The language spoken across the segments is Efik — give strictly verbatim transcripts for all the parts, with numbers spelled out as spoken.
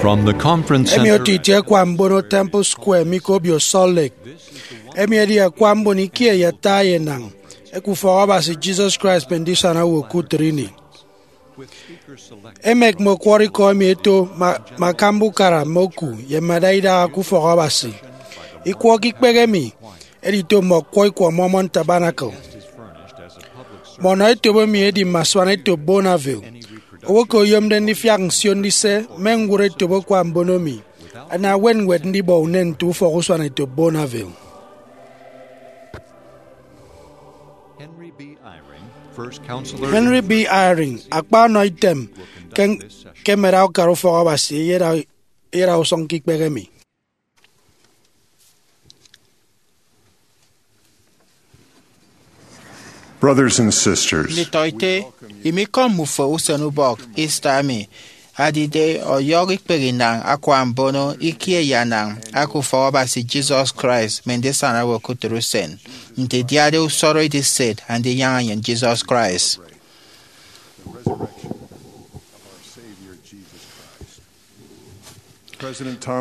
From the conference Emi center otu itie akwa mbono Temple Square mi ke obio Salt Lake. Emi edi akwa mbon ikie ye ata ye enañ eke ufọk Abasi Jesus Christ mme ndisana owo ke utịt ini. Emek mme ọkwọrọ ikọ emi eto ma, ma akamba ukara mme oku ye mme adaidaha ke ufọk Abasi. Ikwọ ke ikpehe emi edito mme ọkwọ ikwọ Mormon Tabernacle. Mme ọnọ etop emi edi mme asuanetop Bonneville. Owo ke oyomde ndifiak nsio ndise mme ñwụre etop akwa mbono emi, ana ewen ñwed ndibọ unen nte ufọk usuanetop Bonneville. Henry B. Eyring, first counselor Henry B. Eyring, akpa ọnọ item ke, ke emeda ukara ufọk Abasi eyeda, eyeda usụñ ke ikpehe emi. Brothers and sisters, nditọete, imikọm mmufo usen ubọk Easter emi adide ọyọhọ ikpehe inañ akwa mbono ikie ye anañ aka ufọk Abasi Jesus Christ mme ndisana owo ke utịt usen, nte idiade usọrọ ediset Andinyaña enyịn Jesus Christ.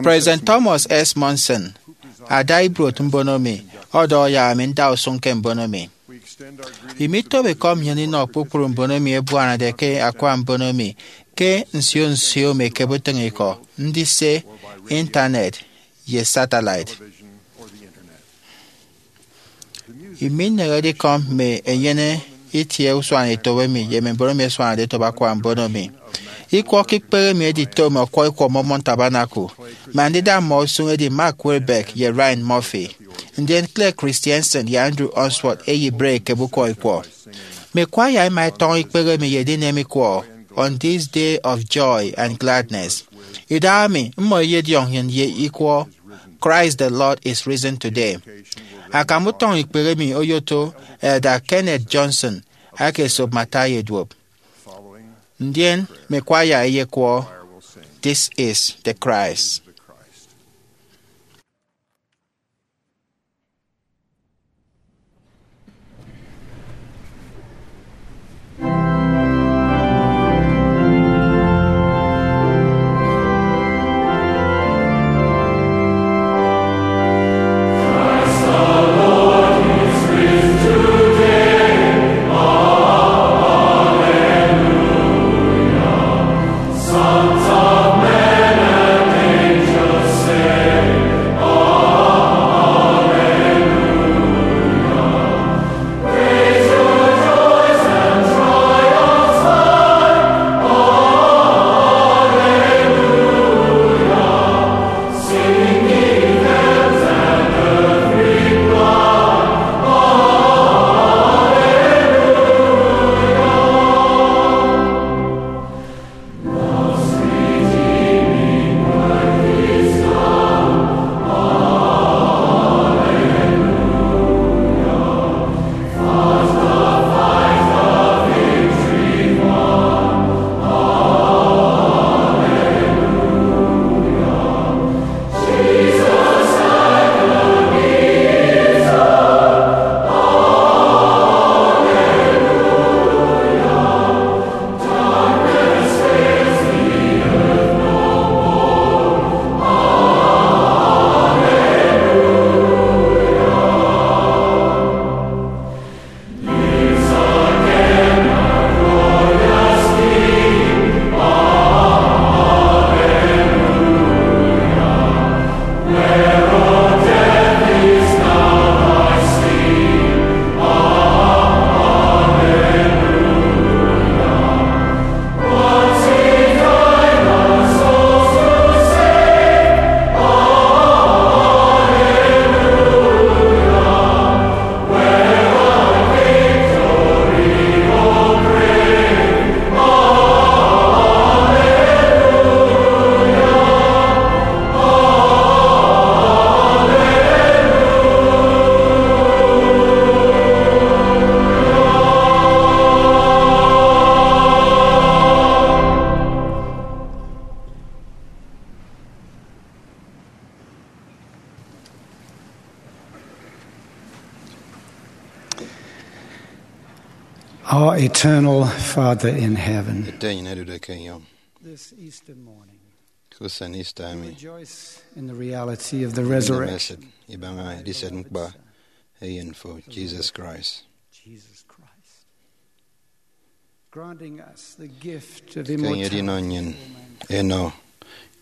President Thomas S. Monson, ada ibuot mbono mi, ọdọhọ yak ami nda usụñ ke mbono mi. Imitop ikọ nnyịn inọ kpukpru mbono emi ebuanade ke akwa mbono mi ke nsio nsio mme ekebe utịñikọ, ndise, intanet, ye satellite. Iminehede ikọ mme enyene itie usuanetop emi ye mme mbon emi ẹsuanade etop akwa mbono mi. Ikwọ ke ikpehe emi edito mme ọkwọ ikwọ Mormon Tabernacle, mme andida mmọ usụñ edi Mark Wilbeck ye Ryan Murphy. Ndien Claire Christensen ye Andrew Unsworth eyibre ekebe ukwọ ikwọ. Mme kwaya ẹma ẹtọñọ ikpehe emi ye edinem ikwọ, On This Day of Joy and Gladness. Idahaemi, mmọ ẹyediọñ nnyịn ye ikwọ, Christ the Lord is risen today. Akam utọñ ikpehe emi oyoto Elder Kenneth Johnson aka esop Matthew eduop. Ndien mme kwaya ẹyekwọ, This is the Christ. Our eternal Father in heaven, Ete enyịn ẹdude ke enyọñ. This Easter morning, ke usen Easter emi. Rejoice in the reality of the resurrection. Esịt ibaña ediset ñkpa eyen fo, Jesus Christ. Jesus Christ. Granting us the gift of immortality. Ke enye edinọ nnyịn enọ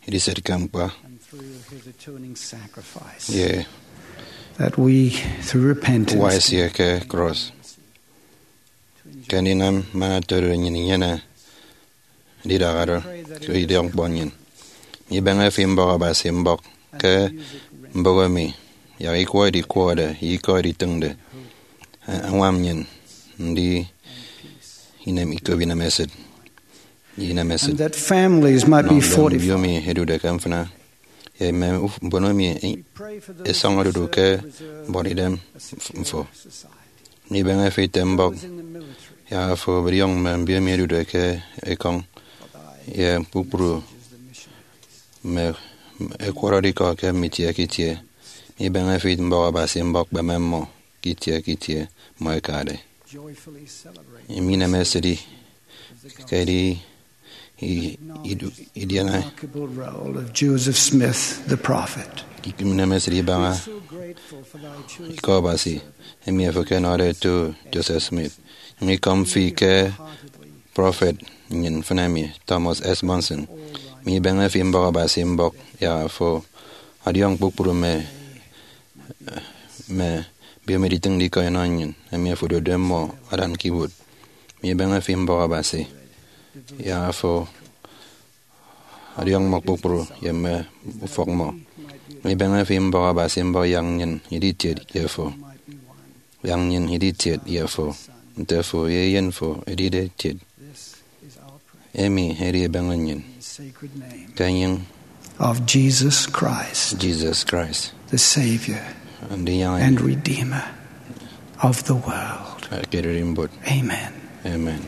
ediset ke ñkpa. And through his atoning sacrifice. Ye. That we, through repentance, uwa esie ke cross. Ke ndinam man otodu nnyịn inyene ndidahado ke idiọkñkpọ nnyịn. Mibeñe fi mbọk Abasi mbọk ke mbụk emi, yak ikwọ edikwọde ye ikọ editịñde, añwam nnyịn ndi inem ikop inemesịt. Inemesịt. And that families might be fortified. Nọ mbiomi ẹdude ke mfịna, ye mme uf-, mbon emi ẹsọñọde odu ke mbuọtidem mfo. Mibeñe fi ite mbọk, yak afo ọbọdiọñ mme mbiomi ẹdude ke ekọñ, ye kpukpru mme ẹkwọrọde ikọ ke mme itie ke itie. Mibeñe fi mbọk Abasi mbọk, kpeme mmọ ke itie ke itie mmọ ẹkade. Emi inemesịt ke edi i-, idu-, idiana. Remarkable role of Joseph Smith, the prophet. Inemesịt ibaña ikọ Abasi emi afo ke enọde eto Joseph Smith. Nyụñ ikọm fi ke prọfet nnyịn mfịn emi, Thomas S. Monson. Mibeñe fi mbọk Abasi mbọk, yak afo ọdiọñ kpukpru mme mme mbiomi editịñde ikọ inọ nnyịn, emi afo odotde mmọ adan ke ibuot. Mibeñe fi mbọk Abasi, yak afo ọdiọñ mmọ kpukpru ye mme ufọk mmọ. Mibeñe fi mbọk Abasi mbọk, yak nnyịn idi itiet ye fo. Yak nnyịn idi itiet ye fo, nte fo ye eyen fo edide itiet. Emi edi ebeñe nnyịn ke enyịñ of Jesus Christ, Jesus Christ, the Savior Ndinyaña and Redeemer of the world. Ekededi mbot. Amen. Amen.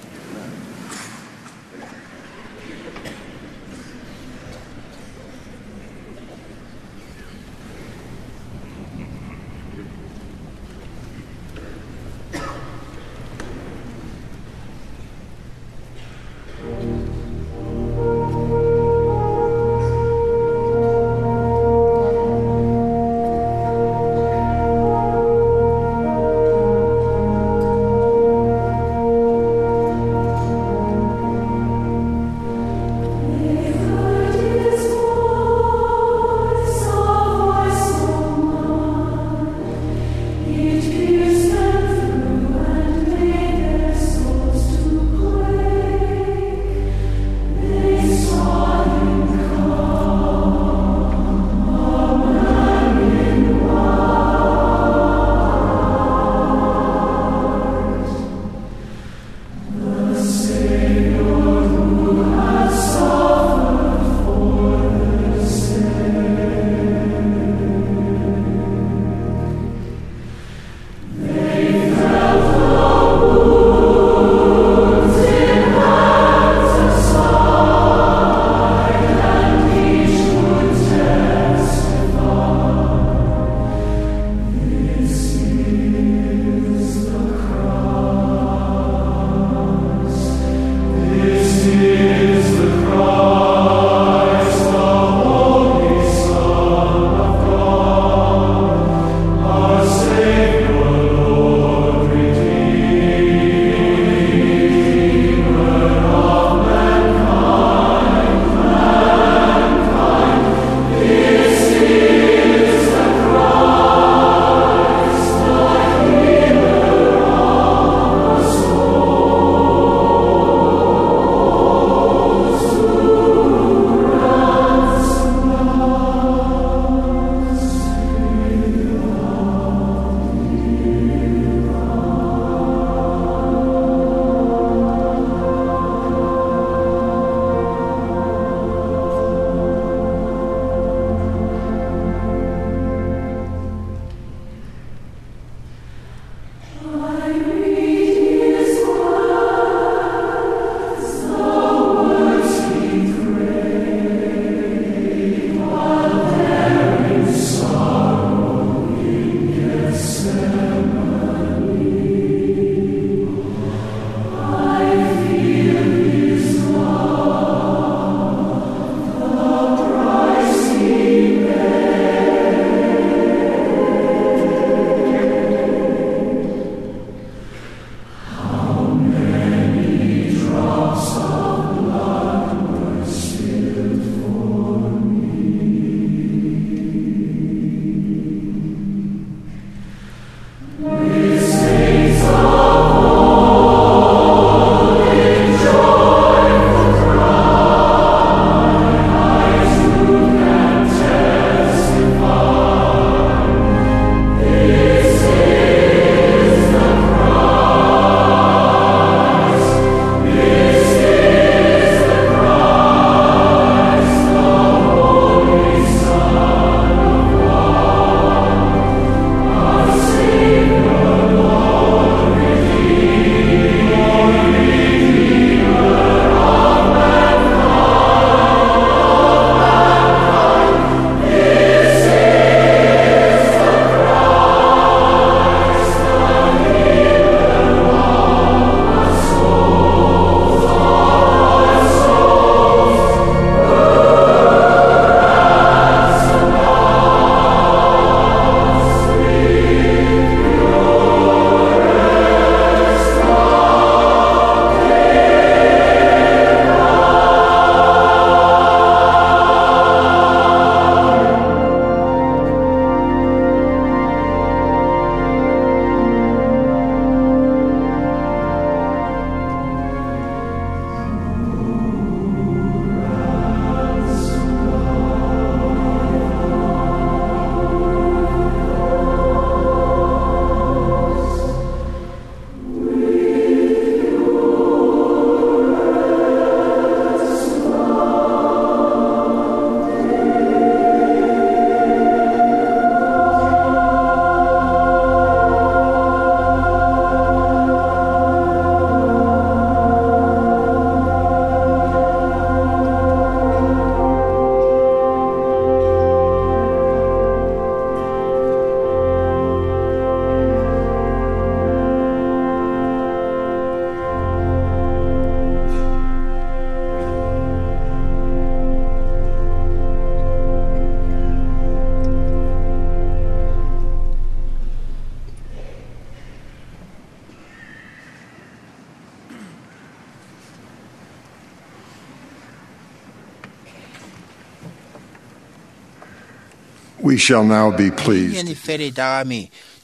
We shall now be pleased. Nnyịn iferi idaha mi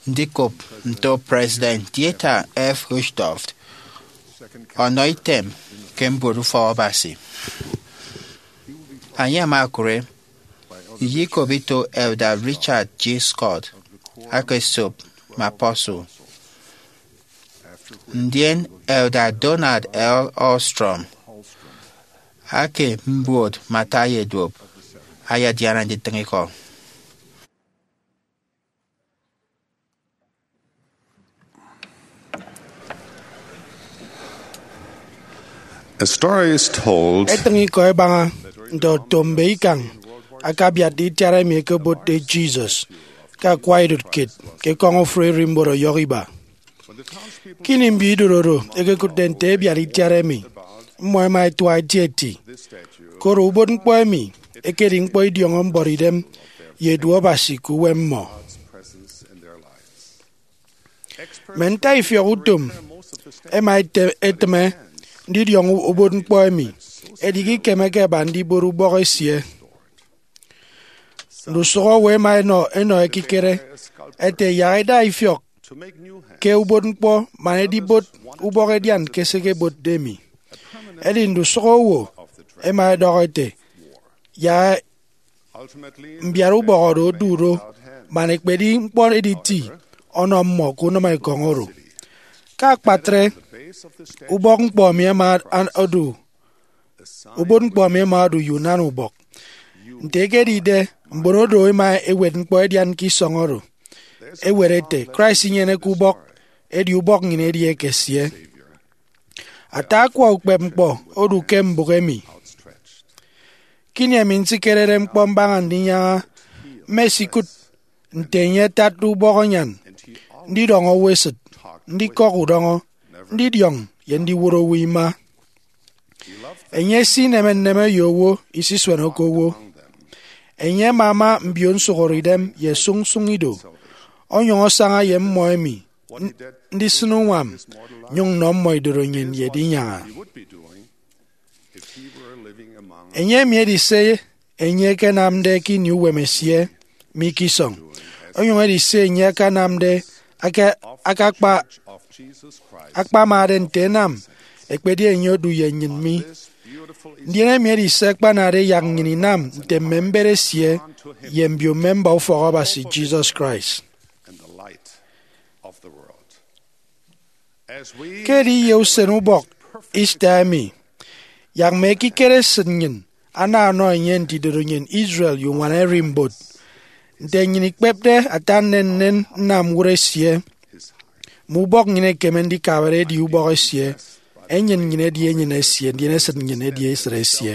ndikop nto President Dieter F. Uchtdorf ọnọ item ke mbuot ufọk Abasi. Enye ama okụre, iyikop ito Elder Richard G. Scott aka esop mme apostle, ndien Elder Donald L. Ostrom aka mbuot mme ata ye duop ayadiana nditịñ ikọ. A story is told. Etịñ ikọ ẹbaña nte oto mbe ikañ akabiatde itiat emi ẹkebotde Jesus ke akwa idụt kiet ke ekọñ ofụri ererimbot ọyọhọ iba. Ke ini mbiidụt oro ẹkekụtde nte ẹbiat itiat emi, mmọ ẹma ẹtua eti eti, koro ubotñkpọ emi ekedi ñkpọ idiọñọ mbuọtidem ye edu Abasi ke uwem mmọ. Mme ntaifiọk utom ẹma ẹte- ẹtịme ndidiọñọ ubotñkpọ emi, edi ikemeke ẹba ndibot ubọk esie. Ndusụk owo ẹma ẹnọ ẹnọ ekikere ẹte yak ẹda ifiọk ke ubotñkpọ man ẹdibot ubọk ẹdian ke se ẹkebotde emi. Edi ndusụk owo ẹma ẹdọhọ ẹte, yak mbiat ubọk oro odu do, man ekpedi ñkpọ editi ọnọ mmọ ke unịm ekọñ oro. Ke akpatre, ubọk ñkpọ emi ẹma an- odu ubotñkpọ emi ẹma odu ye unan ubọk. Nte ekedide, mbon odo ẹma ẹwet ñkpọ ẹdian ke isọñ oro. Ẹwet ẹte, Christ inyeneke ubọk, edi ubọk nnyịn edi ekesie. Ata akwa ukpepñkpọ odu ke mbụk emi. Ke ini emi nsikerede ñkpọ mbaña ndinyaña, mmesikụt nte enye atatde ubọk anyan, ndidọñọ owo esịt, ndikọk udọñọ, ndidiọñ, ye ndiwot owo ima. Enye esineme nneme ye owo, isisueneke owo. Enye amama mbio nsụhọre idem ye sụñsụñ ido, onyụñ asaña ye mmọ emi n- ndisịn uñwam, nyụñ nnọ mmọ idorenyin ye edinyaña. Enye emi edi se enye ekenamde ke ini uwem esie mi ke isọñ, onyụñ edi se enye akanamde aka- akakpa akpamade nte ẹnam ekpedi enye odu ye nnyịn mi. Ndien emi edi se akpanade yak nnyịn inam nte mme mbet esie ye mbio mme mba ufọk Abasi Jesus Christ. Ke ediye usen ubọk Easter emi, yak mme ekikere esịt nnyịn ana ọnọ enye nte idorenyin Israel ye uñwana ererimbot. Nte nnyịn ikpepde ata nnennen nnam ñwụt esie, mme ubọk nnyịn ekeme ndikabare edi ubọk esie, enyịn nnyịn edi enyịn esie, ndien esịt nnyịn edi esịt esie.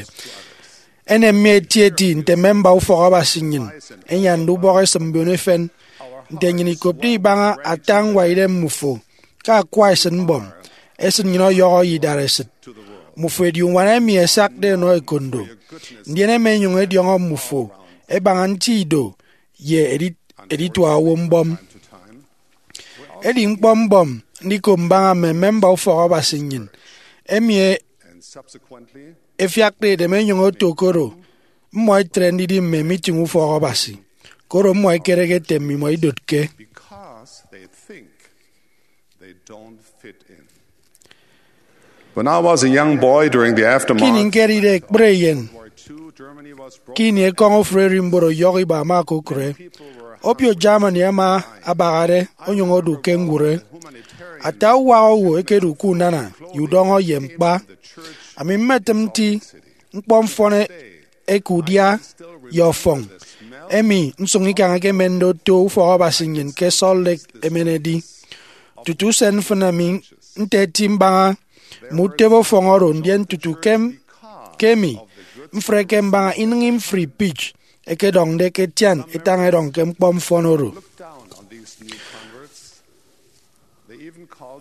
Enem mi etieti nte mme mba ufọk Abasi nnyịn ẹnyande ubọk esịm mbon efen. Nte nnyịn ikopde ibaña ata ñwaidem mmufo ke akwa esịtmbọm, esịt nnyịn ọyọhọ ye idaresịt. Mmufo edi uñwana emi ẹsakde ẹnọ ekondo, ndien ẹma ẹnyụñ ẹdiọñọ mmufo ẹbaña nti ido ye edit- editua owo mbọm. Edi ñkpọ mbọm ndikop mbaña mme mme mba ufọk Abasi nnyịn, emi e- efiakde edem ẹnyụñ oto koro mmọ ẹtre ndidi mme mitiñ ufọk Abasi, koro mmọ ẹkereke ete mmimọ idotke. When I was a young boy during the aftermath, ke ini ñkedide ekpri eyen, ke ini ekọñ ofụri ererimbot ọyọhọ iba ama okokụre, obio Germany ama abahade onyụñ odu ke ñwụre. Ata uwak owo ẹkedu ke unana ye udọñọ ye ñkpa. Ami mmetịm nti ñkpọ mfọn eke udia ye ọfọñ, emi nsụñikañ ẹkemende oto ufọk Abasi nnyịn ke Salt Lake emen edi. Tutu usen mfịn ami nte eti mbaña mme utebe ọfọñ oro, ndien tutu ke, ke emi, mfreke mbaña inịñi mfri pitch ẹkedọñde ke etian etañ ẹdọñ ke ñkpọ mfọn oro.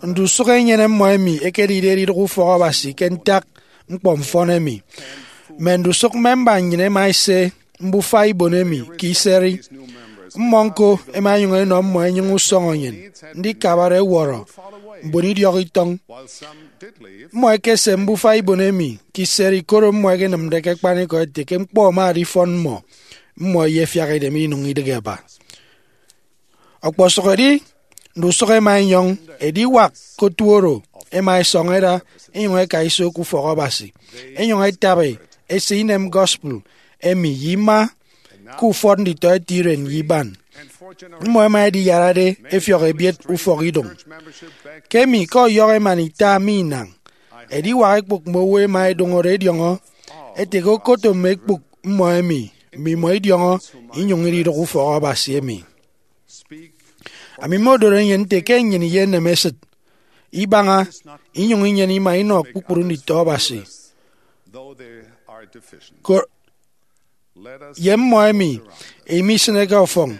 Ndusụk enyene mmọ emi ẹkedide edidụk ufọk Abasi ke ntak ñkpọ mfọn emi. Mme ndusụk memba nnyịn ẹma ẹse mbufa ibon emi ke iseri. Mmọ ñko ẹma ẹnyụñ ẹnọ mmọ ẹnyụñ usọñọ nnyịn ndikabare ẹwọrọ mbon idiọk itọñ. Mmọ ẹkese mbufa ibon emi ke iseri, koro mmọ ẹkenịmde ke akpanikọ ẹte ke ñkpọ ama adifọn mmọ. mmọ ẹyefiak edem inụñ idịghe ẹba. Ọkpọsụkedi ndusụk ẹma ẹnyọñ ediwak ke otu oro ẹma ẹsọñ ẹda ẹnyụñ ẹka iso ke ufọk Abasi, ẹnyụñ ẹtabi ẹse inem gospel emi ye ima ke ufọt nditọete iren ye iban. Mmọ ẹma ẹdiyarade ẹfiọk ebiet ufọkidụñ. Ke emi ke ọyọhọ emana ita mi inañ, ediwak ekpụk mme owo ẹma ẹdụñọde ẹdiọñọ ẹte ke okoto mme ekpụk mmọ ẹmi mmimọ idiọñọ inyụñ ididụk ufọk Abasi emi. Ami mmodoro nnyịn nte ke nnyịn iyenem esịt ibaña inyụñ inyene ima inọ kpukpru nditọ Abasi, ko- ye mmọ emi imisịneke ọfọñ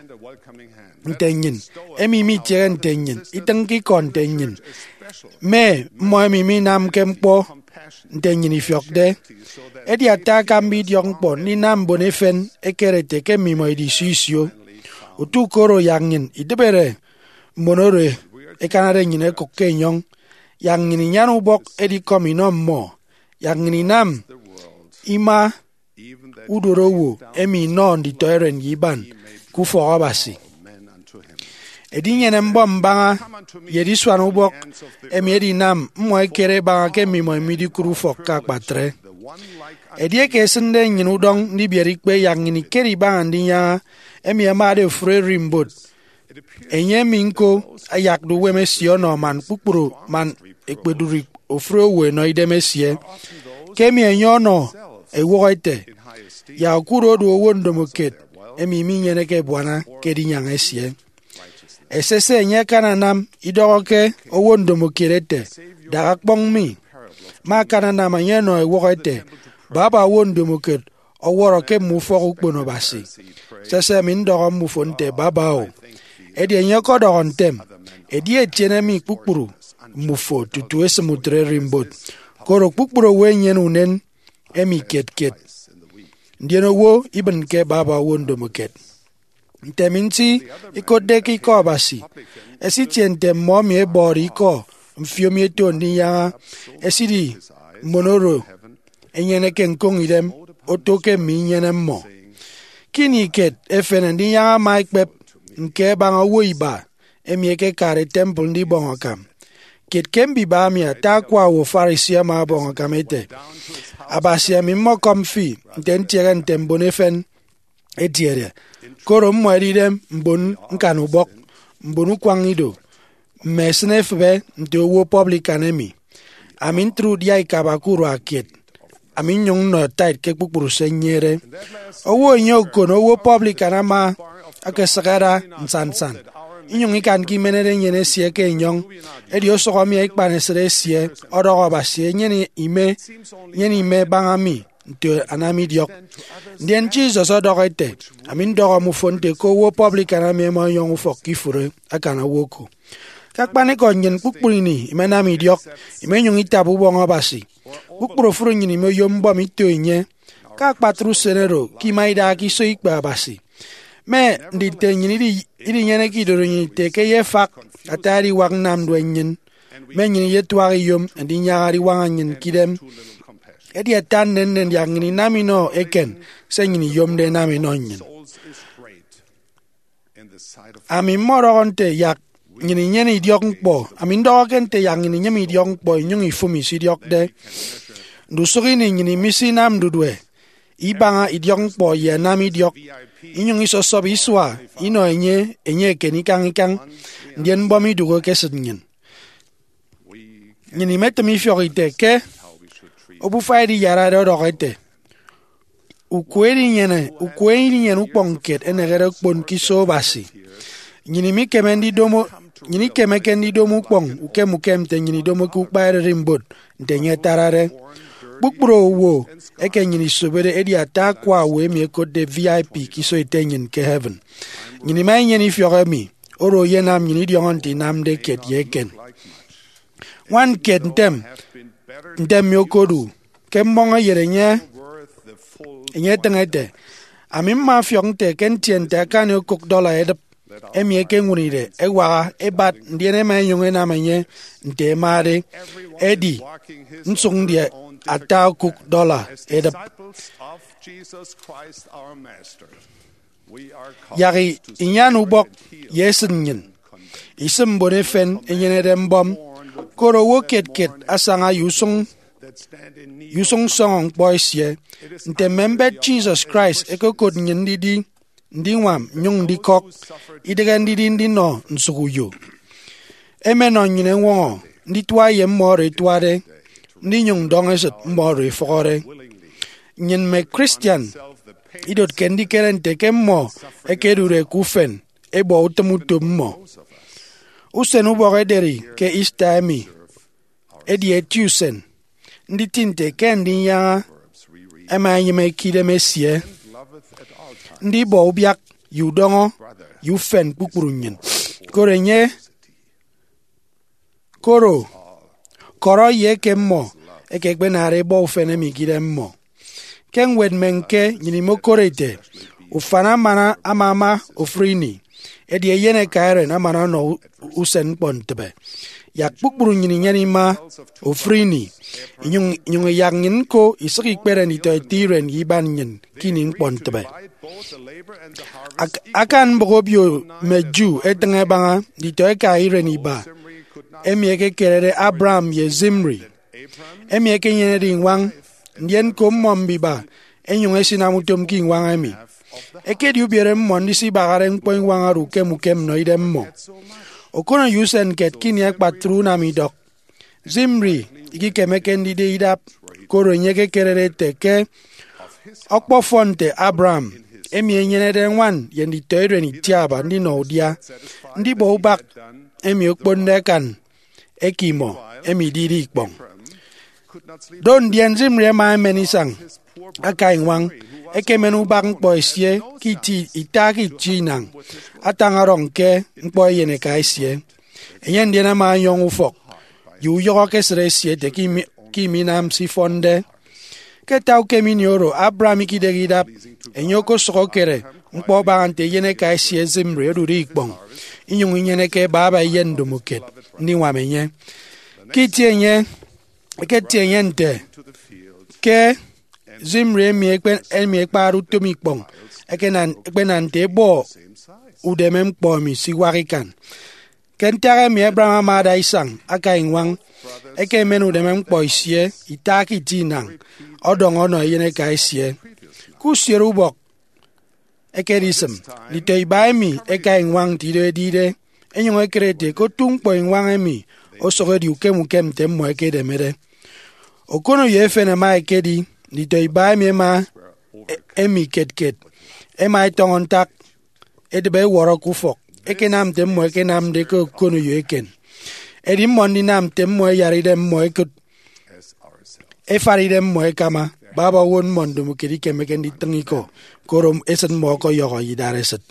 nte nnyịn, emi imitiehe nte nnyịn, itịñke ikọ nte nnyịn, mme mmọ emi minamke ñkpọ nte nnyịn ifiọkde. Edi ata akamba idiọk ñkpọ ndinam mbon efen ẹkere ẹte ke mmimọ idi isio isio. Utu ke oro, yak nnyịn idịbere mbon oro ẹkanade nnyịn ẹkụk ke enyọñ, yak nnyịn inyan ubọk edikọm inọ mmọ, yak nnyịn inam ima udodowo emi inọ nditọiren ye iban ke ufọk Abasi. Edinyene mbọm mbaña ye edisuan ubọk emi edinam mmọ ẹkere ẹbaña ke mmimọ imidikụt ufọk ke akpatre. Edieke ẹsịnde nnyịn udọñ ndibiere ikpe, yak nnyịn ikere ibaña ndinyaña emi ẹmade ofụri ererimbot, enye emi ñko ayakde uwem esie ọnọ man kpukpru man ekpedụri ofụri owo ẹnọ idem esie. Ke emi enye ọnọ ewụhọ ete, yak okụre odu owo ndomokiet emi minyeneke ebuana ke edinyaña esie. Esese enye akananam idọhọ ke owo ndomokiet ete, "Dak ọkpọñ mi." Ma akananam enye ọnọ ewụhọ ete, "Baba owo ndomokiet ọwọrọ ke mme ufọk ukpono Abasi." Sese emi ndọhọ mmufo nte, "Baba o." Edi enye ọkọdọhọ ntem, "Edi etiene mi kpukpru mmufo tutu esịm utre ererimbot, koro kpukpru owo ẹnyene unen emi kiet kiet." Ndien owo ibịnke baba owo ndomokiet. Nte ami nti ikotde ke ikọ Abasi, ẹsitie nte mmọ emi ẹbọde ikọ mfio mi ẹto ndinyaña, ẹsidi mbon oro ẹnyeneke ñkoñ idem oto ke mme inyene mmọ. Ke ini kiet efen, ndinyaña ama ekpep ñke ẹbaña owo iba emi ẹkekade temple ndibọñ akam. Kiet ke mbiba emi, ata akwa owo Pharisee ama ọbọñ akam ete, "Abasi, ami mmọkọm fi nte ntiehe nte mbon efen ẹtiede, koro mmọ ẹdide mbon ñkanubọk, mbon ukwañ ido, mme esịne efịbe nte owo publican emi. Ami ntre udia ikaba ke urua kiet, ami nnyụñ nnọ tithe ke kpukpru se nnyịnede." Owo enye okono owo publican ama akasịk ada nsannsan, inyụñ ikanke imenede enyịn esie ke enyọñ. Edi osụhọ mi ikpanesịt esie ọdọhọ Abasi enyene ime, nyene ime baña mi nte anamidiọk. Ndien Jesus ọdọhọ ete, "Ami ndọhọ mmufo nte ke owo publican emi ẹma ẹnyọñ ufọk ke ifụre akan owo oko." Ke akpanikọ, nnyịn kpukpru ini imenam idiọk, imenyụñ itaba ubọñ Abasi. Kpukpru ofụri nnyịn imoyom mbọm ito enye. Ke akpatre usen oro, ke ima idaha ke iso ikpe Abasi, mme nditọ nnyịn idi- idinyeneke idorenyin ite ke eyefak ata ediwak nnamdue nnyịn, mme nnyịn iyetuak iyom ndinyaña ediwaña nnyịn ke idem. Edi ata nnennen yak nnyịn inam inọ eken se nnyịn iyomde ẹnam inọ nnyịn. Ami mmọdọhọ nte yak nnyịn inyene idiọk ñkpọ. Ami ndọhọke nte yak nnyịn inyem idiọk ñkpọ inyụñ ifụmi se idiọkde. Ndusụk ini nnyịn imisinam ndudue ibaña idiọk ñkpọ ye ẹnam idiọk, inyụñ isọsọp isua inọ enye enye eken ikañ ikañ, ndien mbọm idụhe ke esịt nnyịn. Nnyịn imetịm ifiọk ite ke obufa ediyarade ọdọhọ ete, "Ukwe edinyene, ukwe edinyene ukpọñ kiet enehede okpon ke iso Abasi." Nnyịn imikeme ndidomo, nnyịn ikemeke ndidomo ukpọñ ukem ukem nte nnyịn idomoke ukpa ererimbot nte enye atarade. Kpukpru owo eke nnyịn isobode edi ata akwa owo emi ẹkotde V I P ke iso ete nnyịn ke heaven. Nnyịn ima inyene ifiọk emi, oro eyenam nnyịn idiọñọ nte inamde kiet ye eken. Ñwan kiet ntem, ntem mi okodu ke mmọñeyet enye, enye etịñ ete, "Ami mma mfiọk nte ke ntie nte akani okụk dollar edịp emi ẹkeñwụride ẹwaha ẹbat, ndien ẹma ẹnyụñ ẹnam enye nte ẹmade. Edi, nsụk ndi ata okụk dollar edịp." Yak inyan ubọk ye esịt nnyịn isịm mbon efen ẹnyenede mbọm, koro owo kiet kiet asaña ye usụñ ye usụñ nsọñọ ñkpọ esie. Nte mme mbet Jesus Christ ẹkokot nnyịn ndidi ndiñwam nnyụñ ndikọk, idịghe ndidi ndinọ nsụkuyo. Emenọ nnyịn eñwọñọ nditua ye mmọ oro ẹtuade, ndinyụñ ndọñesịt mmọ oro ẹfụhọde. Nnyịn mme Christian idotke ndikere nte ke mmọ ẹkedụre ke ufen ẹbọ utịm utom mmọ. Usen ubọk ederi ke Easter emi edi eti usen. Nditi nte ke ndinyaña ẹma ẹnyịme ke idem esie, ndibọ ubiak ye udọñọ ye ufen kpukpru nnyịn. Koro enye koro kọrọ ye eke mmọ ẹkekpenade ẹbọ ufen emi ke idem mmọ. Ke ñwed Mme Ñke, nnyịn imokoro ete, ufan amana amama ofụri ini, edi eyen eka eren amana ọnọ u- usen ñkpọntịbe. Yak kpukpru nnyịn inyene ima ofụri ini, inyụñ inyụñ iyak nnyịn ñko isịk ikpere nditọ ete iren ye iban nnyịn ke ini ñkpọntịbe. Ak- akan mbụk obio mme Jew etịñ ẹbaña nditọ ẹka iren iba emi ẹkekerede Abraham ye Zimri, emi ẹkenyenede iñwañ, ndien ko mmọ mbiba ẹnyụñ ẹsinam utom ke iñwañ emi. Ekedi ubiere mmọ ndisibahare ñkpọ iñwañ oro ukem ukem nnọ idem mmọ. Okono ye usen kiet ke ini akpatre unam idọk, Zimri ikikemeke ndide idap, koro enye ekekerede ete ke ọkpọfọn nte Abraham, emi enyenede ñwan ye nditọiren itiaba ndinọ udia, ndibọ ubak emi okponde akan eke imọ emi idide ikpọñ. Do ndien Zimri ama emen isañ aka iñwañ, ekemen ubak ñkpọ esie ke iti ita ke itie inañ, atañ ọdọñ ke ñkpọ eyeneka esie. Enye ndien ama ọnyọñ ufọk ye uyọhọ ke esịt esie ete ke imi- ke iminam se ifọnde. Ke ata ukem ini oro, Abraham ikidịghe idap, enye okosụk okere ñkpọ abaña nte eyeneka esie Zimri odude ikpọñ, inyụñ inyeneke baba eyen ndomokiet ndiñwam enye. Ke itie enye, eketie enye nte ke Zimri emi ekpe- emi ẹkpade utom ikpọñ ekena- ekpenam nte ebọ udeme ñkpọ emi siwak ikan. Ke ntak emi Abraham ama ada isañ aka iñwañ, ekemen udeme ñkpọ esie ita ke itie inañ, ọdọñ ọnọ eyeneka esie. Ke usiere ubọk, ekedisịm nditọ iba emi ẹka iñwañ nte ido edide, enyụñ ekere ete ke otu ñkpọ iñwañ emi osụk edi ukem ukem nte mmọ ẹkedemede. Okono ye efen ẹma ẹkedi nditọ iba emi ẹma emi kiet kiet ẹma ẹtọñọ ntak edịbe ẹwọrọ ke ufọk ẹkenam nte mmọ ẹkenamde ke okono ye eken. Edi mmọ ndinam nte mmọ ẹyara idem mmọ ẹkụt ẹfat idem mmọ ẹkama baba owo mmọ ndomokiet ikemeke nditịñ ikọ, koro esịt mmọ ọkọyọhọ ye idaresịt.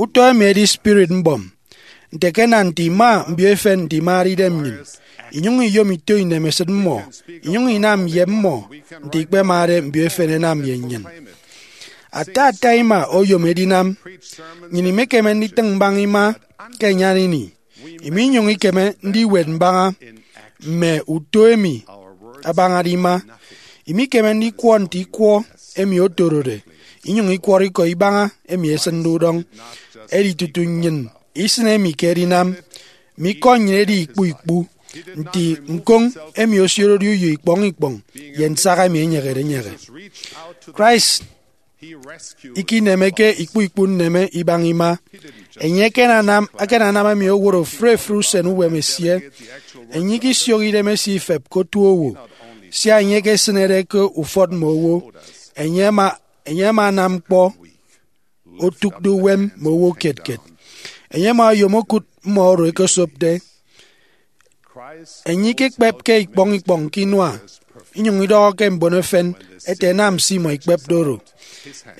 Utọ emi edi spirit mbọm, nte ke nna nte ima mbio efen nte imade idem nnyịn, inyụñ iyom ito inemesịt mmọ, inyụñ inam ye mmọ nte ikpemade mbio efen ẹnam ye nnyịn. Ata ata ima oyom edinam. Nnyịn imekeme nditịñ mbaña ima ke enyan ini, iminyụñ ikeme ndiwet mbaña mme uto emi abañade ima. Imikeme ndikwọ nte ikwọ emi otorode, inyụñ ikwọrọ ikọ ibaña emi esịnde udọñ. Edi tutu nnyịn isịn emi ke edinam, mme ikọ nnyịn edi ikpu ikpu nti ñkoñ emi osiorede uyo ikpọñ ikpọñ ye nsak emi enyịghede enyịghe. Christ ikinemeke ikpu ikpu nneme ibaña ima. Enye akananam akananam emi owot ofụri ofụri usen uwem esie. Enye ikisiok idem esie ifep ke otu owo, sia enye ekesịnede ke ufọt mme owo. Enye ama enye ama anam ñkpọ otụkde uwem mme owo kiet kiet. Enye ama oyom okụt mmọ oro ẹkesopde. Enye ikekpepke ikpọñ ikpọñ ke inua, inyụñ idọhọ ke mbon efen ete ẹnam se imọ ikpepde oro.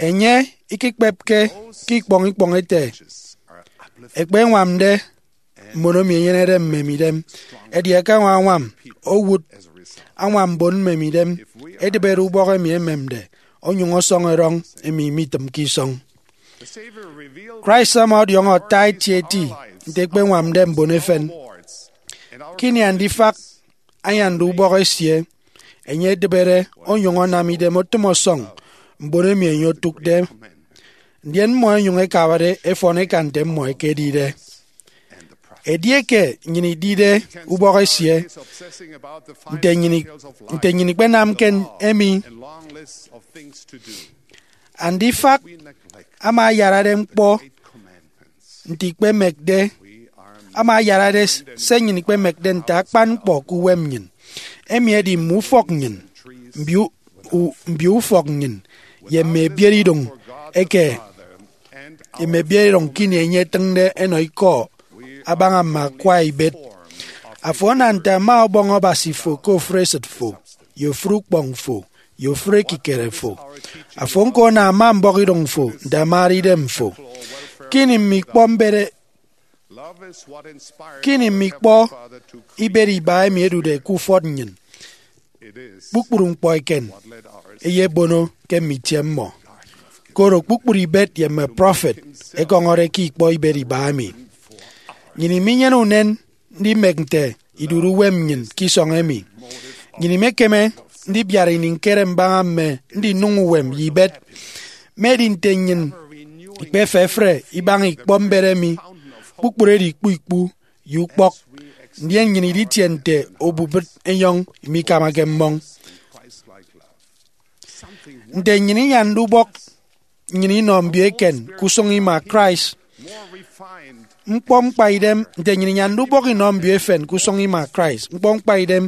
Enye ikekpepke ke ikpọñ ikpọñ ete ẹkpeñwamde mbon emi ẹnyenede mmemidem, edi ẹkañwam añwam owụt añwam mbon mmemidem. Edịbede ubọk emi ememde onyụñ ọsọñ erọñ emi mitịmke isọñ. Christ ama ọdiọñọ ata etieti nte ẹkpeñwamde mbon efen. Ke ini andifak anyande ubọk esie, enye edịbede onyụñ anam idem otịm ọsọñ mbon emi enye otụkde. ndien mmọ ẹnyụñ ẹkabade ẹfọn ẹkan nte mmọ ẹkedide. Edieke nnyịn idide ubọk esie, nte nnyịn, nte nnyịn ikpenamke emi? Andifak ama ayarade ñkpọ nte ikpemekde, ama ayarade se nnyịn ikpemekde nte akpan ñkpọ ke uwem nnyịn. Emi edi mme ufọk nnyịn, mbio, u, mbio ufọk nnyịn, ye mme ebiereidụñ eke, ye mme ebiereidụñ ke ini enye etịñde enọ ikọ abaña mme akwa ibet. Afo ana nte ama ọbọñ Abasi fo ke ofụri esịt fo, ye ofụri ukpọñ fo, ye ofụri ekikere fo. Afo ñko ana ama mbọhọidụñ fo nte amade idem fo. Ke ini mme ikpọ mbere, ke ini mme ikpọ ibet iba emi ẹdude ke ufọt nnyịn, kpukpru ñkpọ eken ẹyebono ke mme itie mmọ. Koro kpukpru ibet ye mme prọfet ẹkọñọde ke ikpọ ibet iba emi. Nnyịn iminyene unen ndimek nte idude uwem nnyịn ke isọñ emi. Nnyịn imekeme ndibiara ini ñkere mbaña mme ndinụñ uwem ye ibet. Mme edi nte nnyịn ikpefefre ibaña ikpọ mbet emi, kpukpru edi ikpu ikpu ye ukpọk, ndien nnyịn iditie nte obubịt enyọñ imikamake mmọñ. Nte nnyịn inyande ubọk nnyịn inọ mbio eken ke usụñ ima Christ, ñkpọ ñkpaidem, nte nnyịn inyande ubọk inọ mbio efen ke usụñ ima Christ, ñkpọ ñkpaidem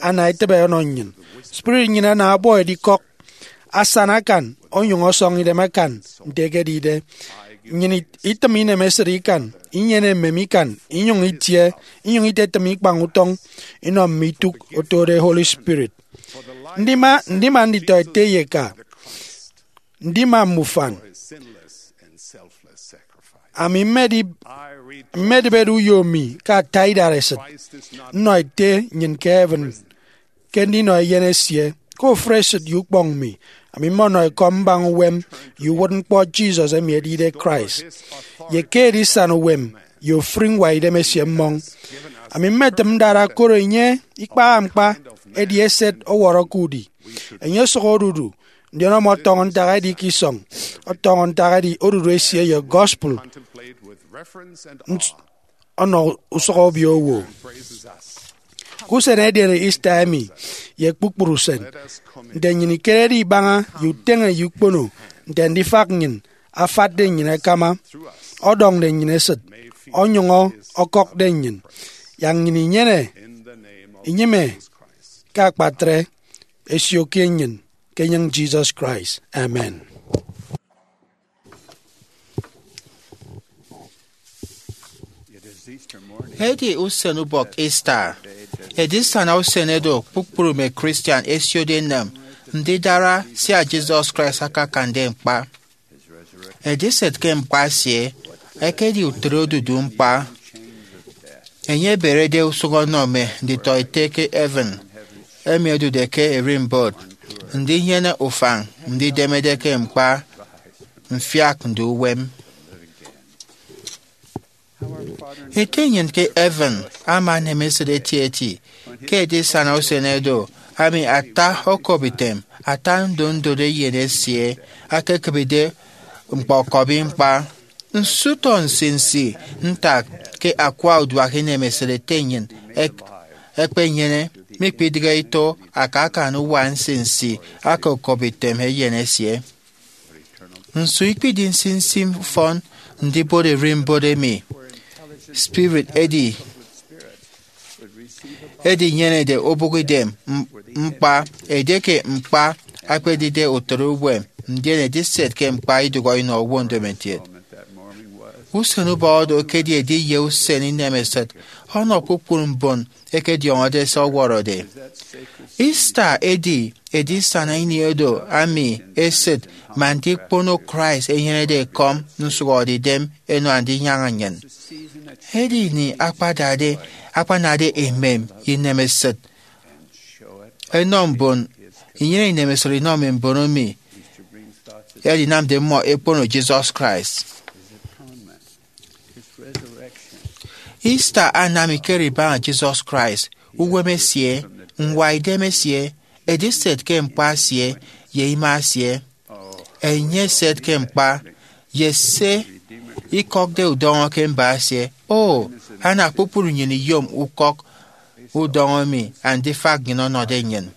ana etịbe ọnọ nnyịn. Spirit nnyịn ana ọbọ edikọk, asana akan, onyụñ ọsọñ idem akan nte ekedide. Nnyịn it-, itịm inemesịt ikan, inyene emem ikan, inyụñ itie, inyụñ itetịm ikpañ utọñ inọ mme itụk otode Holy Spirit. Ndima, ndima nditọete ye eka, ndima mme ufan. Ami mmedi-, mmedịbede uyo mi ke ata idaresịt, nnọ Ete nnyịn ke heaven ke ndinọ eyen esie. Ke ofụri esịt ye ukpọñ mi, ami mmọnọ ekọm mbaña uwem ye uwụtñkpọ Jesus emi edide Christ, ye ke edisana uwem ye ofụri ñwaidem esie mmọñ. Ami mmetịm ndara, koro enye ikpaha ñkpa, edi eset ọwọrọ ke udi. Enye osụk odudu, ndien ọmọtọñọ ntak edi ke isọñ, ọtọñọ ntak edi odudu esie ye gospel ns-, ọnọ usụk obio owo. Ke usen ederi Easter emi, ye kpukpru usen, nte nnyịn ikerede ibaña ye uteñe ye ukpono, nte ndifak nnyịn afatde nnyịn akama, ọdọñde nnyịn esịt, onyụñ ọkọkde nnyịn, yak nnyịn inyene inyịme ke akpatre, ẹsio kiet nnyịn ke enyịñ Jesus Christ. Amen. Edi usen ubọk Easter, edisana usen edo kpukpru mme Christian ẹsiode enịm ndidara sia Jesus Christ akakande ñkpa. Ediset ke ñkpa esie ekedi utịt odudu ñkpa. Enye eberede usụñ ọnọ mme nditọete ke heaven emi ẹdude ke ererimbot ndinyene ufañ ndidemede ke ñkpa mfiak ndu uwem. Ete nnyịn ke heaven ama enem esịt etieti ke edisana usen edo, ami ata okobitem, ata ndondot eyen esie akekịbide ñkpọkọbi ñkpa. Nso utọ nsinsi ntak ke akwa uduak inemesịt ete nnyịn ek-, ekpenyene, mikpidịghe ito akakan uwa nsinsi aka okobitem eyen esie? Nso ikpidi nsinsi ufọn ndibot ererimbot emi spirit edi edinyenede obụk idem m-, ñkpa, edieke ñkpa ekpedide utịt uwem, ndien ediset ke ñkpa idụhọ inọ owo ndomokiet? Usen ubọhọ do ekedi ediye usen inemesịt ọnọ kpukpru mbon ẹkediọñọde se ọwọrọde. Easter edi edisana ini edo ami esịt man ndikpono Christ enyenede ekọm nsụhọdeidem ẹnọ Andinyaña nnyịn. Edi ini akpadade, akpanade emem ye inemesịt ẹnọ mbon, inyene inemesịt inọ mme mbon emi ẹdinamde mmọ ẹkpono Jesus Christ. Easter anam ikere ibaña Jesus Christ, uwem esie, ñwaidem esie, ediset ke ñkpa esie, ye ima esie. Enye eset ke ñkpa, ye se ikọkde udọñọ ke mba esie. O, ana kpukpru nnyịn iyom ukọk udọñọ emi andifak nnyịn ọnọde nnyịn.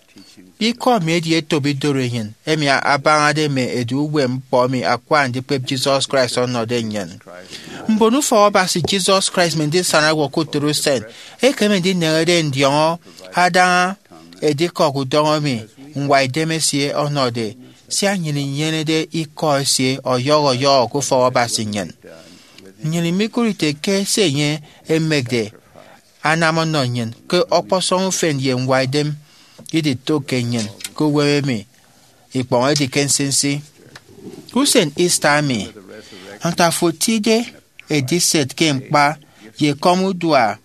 Ikọ emi edi etop idoro enyịn emi abañade mme edu uwem ñkpọ emi akwa andikpep Jesus Christ ọnọde nnyịn. Mbon ufọk Abasi Jesus Christ mme ndisana owo ke utịt usen ekeme ndineñede ndiọñọ adaña edikọk udọñọ emi ñwaidem esie ọnọde, sia nnyịn inyenede ikọ esie ọyọhọ ọyọhọ ke ufọk Abasi nnyịn. Nnyịn imikụre ite ke se enye emekde anam ọnọ nnyịn ke ọkpọsọñ ufen ye ñwaidem iditụkke nnyịn ke uwem emi ikpọñ edi ke nsinsi. Usen Easter emi, nte afo etide ediset ke ñkpa ye ekọm udua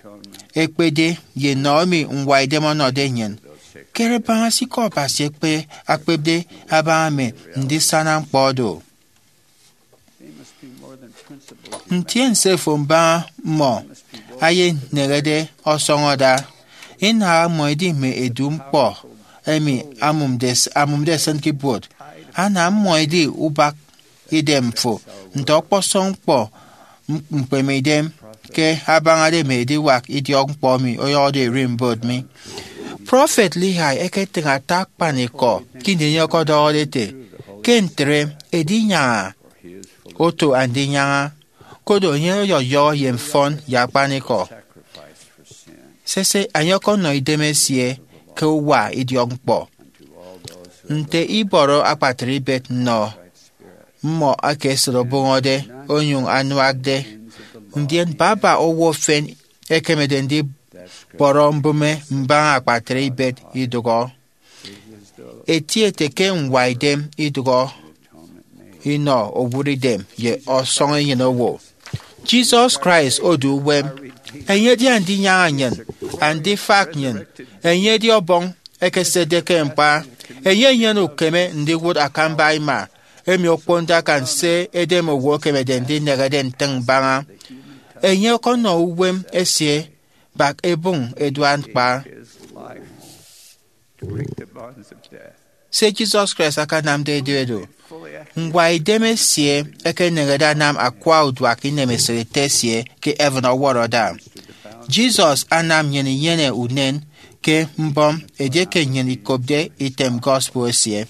ekpede ye nnọ emi ñwaidem ọnọde nnyịn, kere baña se ikọ Abasi ekpe akpepde abaña mme ndisana ñkpọ do. Ntiense fo mbaña mmọ eyeneñede ọsọñọ ada. Inaha mmọ edi mme edu ñkpọ emi amụmde s- amụmde esịn ke ibuot. Ana mmọ edi ubak idem fo nte ọkpọsọñ ñkpọ m- ñkpemeidem ke abañade mme ediwak idiọkñkpọ emi ọyọhọde ererimbot mi. Prọfet Lehi eketịñ ata akpanikọ ke ini enye ọkọdọhọde ete, ke ntre, edinyaña oto andinyaña, koro enye ọyọyọhọ ye mfọn ye akpanikọ. Sese, enye ọkọnọ idem esie ke uwa idiọkñkpọ. Nte ibọrọ akpatre ibet nnọ mmọ eke esịt obụñọde onyụñ anuakde, ndien baba owo efen ekemede ndibọrọ mbụme mbaña akpatre ibet idụhọ. Eti ete ke ñwaidem idụhọ inọ owụtidem ye ọsọñ enyịn owo. Jesus Christ odu uwem. Enye edi andinyaña nnyịn, andifak nnyịn. Enye edi Ọbọñ ekesetde ke ñkpa. Enye enyene ukeme ndiwụt akamba ima emi okponde akan se edem owo ekemede ndinehede ntịñ mbaña. Enye ọkọnọ uwem esie bak ebụñ eduan ñkpa. Se Jesus Christ akanamde edi edu. Ñwaidem esie ekeneñede anam akwa uduak inemesịt Ete esie ke heaven ọwọrọ ada. Jesus anam nnyịn inyene unen ke mbọm edieke nnyịn ikopde item gospel esie.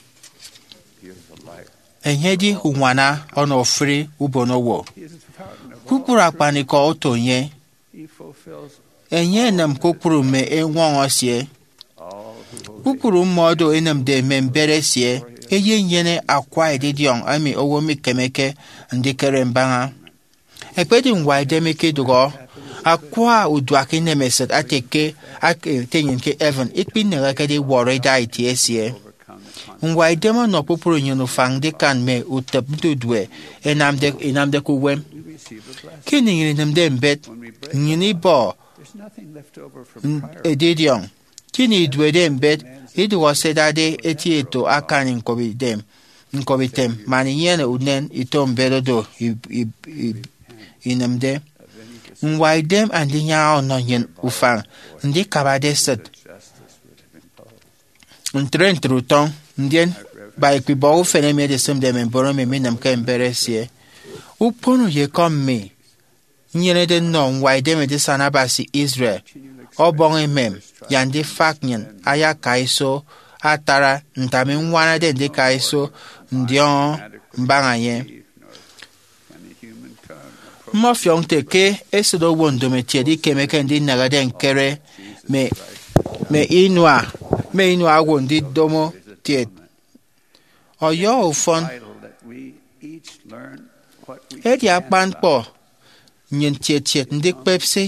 Enye edi uñwana ọnọ ofụri ubonowo. Kpukpru akpanikọ oto enye. Enye enịm kpukpru mme eñwọñọ esie. Kpukpru mmọdo enịmde mme mbet esie eyenyene akwa edidiọñ emi owo mikemeke ndikere mbaña. Ekpedi ñwaidem ikidụhọ, akwa uduak inemesịt ate ke ake ete nnyịn ke heaven ikpineñekede iwọrọ ida itie esie. Ñwaidem ọnọ kpukpru nnyịn ufañ ndikan mme utịp ndudue ẹnamde inamde ke uwem. Ke ini nnyịn inịmde mbet, nnyịn ibọ edidiọñ. Ke ini iduede mbet, idụhọ se ẹdade eti eto akan ñkop item, ñkop item, man inyene unen ito mbet odo i- i- i- inịmde. Ñwaidem andinyaña ọnọ nnyịn ufañ ndikabade esịt. Ntre ntre utọñ, ndien ba ikpibọk ufen emi edisịmde mme mbon emi minịmke mbet esie. Ukpono ye ekọm mi, nnyenede nnọ ñwaidem edisana Abasi Israel, Ọbọñ emem, ye andifak nnyịn ayaka iso atara nte ami ññwanade ndika iso ndiọñọ mbaña enye. Mmọfiọk nte ke esịt owo ndomokiet ikemeke ndinehede ñkere mme mme inua mme inua owo ndidomo kiet. Ọyọhọ ufọn. Edi akpan ñkpọ nnyịn kiet kiet ndikpep se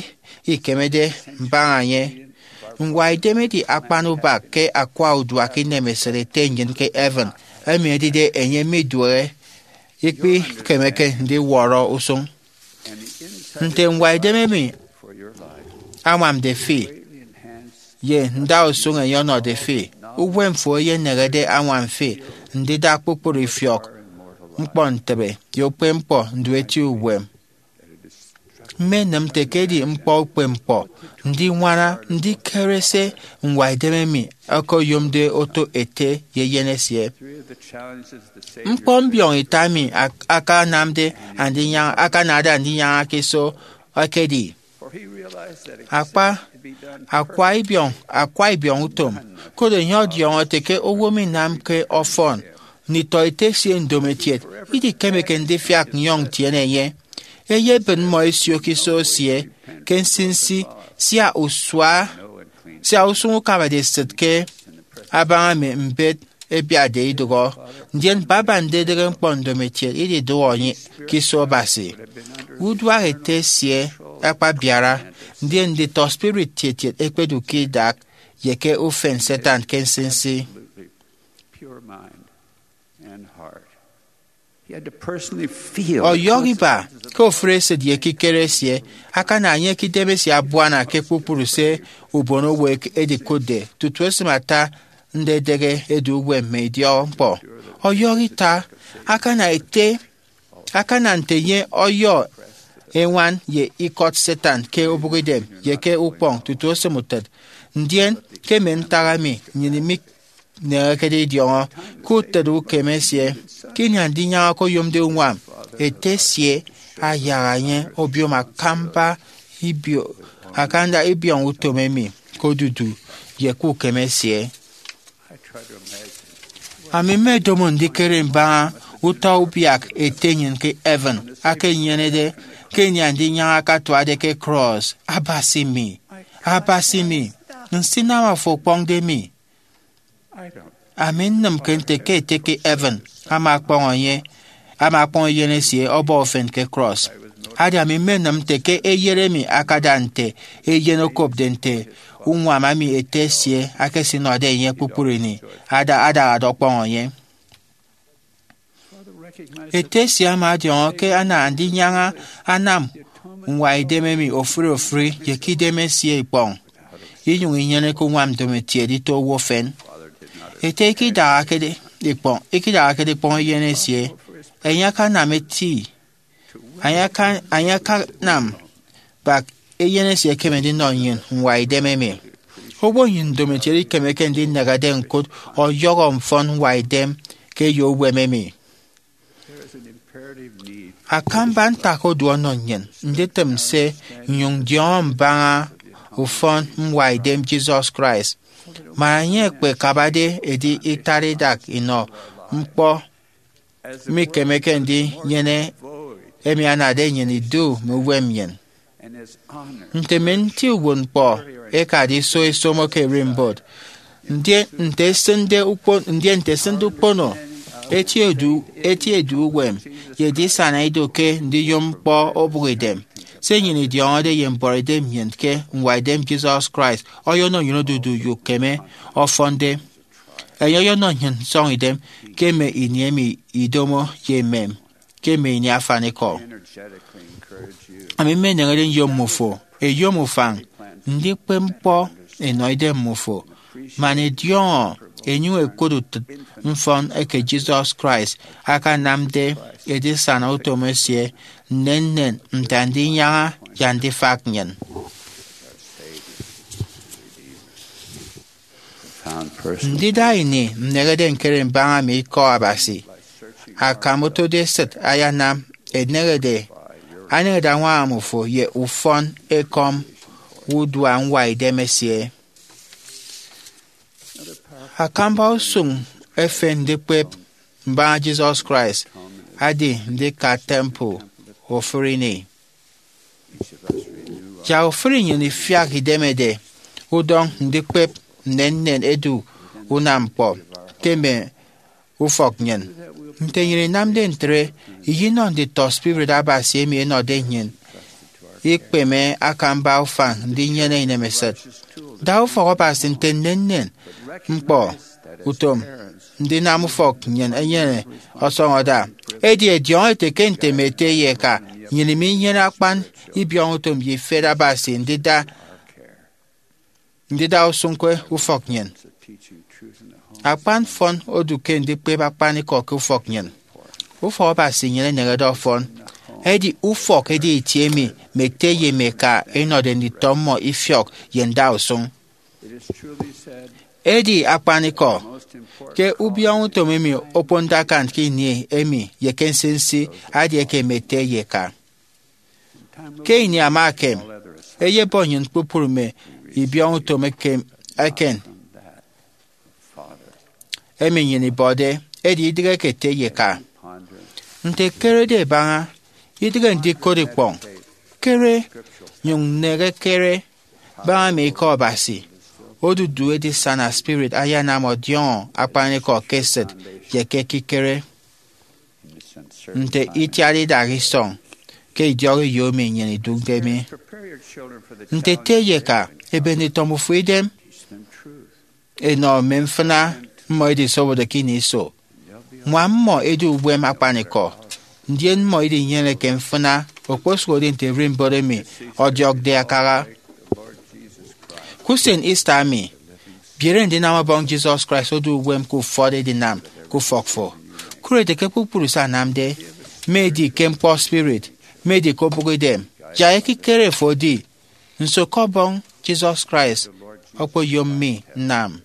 ikemede mbaña enye. Ñwaidem edi akpan ubak ke akwa uduak inemesịt Ete nnyịn ke heaven, emi edide enye miduehe, ikpikemeke ndiwọrọ usụñ. Nte ñwaidem emi añwamde fi, ye ndausụñ enye ọnọde fi, uwem fo eyenehede añwam fi ndida kpukpru ifiọk ñkpọntịbe ye ukpepñkpọ ndu eti uwem. Mmenịm nte ke edi ñkpọ ukpepñkpọ ndiñwana ndikere se ñwaidem emi okoyomde oto ete ye eyen esie. Ñkpọ mbiọñita emi ak- akanamde andinyaña akanade andinyaña ke iso ekedi akpa akwa ibiọñ akwa ibiọñ utom. Koro enye ọdiọñọ ete ke owo minamke ọfọn nditọ ete esie ndomokiet idikemeke ndifiak nyọñ ntiene enye. Eyebịn mmọ esio ke iso esie ke nsinsi sia usua sia usụñ ukabade esịt ke abaña mme mbet ebiatde idụhọ. Ndien baba ndidịghe ñkpọ ndomokiet ididụhe enye ke iso Abasi. Uduak ete esie akpabiara, ndien nditọ spirit tietiet ẹkpedu ke idak ye ke ufen Satan ke nsinsi. Ọyọhọ iba ke ofụri esịt ye ekikere esie akana enye ke idemesie abuana ke kpukpru se ubon owo edikụtde tutu esịm ata ndedịghe edu uwem mme idiọkñkpọ. Ọyọhọ ita akana ete akana nte enye ọyọ eñwan ye ikọt Satan ke obụkidem ye ke ukpọñ tutu osịm utịt. Ndien ke mme ntak emi nnyịn mineñekede idiọñọ ke utịt ukeme esie, ke ini andinyaña okoyomde uñwam, ete esie ayaha enye obiom akamba ibio- akamba ibiọñ utom emi ke odudu ye ke ukeme esie. Ami mmedomo ndikere mbaña utọ ubiak Ete nnyịn ke heaven aka enyenede ke ini andinyaña akatuade ke cross. Abasi mi, Abasi mi, nsinam afo okpọñde mi. Ami nnịmke nte ke Ete ke heaven ama akpọñ enye ama akpọñ eyen esie ọbọ ufen ke cross. Adi ami mmenịm nte ke eyet emi akada nte eyen okopde nte uñwam emi Ete esie aka esinọde enye kpukpru ini ada adahade ọkpọñ enye. Ete esie ama ọdiọñọ ke ana andinyaña anam ñwaidem emi ofụri ofụri ye ke idem esie ikpọñ, inyụñ inyeneke uñwam ndomokiet ito owo efen. Ete ikidahakede ikpọñ ikidahakede ikpọñ eyen esie, enye akanam eti enye aka- enye akanam bak eyen esie ekeme ndinọ nnyịn ñwaidem emi. Owo nnyịn ndomokiet ikemeke ndinehede ñkụt ọyọhọ mfọn ñwaidem ke eyo uwem emi. Akamba ntak odu ọnọ nnyịn nditịm se nnyụñ ndiọñọ mbaña ufọn ñwaidem Jesus Christ. Man enye ekpekabade edi itara idak inọ ñkpọ mikemeke ndinyene emi anade nnyịn idu mme uwem nnyịn. Nte mme nti uwụtñkpọ ẹkade iso ẹsomo ke ererimbot, ndien nte ẹsịnde ukpo- ndien nte ẹsịnde ukpono eti edu eti edu uwem ye edisana ido ke ndiyom ñkpọ obụkidem. Se nnyịn idiọñọde ye mbọrọidem nnyịn ke ñwaidem Jesus Christ ọyọnọ nnyịn odudu ye ukeme ọfọnde. Enye ọyọnọ nnyịn nsọñidem ke mme ini emi idomo ye emem ke mme ini afanikọ. Ami mmeneñede nyom mmufo eyom ufañ ndikpep ñkpọ enọ idem mmufo man ẹdiọñọ ẹnyụñ ẹkot utịt mfọn eke Jesus Christ akanamde edisana utom esie nnennen nte andinyaña ye andifak nnyịn. Ndida ini nnehede ñkere mbaña mme ikọ Abasi akam otode esịt ayanam eneñede aneñede añwaña mmufo ye ufọn ekọm udua ñwaidem esie. Akamba usụñ efen ndikpep mbaña Jesus Christ adi ndika temple ofụri ini. Yak ofụri nnyịn ifiak idemede udọñ ndikpep nnennen edu unam ñkpọ ke mme ufọk nnyịn. Nte nnyịn inamde ntre, iyinọ nditọ spirit Abasi emi ẹnọde nnyịn ikpeme akamba ufañ ndinyene inemesịt. Da ufọk Abasi nte nnennen ñkpọ utom ndinam ufọk nnyịn enyene ọsọñọ ada. Edi ẹdiọñọ ete ke nte mme ete ye eka, nnyịn minyene akpan ibiọñutom ye ifet Abasi ndida ndida usụñ ke ufọk nnyịn. Akpan mfọn odu ke ndikpep akpanikọ ke ufọk nnyịn. Ufọk Abasi nnyịn eneñede ọfọn. Edi ufọk edi itie emi mme ete ye mme eka ẹnọde nditọ mmọ ifiọk ye ndausụñ. Edi akpanikọ ke ubiọñọ utom emi okponde akan ke ini emi ye ke nsinsi adi eke mme ete ye eka. Ke ini ama ekem, eyebọ nnyịn kpukpru mme ibiọñọ utom eken emi nnyịn ibọde, edi idịghe ke ete ye eka. Nte ekerede ebaña, idịghe ndikot ikpọñ. Kere, nyụñ nnehe kere, baña mme ikọ Abasi. Odudu edisana spirit ayanam ọdiọñọ akpanikọ ke esịt ye ke ekikere. Nte itiat idaha isọñ ke idiọk eyo emi nnyịn idụkde mi. Nte ete ye eka, ebe nditọ mbufo idem. Enọ mme mfịna mmọ edisobode ke ini iso. Ñwam mmọ edu uwem akpanikọ, ndien mmọ idinyeneke mfịna okposụkedi nte ererimbot emi ọdiọkde akaha. Ke usen Easter emi, biere ndinam Ọbọñ Jesus Christ odu uwem ke ufọt edinam ke ufọk fo. Koro ete ke kpukpru se anamde, mme edi ke ñkpọ spirit, mme edi ke obụk idem, yak ekikere fo edi. Nso ke Ọbọñ Jesus Christ okpoyom mi nnam?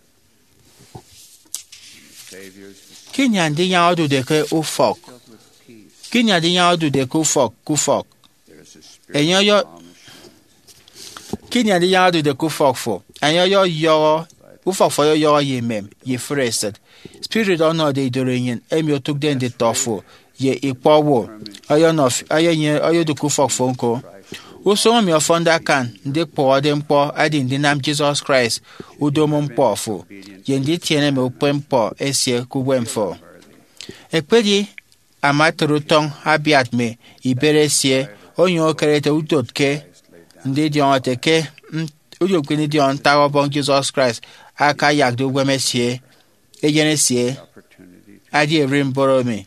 Ke ini andinyaña odude ke ufọk, ke ini andinyaña odude ke ufọk, ke ufọk, enye ọyọ ke ini andinyaña odude ke ufọk fo, enye ọyọyọhọ, ufọk fo ọyọyọhọ ye emem ye ifụre esịt. Spirit ọnọde idoro enyịn emi otụkde nditọ fo ye ikpọ owo ọyọnọ fi- ọyọ- enye ọyọdu ke ufọk fo ñko. Usụñ emi ọfọnde akan ndikpụhọde ñkpọ edi ndinam Jesus Christ udomo ñkpọ fo ye nditiene mme ukpepñkpọ esie ke uwem fo. Ekpedi ama etre utọñ abiat mme ibet esie, onyụñ okere ete udot ke ndidiọñọ ete ke m- udiotke ndidiọñọ ntak Ọbọñ Jesus Christ akayakde uwem esie, eyen esie, adi ererimbot emi.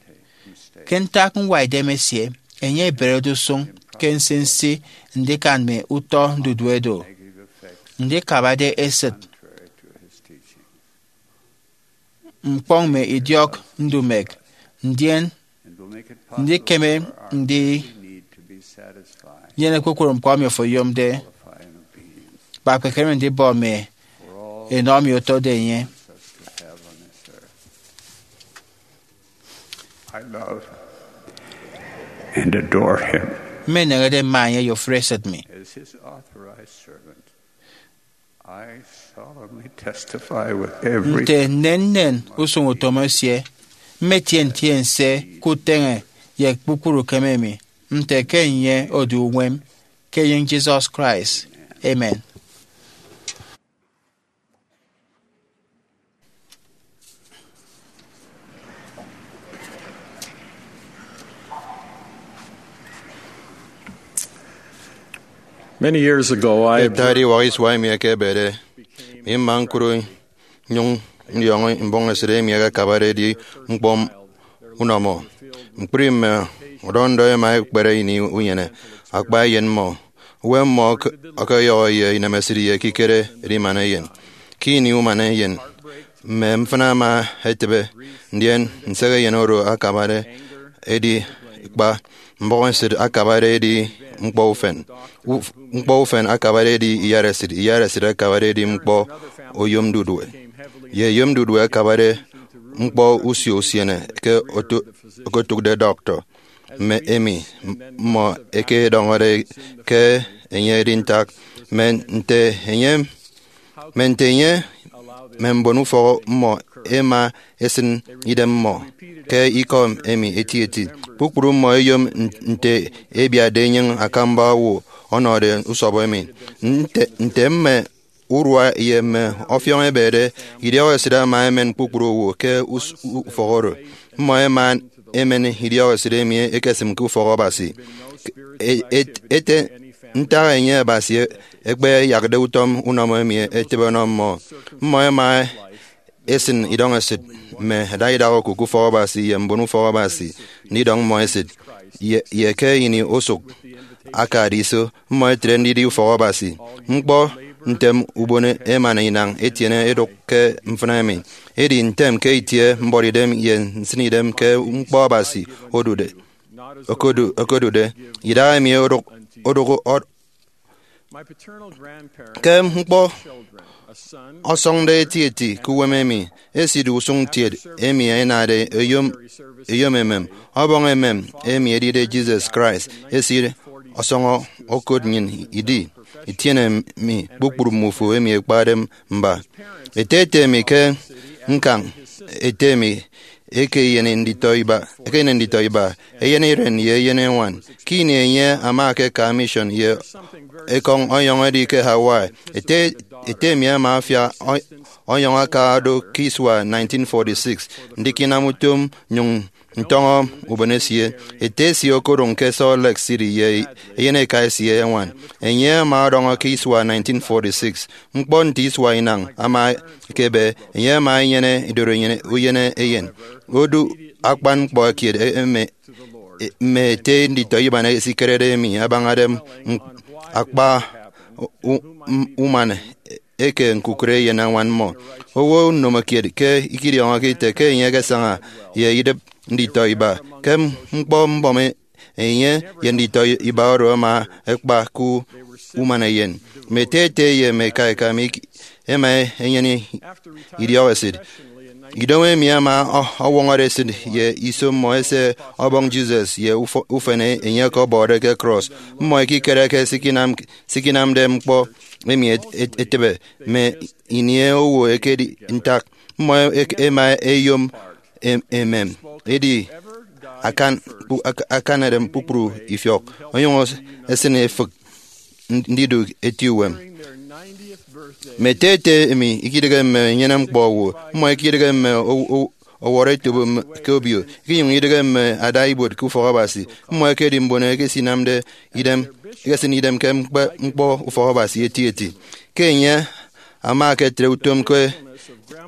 Ke ntak ñwaidem esie, enye eberede usụñ ke nsinsi ndikan mme utọ ndudu edo, ndikabade esịt, ñkpọñ mme idiọk ndumek, ndien ndikeme ndinyene kpukpru ñkpọ emi ofo oyomde, kpa kpekeme ndibọ mme enọ emi otode enye. I love and adore him. Mmeneñede mma enye ye ofụri esịt mi. As his authorized servant, I solemnly testify with every Nte nnennen usụñ utom esie, mmetie ntiense ke uteñe ye kpukpru ukeme mi, nte ke enye odu uwem, ke enyịñ Jesus Christ. Amen. Many years ago, I Ita ediwak isua emi ẹkebede, mi mma ñkụt nnyụñ ndiọñọ mbọhọñesịt emi ẹkakabade edi ñkpọ unọmọ. Ñkpri mme ọdọ ndọ ẹma ẹkpere ini unyene akpa eyen mmọ. Uwem mmọ ọk- ọkọyọhọ ye inemesịt ye ekikere edimana eyen. Ke ini umana eyen, mme mfịna ẹma ẹtịbe, ndien nsehe eyen oro akabade edi kpa mbọhọñesịt akabade edi ñkpọ ufen. Uf- ñkpọ ufen akabade edi iyaresịt, iyaresịt akabade edi ñkpọ oyom ndudue, ye oyom ndudue akabade ñkpọ usio usiene ke oto- okotụkde dọktọ. Mme emi mmọ ẹkedọñọde ke enye edi ntak, mme nte enye, mme nte enye, mme mbon ufọk mmọ ẹma ẹsịn idem mmọ ke ikọ emi etieti. Kpukpru mmọ ẹyom n- nte ebiatde enyịñ akamba owo ọnọde usọbọ emi. Nte, nte mme urua ye mme ọfiọñ ẹbede, idiọk esịt ama emen kpukpru owo ke us- ufọk oro. Mmọ ẹma ẹmen idiọk esịt emi ekesịm ke ufọk Abasi. E- et- ete ntak enye Abasi ekpeyakde utom unọmọ emi etịbe ọnọ mmọ. Mmọ ẹma ẹsịn idọñesịt mme ẹda idak okụk ufọk Abasi ye mbon ufọk Abasi ndidọñ mmọ esịt. Ye, ye ke ini osụk akade iso, mmọ ẹtre ndidi ufọk Abasi. Ñkpọ ntem ubon emana inañ etiene edụk ke mfịna emi. Edi ntem ke itie mbuọtidem ye nsịnidem ke ñkpọ Abasi odude. okodu- okodude idaha emi odụk- odụk ọ- ke ñkpọ ọsọñde etieti ke uwem emi, esit usụñ ntiet emi ẹnade eyom eyom emem ọbọñ emem emi edide Jesus Christ esit ọsọñọ okot nnyịn idi. Itiene mi kpukpru mmufo emi ẹkpade mba. Ete ete mi ke ñkañ ete mi eke enyene nditọ iba eke enyene nditọ iba eyen iren ye eyen eñwan. Ke ini enye ama aka mission ye ekọñ ọyọñ edi ke Hawaii, ete ete mi ama afia ọyọñ aka odo ke isua nineteen forty-six ndikinam utom nnyụñ ntọñọ ubon esie. Ete esie okodụñ ke Salt Lake City ye eyen eka esie eñwan. Enye ama ọdọñọ ke isua nineteen forty-six. Ñkpọ nte isua inañ ama ekebe, enye ama enyene idorenyin uyen eyen. Odu akpan ñkpọ kiet eme mme ete nditọ iban esikerede emi abañade akpa uman eke ñkukụre eyen añwan mmọ. Owo nnomokiet ke ikidiọñọke ite ke enye ekesaña ye idịp nditọ iba ke ñkpọ mbọm. Enye ye nditọ iba oro ama ekpa ke uman eyen. Mme ete ete ye mme eka eka mi ema enyene idiọk esịt. Idomo emi ama ọwọñọde esịt ye iso mmọ ese ọbọñ Jesus ye ufen enye ọkọbọde ke cross. Mmọ ikikere ke sikinamde ñkpọ emi etịbe mme ini owo ekedi ntak. Mmọ ema eyom emem edi akanade kpukpru ifiọk onyụñ esịn efịk ndidu eti uwem. Mme ete ete emi ikidịghe mme enyene ñkpọ owo. Mmọ ikidịghe mme ọwọrọ etop ke obio. Ikinyụñ idịghe mme ada ibuot ke ufọk Abasi. Mmọ ekedi mbon eke esinamde idem ekesịn idem ke ñkpọ ufọk Abasi eti eti. Ke enye ama eketre utom ke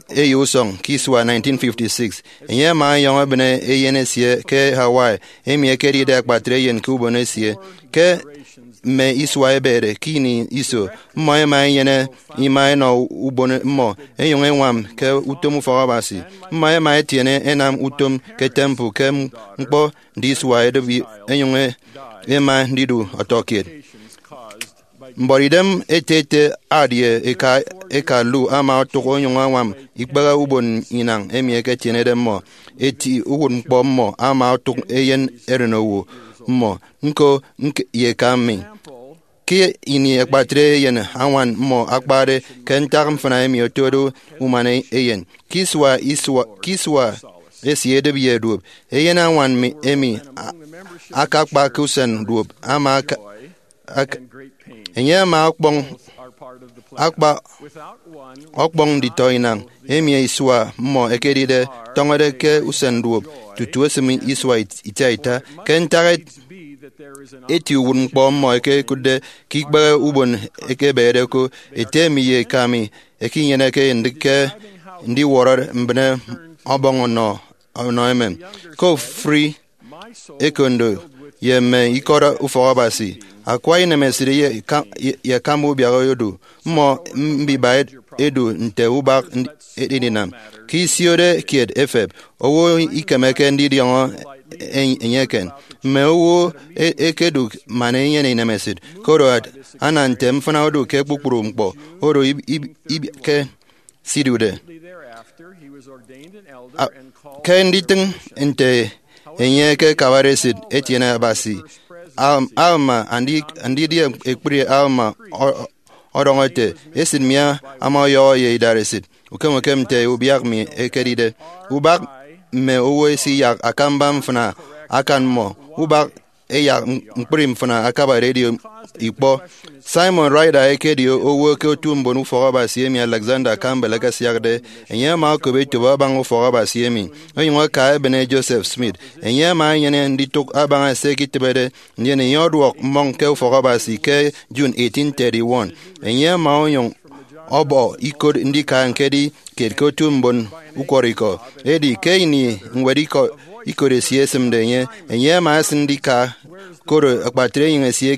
eyo usọñ ke isua nineteen fifty-six, enye ama ọyọñọ ebịne eyen esie ke Hawaii emi ekedide akpatre eyen ke ubon esie. Ke mme isua ebede ke ini iso, mmọ ema enyene ima enọ ubon mmọ enyụñ eñwam ke utom ufọk Abasi. Mmọ ema etiene enam utom ke temple ke ñkpọ ndisua edịbi enyụñ ema ndidu ọtọkiet. Mbuọtidem ete ete Ard ye eka eka Lu ama otụk onyụñ añwam ikpehe ubon inañ emi eketienede mmọ. Eti uwụtñkpọ mmọ ama otụk eyen erenowo mmọ, ñko ye eka mi. Ke ini akpatre eyen añwan mmọ akpade ke ntak mfịna emi otode uman eyen, ke isua esie edịp ye duop, eyen añwan emi akakpa ke usen duop ama enye ama ọkpọñ akpa ọkpọñ nditọ inañ emi isua mmọ ekedide tọñọde ke usen duop tutu esịm isua itiaita. Ke ntak eti uwụtñkpọ mmọ eke ẹkụtde ke ikpehe ubon ekebede ko, ete mi ye eka mi ekinyeneke ndịk ke ndiwọrọ mbịne ọbọñ ọnọ emem. Ke ofụri ekondo ye mme ikọt ufọk Abasi, akwa inemesịt ye akamba ubiak odu. Mmọ mbiba edu nte ubak edinam. Ke isiode kiet efep, owo ikemeke ndidiọñọ enye eken. Mme owo ekedụk man enyene inemesịt, koro ana nte mfịna odu ke kpukpru ñkpọ oro ke sidude. Ke nditịñ nte enye ekekabade esịt etiene Abasi, Alma, andidi ekpri Alma, ọdọñọ ete, esịt mi ama ọyọhọ ye idaresit ukem ukem nte ubiak mi ekedide. Ubak mme owo esiyak akamba mfịna akan mmọ. Ubak eyak ñkpri mfịna akabade edi ikpọ. Simon Ryder ekedi owo ke otu mbon ufọk Abasi emi Alexander Campbell ekesiakde. Enye ama okop etop abaña ufọk Abasi emi, onyụñ aka ebịne Joseph Smith. Enye ama enyene nditụk abaña se ikitịbede, ndien enye ọduọk mmọñ ke ufọk Abasi ke June eighteen thirty-one. Enye ama onyụñ ọbọ ikot ndika ñkedi kiet ke otu mbon ukwọrọikọ. Edi ke ini ñwed ikot esie esịmde enye, enye ama esịn ndika, koro akpatre enyịñ esie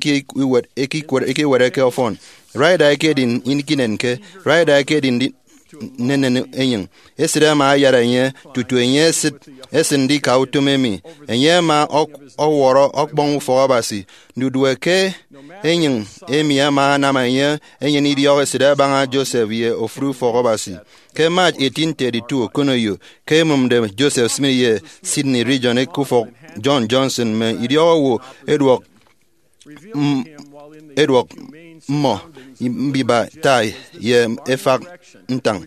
ekiwere ke ọfọn. Ryder ekedi ikinenke. Ryder ekedi nnennen enyịñ. Esịt ama ayara enye tutu enye esịt esịn ndika utom emi. Enye ama ọk- ọwọrọ ọkpọñ ufọk Abasi. Ndudue ke enyịñ emi ama anam enye enyene idiọk esịt abaña Joseph ye ofụri ufọk Abasi. Ke March eighteen thirty-two, okoneyo ke emomde Joseph Smith ye Sidney Rigdon ke ufọk John Johnson, mme idiọk owo ẹduọk m- ẹduọk mmọ mbiba tai ye efak ntañ.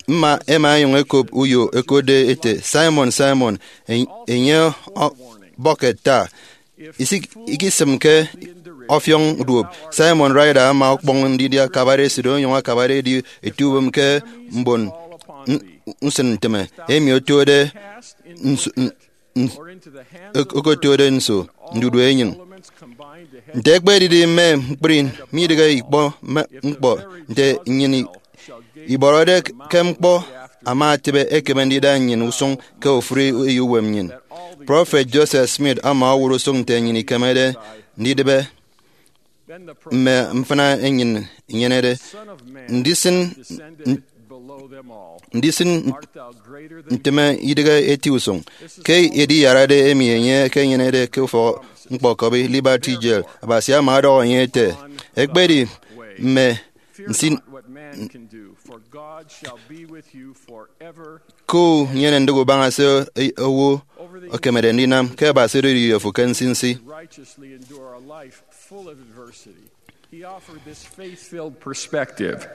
Mma ẹma ẹnyụñ ẹkop uyo ẹkotde ẹte, "Simon, Simon, en- enye ọ- bọket tai. Isik- ikisịmke ọfiọñ duop." Simon Ryder ama ọkpọñ ndidi akabade esịt onyụñ akabade edi eti uwem ke mbon n- nsịn ntịme emi otode nso- n- n- ok- okotode nso ndudue enyịñ. Nte ekpedidi mme ñkpri midịghe ikpọ mme ñkpọ, nte nnyịn i- ibọrọde ke ñkpọ ama etịbe, ekeme ndida nnyịn usụñ ke ofụri eyo uwem nnyịn. Prọfet Joseph Smith ama owụt usụñ nte nnyịn ikemede ndidịbe mme mfịna enyịn inyenede ndisịn ndisịn ntịme idịghe eti usụñ. Ke ediyarade emi enye ekenyenede ke ufọk ñkpọkọbi Liberty Jail, Abasi ama ọdọhọ enye ete, "Ekpedi mme nsin ke unyene ndịk ubaña se owo ekemede ndinam, ke Abasi odoride fo ke nsinsi." He offered this faith-filled perspective.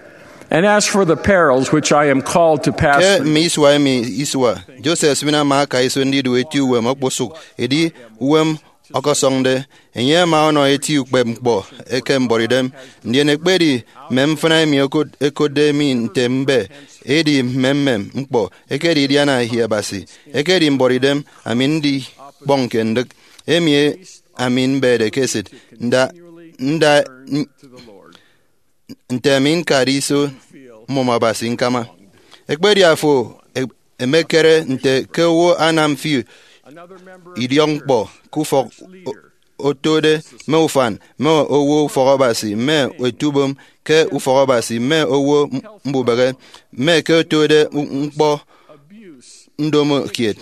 And as for the perils which I am called to pass Ke through, mme isua emi isua, Joseph Smith ama aka iso ndidu eti uwem okposụk, edi uwem ọkọsọñde. Enye ama ọnọ eti ukpep ñkpọ eke mbuọtidem. Ndien ekpedi mme mfịna emi okot- ekotde mi nte mbe, edi mmemmem ñkpọ, ekedi idiana ehi Abasi, ekedi mbuọtidem ami ndikpọñke ndịk emi ami mbede ke esịt, nda, nda, n- nte ami ñkade iso mmụm Abasi ñkama. Ekpedi afo e- emekere nte ke owo anam fi idiọk ñkpọ ke ufọk o- otode mme ufan, mme owo ufọk Abasi, mme etubom ke ufọk Abasi, mme owo m- mbubehe, mme ke otode u- ñkpọ ndomo kiet,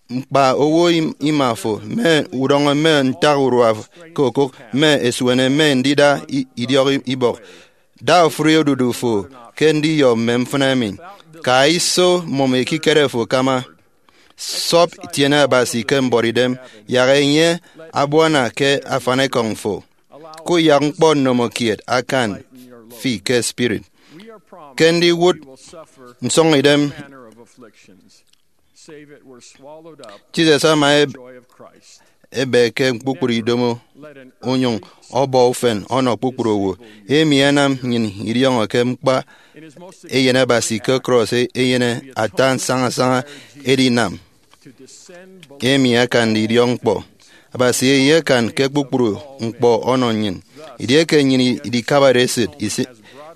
ñkpa owo im- ima fo, mme udọñọ mme ntak urua ke okụk, mme esuene, mme ndida i- idiọk i- ibọk. Da ofụri odudu fo ke ndiyọ mme mfịna emi. Ka iso mmụm ekikere fo kama. Sọp tiene Abasi ke mbuọtidem, yak enye abuana ke afanikọñ fo. Kuyak ñkpọ nnomo kiet akan fi ke spirit. Ke ndiwụt nsọñidem, Jesus ama eb- ebe ke kpukpru idomo onyụñ ọbọ ufen ọnọ kpukpru owo. Emi anam nnyịn idiọñọ ke ñkpa Eyen Abasi ke krọs e- enyene ata nsañasaña edinam emi akande idiọk ñkpọ. Abasi eyekan ke kpukpru ñkpọ ọnọ nnyịn. Edieke nnyịn idikabade esịt isi-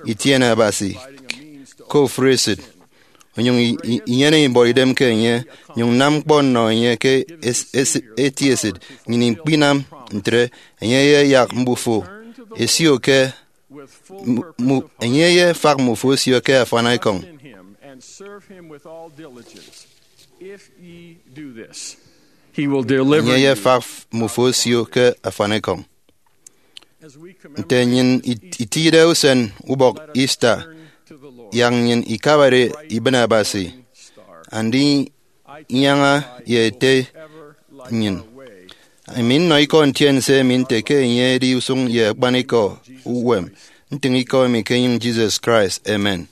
itiene Abasi ke ofụri esịt, onyụñ i- i- inyene ibuọtidem ke enye, nyụñ nam ñkpọ nnọ enye ke es- es- eti esịt, nnyịn ikpinam ntre. Enye eyeyak mbufo esio ke mu- mu- enye eyefak mbufo esio ke afanikọñ. Enye eyefak mbufo esio ke afanikọñ. Nte nnyịn it- itide usen ubọk Easter, yak nnyịn ikabade ibịne Abasi, andinyaña ye Ete nnyịn. Ami nnọ ikọ ntiense emi nte ke enye edi usụñ ye akpanikọ uwem. Ntịñ ikọ emi ke enyịñ Jesus Christ. Amen.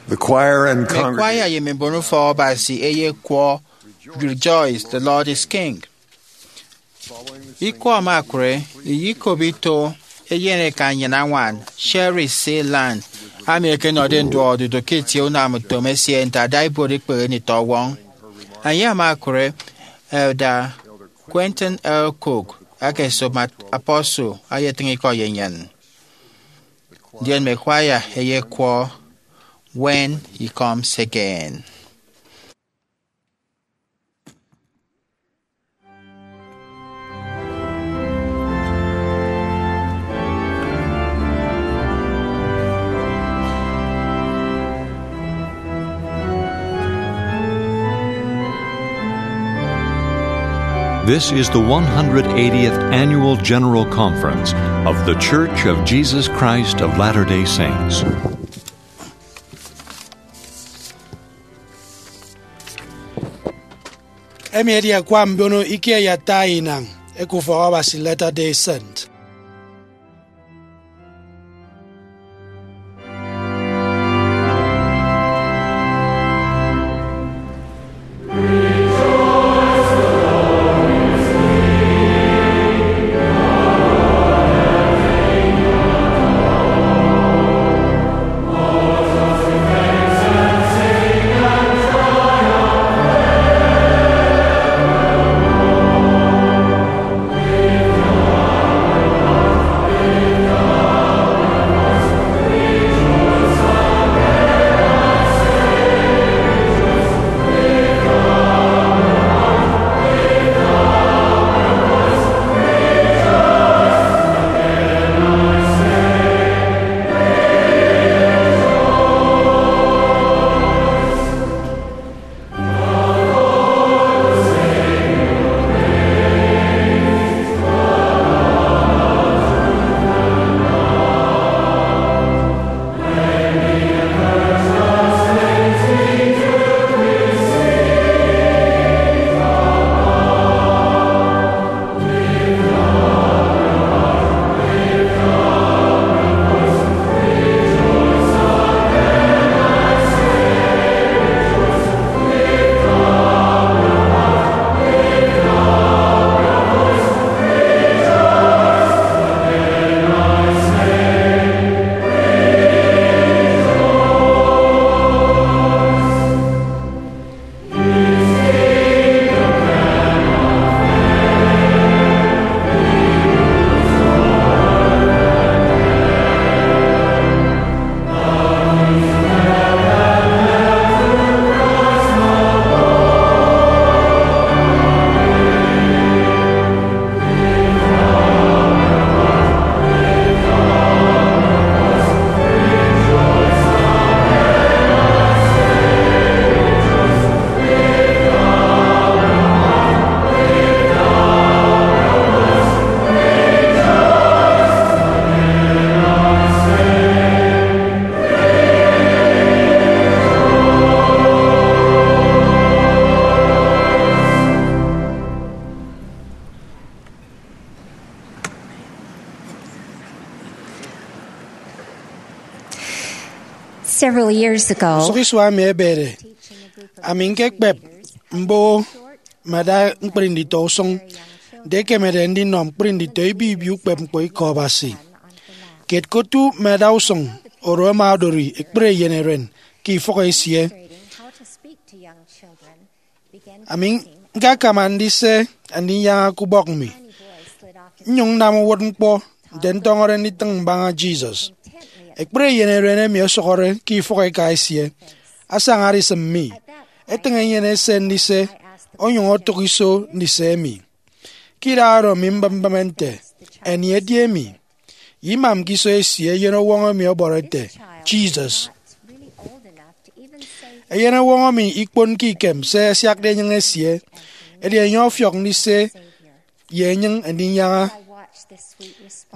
The choir and Mme congregation kwaya ye mme mbon ufọk Abasi eyekwọ Rejoice, the Lord is King. Ikọ ama akụre, iyikop ito eyen eka nnyịn añwan, Sherry C. Land, ami ekenọde nduọk odudu ke itie unamutom esie nte ada ibuot ikpehe nditọwọñ. Enye ama akụre, Elder Quentin L. Cook, aka esop apostle, ayetịñ ikọ ye nnyịn. Ndien mme kwaya eyekwọ When He Comes Again. This is the one hundred eightieth Annual General Conference of The Church of Jesus Christ of Latter-day Saints. Emi edi akwa mbiono ikie ye ata inañ eke ufọk Abasi Latter-day Saint. Several years ago, usụk isua emi ebede, ami ñkekpep mboho mme ada ñkpri nditọ usụñ nte ekemede ndinọ ñkpri nditọ ibi ibi ukpep ñkpọ ikọ Abasi. Kiet ke otu mme ada usụñ oro ama odori ekpri eyen eren ke ifọk esie. Ami ñkakama ndise andinyaña ke ubọk mi, nnyụñ nnam uwụtñkpọ nte ntọñọde nditịñ mbaña Jesus. Ekpri eyen eren emi ọsọhọde ke ifọk eka esie asañade isịm mi, etịñ enyene ese ndise, onyụñ otụk iso ndise emi. Ke idaha oro mi mbịm mbịme nte, eni edi emi? Ye imam ke iso esie eyenowọñ emi ọbọrọ ete, Jesus. Eyenowọñ emi ikponke ikem se asiakde enyịñ esie, edi enye ọfiọk ndise ye enyịñ ndinyaña.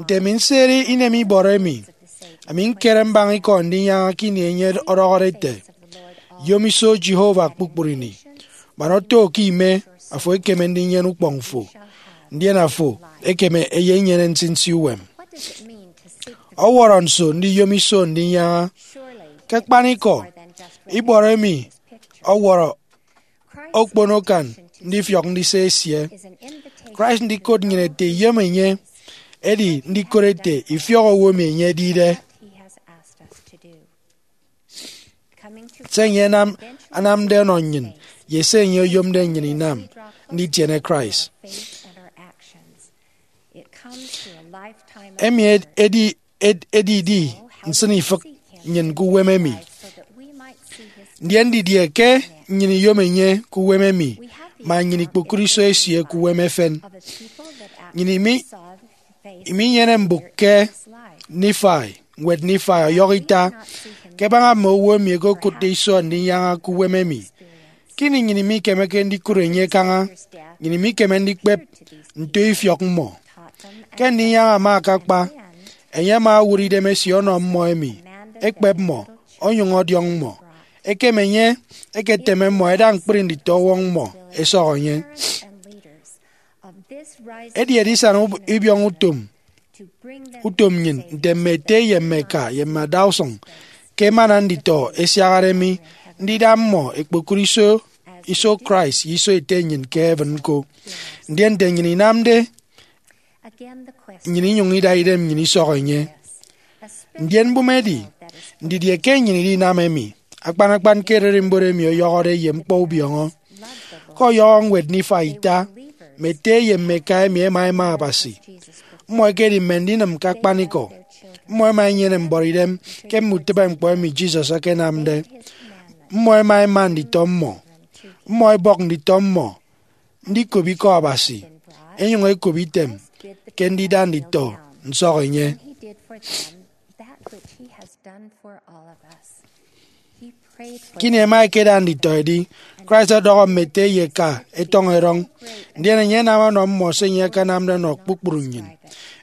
Nte mi nseri inem ibọrọ emi, ami ñkere mbaña ikọ ndinyaña ke ini enye ọdọhọde ete, Yom iso Jehovah kpukpru ini, man oto ke ime, afo ekeme ndinyene ukpọñ fo, ndien afo ekeme eyenyene nsinsi uwem. Ọwọrọ nso ndiyom iso ndinyaña? Ke akpanikọ, ibọrọ emi ọwọrọ okpono akan ndifiọk ndise esie. Christ ndikot nnyịn ete iyom enye, edi ndikot ete ifiọk owo emi enye edide. Se enye anam, anamde ọnọ nnyịn, ye se enye oyomde nnyịn inam, nditiene Christ. Emi ed- edi ed- edidi nsịn ifịk nnyịn ke uwem emi. Ndien didie ke nnyịn iyom enye ke uwem emi, ma nnyịn ikpokụt iso esie ke uwem efen? Nnyịn imi- iminyene mbụk ke Nifai. Ñwed Nifai ọyọhọ ita, ke ẹbaña mme owo emi ẹkokụtde iso ndinyaña ke uwem emi, Ke ini nnyịn imikemeke ndikụre enye kaña, nnyịn imikeme ndikpep nto ifiọk mmọ. Ke ndinyaña ama akakpa, enye ama owụt idem esie ọnọ mmọ emi, ekpep mmọ, onyụñ ọdiọñ mmọ. Ekem enye eketeme mmọ ẹda ñkpri nditọwọñ mmọ ẹsọk enye. Edi edisana ub- ibiọñ utom utom nnyịn nte mme ete ye mme eka ye mme adausụñ ke emana nditọ ẹsiaharede mi ndida mmọ ẹkpokụt iso iso Christ ye iso Ete nnyịn ke heaven ñko. Ndien nte nnyịn inamde, nnyịn inyụñ ida idem nnyịn isọk enye. Ndien mbụme edi, ndidie ke nnyịn idinam emi? Akpan akpan ke ererimbot emi ọyọhọde ye ñkpọ ubiọñọ. Ke ọyọhọ ñwed Nifai ita, mme ete ye mme eka emi ẹma ẹma Abasi. Mmọ ẹkedi mme ndinịm ke akpanikọ. Mmọ ẹma ẹnyene mbọrọidem ke mme utịbeñkpọ emi Jesus akanamde. Mmọ ẹma ẹma nditọ mmọ. Mmọ ẹbọk nditọ mmọ ndikop ikọ Abasi, ẹnyụñ ẹkop item ke ndida nditọ nsọk enye. Ke ini ẹma ẹkeda nditọ ẹdi, Christ ọdọhọ mme ete ye eka ẹtọñ erọñ, ndien enye anam ọnọ mmọ se enye akanamde ọnọ kpukpru nnyịn.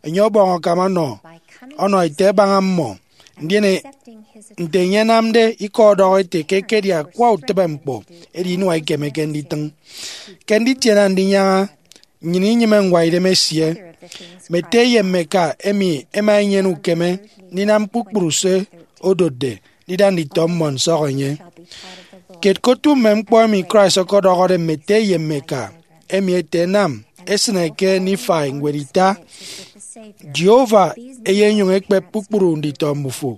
Enye ọbọñ akam ọnọ ọnọ ete ẹbaña mmọ. Ndien e- nte enye anamde ikọ ọdọhọ ete ke ekedi akwa utịbeñkpọ, edi inua ikemeke nditịñ. Ke nditiene Andinyaña, nnyịn inyịme ñwaidem esie. Mme ete ye mme eka emi ẹma ẹnyene ukeme ndinam kpukpru se odotde ndida nditọ mmọ nsọk enye. Kiet ke otu mme ñkpọ emi Christ ọkọdọhọde mme ete ye mme eka emi ete ẹnam esịne ke Nifai ñwed ita, Jehovah eyenyụñ ekpep kpukpru nditọ mmufo,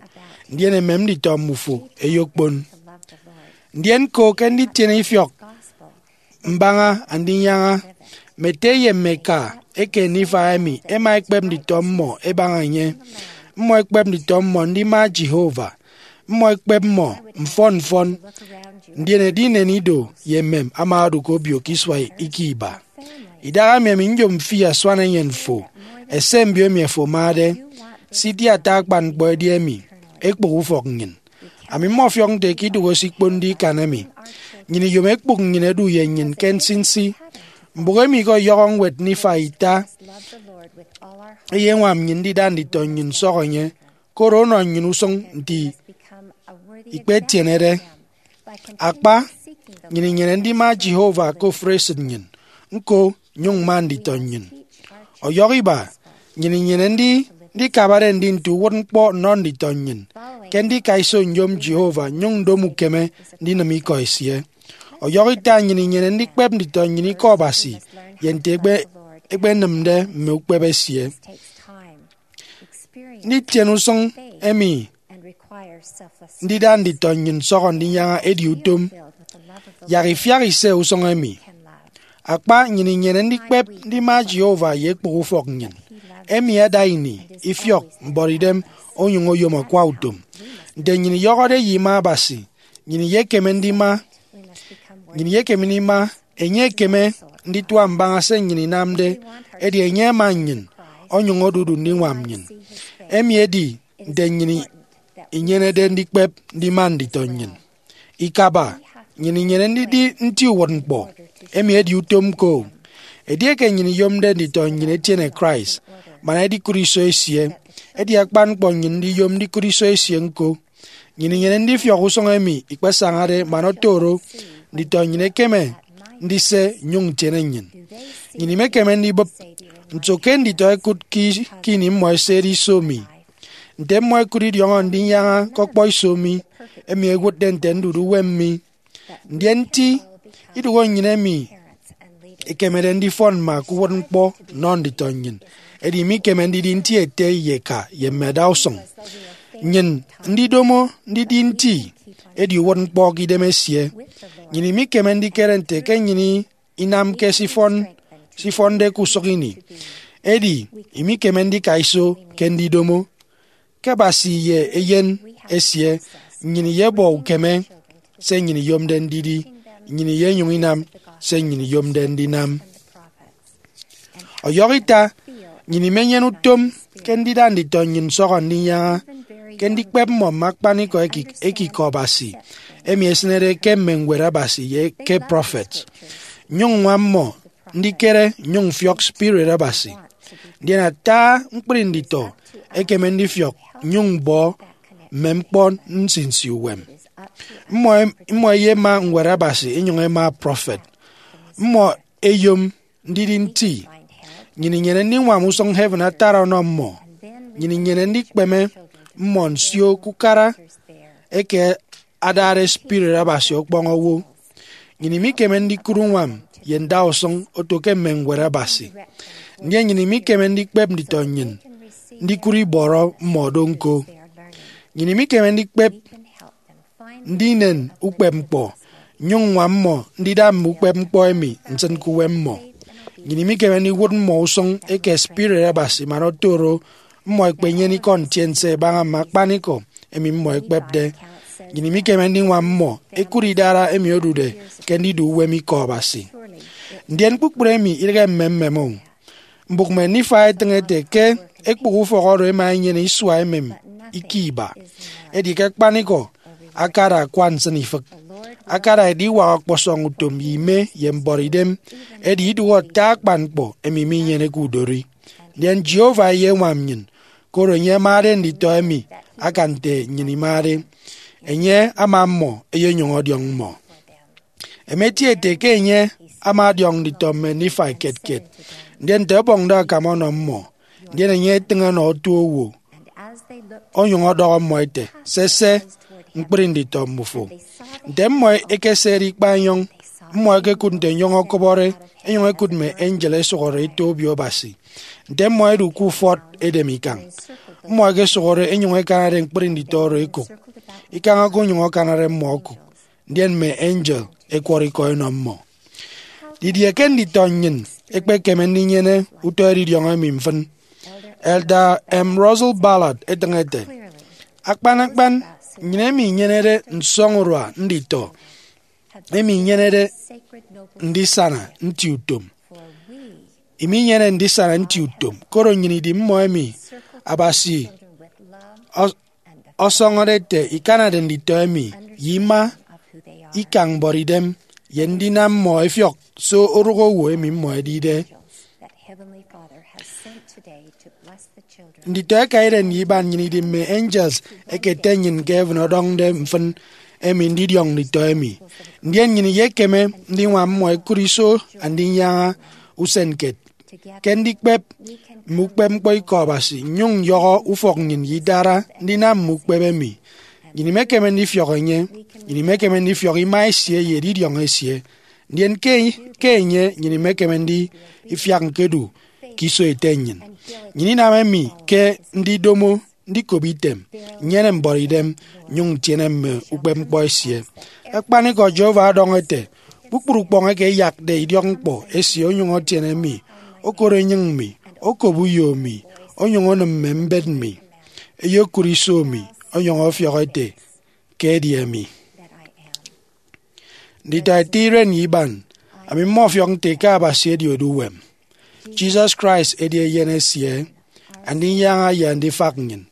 ndien emem nditọ mmufo eyokpon. Ndien ko ke nditiene ifiọk mbaña Andinyaña, mme ete ye mme eka eke Nifai emi ẹma ẹkpep nditọ mmọ ẹbaña enye. Mmọ ẹkpep nditọ mmọ ndima Jehovah. Mmọ ẹkpep mmọ mfọn mfọn. Ndien edinen ido ye emem ama odụk obio ke isua eke iba. Idahaemi ami nyom fi asuan enyịn fo, ese mbio emi afo amade. Siti ata akpan ñkpọ edi emi, ekpụk ufọk nnyịn. Ami mmọfiọk nte ke idụhe sikpondi ikan emi. Nnyịn iyom ekpụk nnyịn edu ye nnyịn ke nsinsi. Mbụk emi ke ọyọhọ ñwed Nifai ita eyeñwam nnyịn ndida nditọ nnyịn nsọk enye, koro ọnọ nnyịn usụñ nte ikpetienede. Akpa, nnyịn inyene ndima Jehovah ke ofụri esịt nnyịn, ñko, nyụñ mma nditọ nnyịn. Ọyọhọ iba, nnyịn inyene ndi ndikabade ndi nte uwụtñkpọ nnọ nditọ nnyịn ke ndika iso nyom Jehovah nyụñ ndom ukeme ndinịm ikọ esie. Ọyọhọ ita, nnyịn inyene ndikpep nditọ nnyịn ikọ Abasi ye nte ekpe- ekpenịmde mme ukpep esie. Nditiene usụñ emi ndida nditọ nnyịn nsọhọ ndinyaña edi utom. Yak ifiak ise usụñ emi. Akpa, nnyịn inyene ndikpep ndima Jehovah ye ekpụk ufọk nnyịn, emi ada ini, ifiọk, mbọrọidem, onyụñ oyom akwa utom. Nte nnyịn iyọhọde ye ima Abasi, nnyịn iyekeme ndima nnyịn iyekeme ndima enye ekeme nditua mbaña se nnyịn inamde, edi enye ama nnyịn, onyụñ odudu ndiñwam nnyịn. Emi edi nte nnyịn inyenede ndikpep ndima nditọ nnyịn. Ikaba, nnyịn inyene ndidi nti uwụtñkpọ, emi edi utom ñko. Edieke nnyịn iyomde nditọ nnyịn etiene Christ, man edikụt iso esie, edi akpan ñkpọ nnyịn ndiyom ndikụt iso esie ñko. Nnyịn inyene ndifiọk usụñ emi ikpesañade man oto oro nditọ nnyịn ẹkeme ndise nnyụñ ntiene nnyịn. Nnyịn imekeme ndibụp, nso ke nditọ ẹkụt ke ke ini mmọ ẹsede iso mi? Nte mmọ ẹkụt idiọñọ ndinyaña ke ọkpọiso mi, emi ẹwụtde nte ndudu uwem mi? Ndien nti idụhe nnyịn emi ekemede ndifọn mme aka uwụtñkpọ nnọ nditọ nnyịn, edi imikeme ndidi nti ete ye eka ye mme adausụñ. Nnyịn ndidomo ndidi nti edi uwụtñkpọ ke idem esie. Nnyịn imikeme ndikere nte ke nnyịn inamke se ifọn se ifọnde ke usụk ini. Edi imikeme ndika iso ke ndidomo. Ke Abasi ye Eyen esie, nnyịn iyebọ ukeme se nnyịn iyomde ndidi, nnyịn iyenyụñ inam se nnyịn iyomde ndinam. Ọyọhọ ita, Nnyịn imenyene utom ke ndida nditọ nnyịn nsọhọ ndinyaña ke ndikpep mmọ mme akpanikọ eke, eke Ikọ Abasi, emi esịnede ke mme Ñwed Abasi ye ke prọfet, nnyụñ ññwam mmọ ndikere nnyụñ mfiọk spirit Abasi. Ndien ata ñkpri nditọ ẹkeme ndifiọk nnyụñ mbọ mme ñkpọ nsinsi uwem. Mmọ, mmọ ẹyema Ñwed Abasi inyụñ ẹma prọfet. Mmọ ẹyom ndidi nti. Nnyịn inyene ndiñwam usụñ heaven atara ọnọ mmọ. Nnyịn inyene ndikpeme mmọ nsio ke ukara eke adade spirit Abasi ọkpọñ owo. Nnyịn imikeme ndikụt uñwam ye ndausụñ oto ke mme Ñwed Abasi. Ndien nnyịn imikeme ndikpep nditọ nnyịn ndikụt ibọrọ mmọ do ñko. Nnyịn imikeme ndikpep ndinen ukpepñkpọ, nnyụñ ññwam mmọ ndida mme ukpepñkpọ emi nsịn ke uwem mmọ. Nnyịn imikeme ndiwụt mmọ usụñ eke spirit Abasi man oto oro mmọ ẹkpenyene ikọ ntiense ẹbaña mme akpanikọ emi mmọ ẹkpepde. Nnyịn imikeme ndiñwam mmọ ẹkụt idara emi odude ke ndidu uwem Ikọ Abasi. Ndien kpukpru emi idịghe mmemmem o. Mbụk mme Nifai etịñ ete ke ekpụk ufọk oro ẹma ẹnyene isua emem ike iba. Edi ke akpanikọ, akada akwa nsịnifịk. Akada ediwak ọkpọsọñ utom ye ime ye mbọrọidem, edi idụhe ata akpan ñkpọ emi minyeneke udori. Ndien Jehovah eyeñwam nnyịn, koro enye amade nditọ emi akan nte nnyịn imade. Enye ama mmọ, eyenyụñ ọdiọñ mmọ. Ẹmeti ete ke enye ama ọdiọñ nditọ mme Nifai kiet kiet, ndien nte ọbọñde akam ọnọ mmọ, ndien enye etịñ ọnọ otu owo, onyụñ ọdọhọ mmọ ete, sese, ñkpri nditọ mmufo. Nte mmọ ekesede ikpa enyọñ, mmọ ẹkekụt nte enyọñ ọkọbọre, enyụñ ẹkụt mme angel ẹsụhọde eto obio Abasi. Nte mmọ ẹdu ke ufọt edem ikañ, mmọ ẹkesụhọde enyụñ ẹkanade ñkpri nditọ oro ẹkụk. Ikañ okonyụñ akanade mmọ okụk, ndien mme angel ẹkwọrọ ikọ ẹnọ mmọ. Didie ke nditọ nnyịn ẹkpekeme ndinyene utọ edidiọñ emi mfịn? Elder M. Russell Ballard etịñ ete, akpan akpan, nnyịn emi inyenede nsọñurua nditọ, emi inyenede ndisana nti utom. Iminyene ndisana nti utom, koro nnyịn idi mmọ emi Abasi ọsọñọde ete ikanade nditọ emi, ye ima, ikañ mbọrọidem, ye ndinam mmọ ẹfiọk se orụk owo emi mmọ ẹdide. Nditọ ẹkaide nnyịn iban, nnyịn idi mme angels ẹkete nnyịn ke heaven ọdọñde mfịn emi ndidiọñ nditọ emi. Ndien nnyịn iyekeme ndiñwam mmọ ẹkụt iso andinyaña usen kiet ke ndikpep mme ukpepñkpọ Ikọ Abasi, nnyụñ nyọhọ ufọk nnyịn ye idara ndinam mme ukpep emi. Nnyịn imekeme ndifiọk enye, nnyịn imekeme ndifiọk ima esie ye edidiọñ esie. Ndien ke, ke enye, nnyịn imekeme ndifiak ñkedu ke iso ete nnyịn. Nnyịn inam emi ke ndidomo, ndikop item, nnyene mbọrọidem, nnyụñ ntiene mme ukpepñkpọ esie. Akpanikọ, Jehovah ọdọñọ ete, kpukpru ukpọñ eke ẹyakde idiọkñkpọ esie onyụñ ọtiene mi, okot enyịñ mi, okop uyo mi, onyụñ onịm mme mbet mi, eyekụt iso mi, onyụñ ọfiọk ete, ke edi emi. Nditọ ete iren ye iban, ami mmọfiọk nte ke Abasi edi odu uwem. Jesus Christ edi Eyen esie, Andinyaña ye Andifak nnyịn.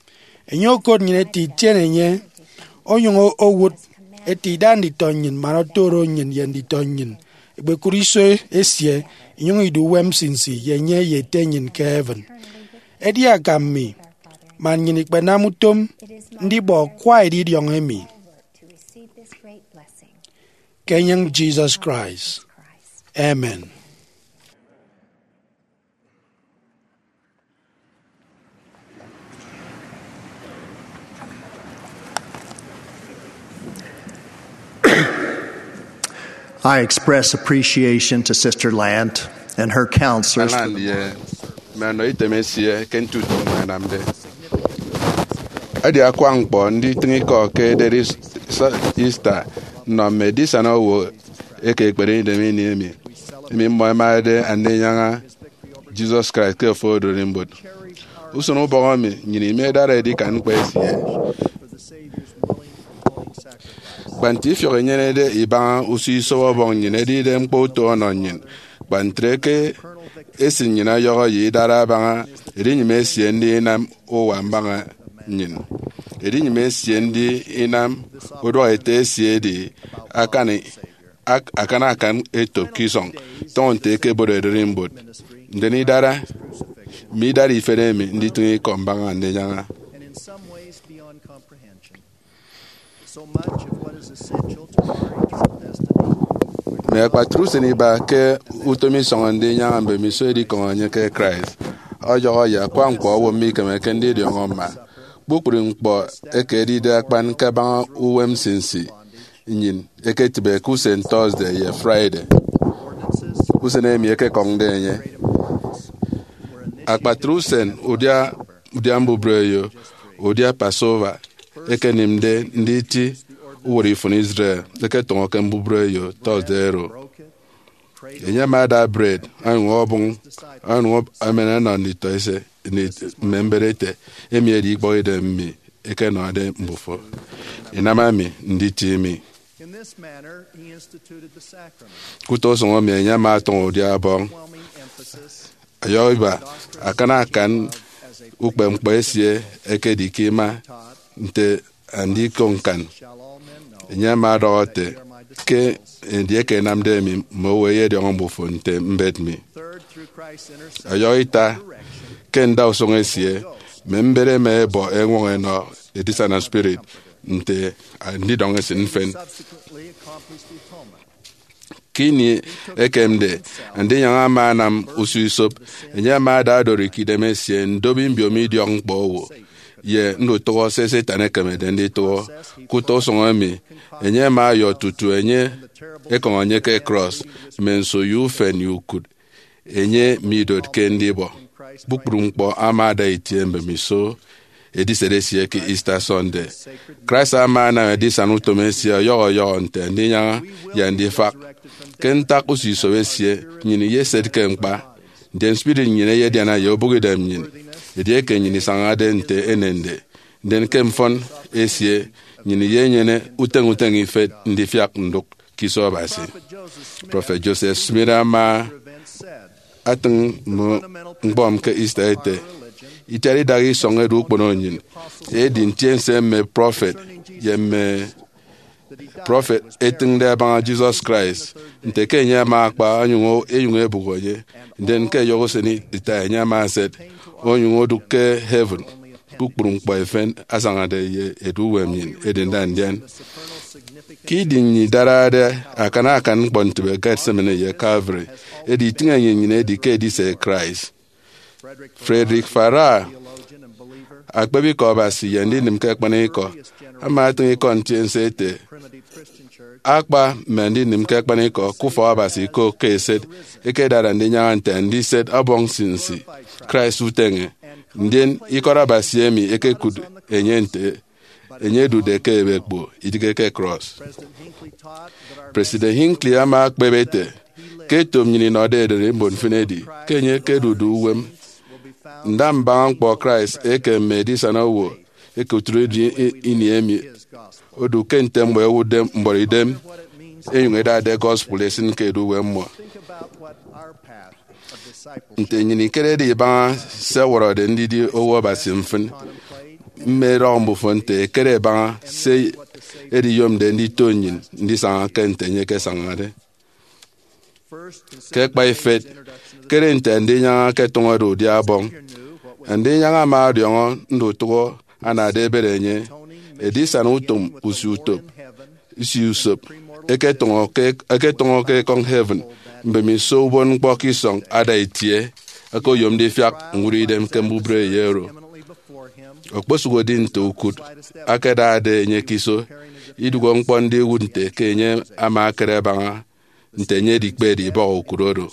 Enye okot nnyịn ete itiene enye, onyụñ owụt ete ida nditọ nnyịn man oto oro nnyịn ye nditọ nnyịn ẹkpekụt iso esie, inyụñ idu uwem nsinsi ye enye ye Ete nnyịn ke heaven. Edi akam mi, man nnyịn ikpenam utom ndibọ akwa edidiọñ emi. Ke enyịñ Jesus Christ. Amen. I express appreciation to Sister Lant and her counselors for Alan the ye mme anọ item esie ke nti utom mmọ ẹnamde. Edi akwa ñkpọ nditịñ ikọ ke ededi Easter nnọ mme edisana owo eke ekpere idem ini emi, emi mmọ ẹmade Andinyaña Jesus Christ ke ofụri odụrimbot. Usụñ ubọk emi nnyịn imedade edikan ñkpọ esie. Kpa nte ifiọk inyenede ibaña usio isop Ọbọñ nnyịn edide ñkpọ uto ọnọ nnyịn, kpa ntre ke Esịt nnyịn ọyọhọ ye idara abaña edinyịme esie ndi inam uwa mbaña nnyịn. Edinyịme esie ndi inam uduak ete esie edi akan, ak-, akan akan etop ke isọñ, tọñọ nte ẹkebọde ererimbot. Ndien idara, mme idara ifet emi nditịñ ikọ mbaña ndinyaña. So much of what is essential to our eternal destiny. Mme akpatre usen iba ke utom isọñ ndinyaña mbemiso edikoñ enye ke Christ ọyọhọ ye akwa ñkpọ owo mikemeke ndidiọñọ mma. Kpukpru ñkpọ eke edide akpan kabaña uwem nsinsi nnyịn eketịbe ke usen Thursday ye Friday, usen emi ẹkekọñde enye. Akpatre usen udia, udia mbubreyo, udia Passover, ekenịmde nditi uwụtde ifụn Israel, eketọñọ ke mbubreyo Thursday oro. Enye ama ada bred, onyụñ obụñ, onyụñ emen ọnọ nditọete mme mbet ete, emi edi ikpọkidem mi ekenọde mbufo. Inam ami nditi mi. Ke utọ usụñ emi, enye ama atọñọ udia ọbọñ, ọyọhọ iba akan akan ukpepñkpọ esie ekedi ke ima nte andikoñkan. Enye ama ọdọhọ ete, ke edieke ẹnamde emi, mme owo ẹyediọñọ mbufo nte mbet mi. Ọyọhọ ita, ke ndausụñ esie, mme mbet ẹma ẹbọ eñwọñọ ẹnọ edisana spirit nte andidọñ esịt mfịn. Ke ini ekemde, Andinyaña ama anam usio isop. Enye ama ada adorikidem esie ndobi mbiomi idiọkñkpọ owo ye ndutụhọ se Satan ekemede nditụhọ. Ke utọ usụñ emi, enye ama ọyọ tutu enye ekọñ enye ke krọs, mme nso ye ufen ye ukụt enye midotke ndibọ. Kpukpru ñkpọ ama ada itie mbemiso edisede esie ke Easter Sunday. Christ ama anam edisana utom esie ọyọhọ ọyọhọ nte Andinyaña ye Andifak. Ke ntak usio isop esie, nnyịn iyeset ke ñkpa, ndien spirit nnyịn eyediana ye obụkidem nnyịn. Edieke nnyịn isañade nte enende, ndien ke mfọn esie, nnyịn iyenyene uteñ uteñ ifet ndifiak ndụk ke iso Abasi. Prọfet Joseph Smith ama atịñ mme ñkpọ ke Easter ete, itiat idaha isọñ edu ukpono nnyịn, edi ntiense mme prọfet ye mme prọfet etịñde abaña Jesus Christ, nte ke enye ama akpa onyụñ enyụñ ebụk enye, ndien ke ẹyọhọ usen ita enye ama eset, onyụñ odụk ke heaven. Kpukpru ñkpọ efen asañade ye edu uwem nnyịn edi nda ndian. Ke idi nnyịn idarade akan akan ñkpọntịbe Gethsemane ye Calvary, edi itịñ enyịn nnyịn edi ke edise Christ. Frederick Farrar, akpep ikọ Abasi ye ndinịm ke akpanikọ, ama atịñ ikọ ntiense ete, akpa mme andinịm ke akpanikọ ke ufọk Abasi ko ke eset, ekedade Andinyaña nte andiset ọbọñ nsinsi Christ uteñe, ndien ikọt Abasi emi ekekụt enye nte enye edude ke ebekpo, idịghe ke krọs. President Hinckley ama ekpep ete, ke etop nnyịn inọde ererimbot mfịn edi ke enye ekedude uwem. Ndambaña ñkpọ Christ eke mme edisana owo eke oturudi ini emi odu ke nte mmọ ẹwụtde mbuọtidem, enyụñ ẹdade gospel esịn ke edu uwem mmọ. Nte nnyịn ikerede ibaña se ẹwọrọde ndidi owo Abasi mfịn, mme erọñ mbufo nte ẹkere ẹbaña se ediyomde ndito nnyịn ndisaña ke nte enye ekesañade. Ke akpa ifet, kere nte Andinyaña eketọñọde udia ọbọñ. Andinyaña ama ọdiọñọ ndutụhọ anade ebet enye, edisana utom usio utop, usio usop, eketọñọ ke, eketọñọ ke ekọñ heaven, mbemiso uwụtñkpọ ke isọñ ada itie, okoyom ndifiak ñwụt idem ke mbubreyo oro. Okposụkedi nte ukụt akedade enye ke iso, idụhe ñkpọ ndiwụt nte ke enye ama akere abaña nte enye edikpede ibọhọ ukụt oro.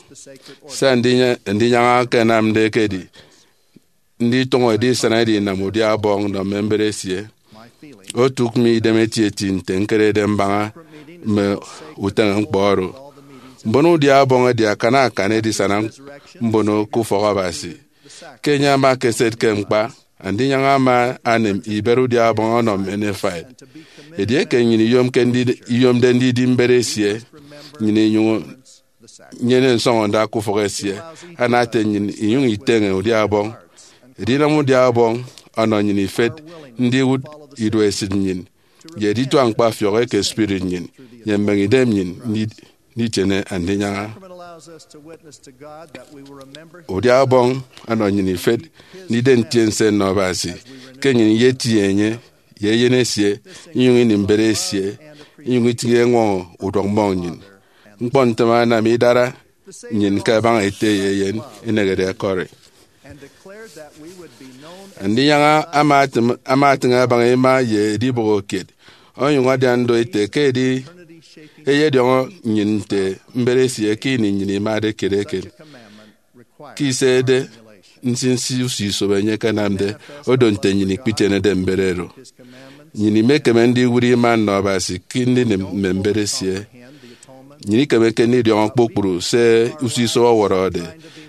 Se Andinyaña, Andinyaña akanamde ekedi nditụñọ edisana edinam udia ọbọñ nnọ mme mbet esie. Otụk mi idem etieti nte ñkerede mbaña mme uteñe ñkpọ oro. Mbono udia ọbọñ edi akan akan edisana mbono ke ufọk Abasi. Ke enye ama ekeset ke ñkpa, Andinyaña ama anịm ibet udia ọbọñ ọnọ mme Nephi. Edieke nnyịn iyomke ndi-, iyomde ndidi mbet esie, nnyịn inyụñ nyene nsọñọnda ke ufọk esie, ana ete nnyịn inyụñ iteñe udia ọbọñ. Edinam udia ọbọñ ọnọ nnyịn ifet ndiwụt iduesit nnyịn ye editua ñkpa ọfiọk eke spirit nnyịn ye mbeñe idem nnyịn ndi-, nditiene Andinyaña. Udia ọbọñ ọnọ nnyịn ifet ndide ntiense nnọ Abasi ke nnyịn iyetie enye ye eyen esie, inyụñ ini mbet esie, inyụñ itịñ eñwọñọ uduak mmọñ nnyịn. Ñkpọ ntem anam idara nnyịn ke abaña ete ye eyen enehede ẹkọri. Andinyaña ama atịm-, ama atịñ abaña ima ye edibọhọ kiet, onyụñ adian do ete ke edi eyediọñọ nnyịn nte mbet esie ke ini nnyịn imade kiet eken. Ke isede nsinsi usio isobo enye ke anamde, odo nte nnyịn ikpitienede mbet oro. Nnyịn imekeme ndiwụt ima nnọ Abasi ke ndinịm mme mbet esie. Nnyịn ikemeke ndidiọñọ kpukpru se usio isobo ọwọrọde,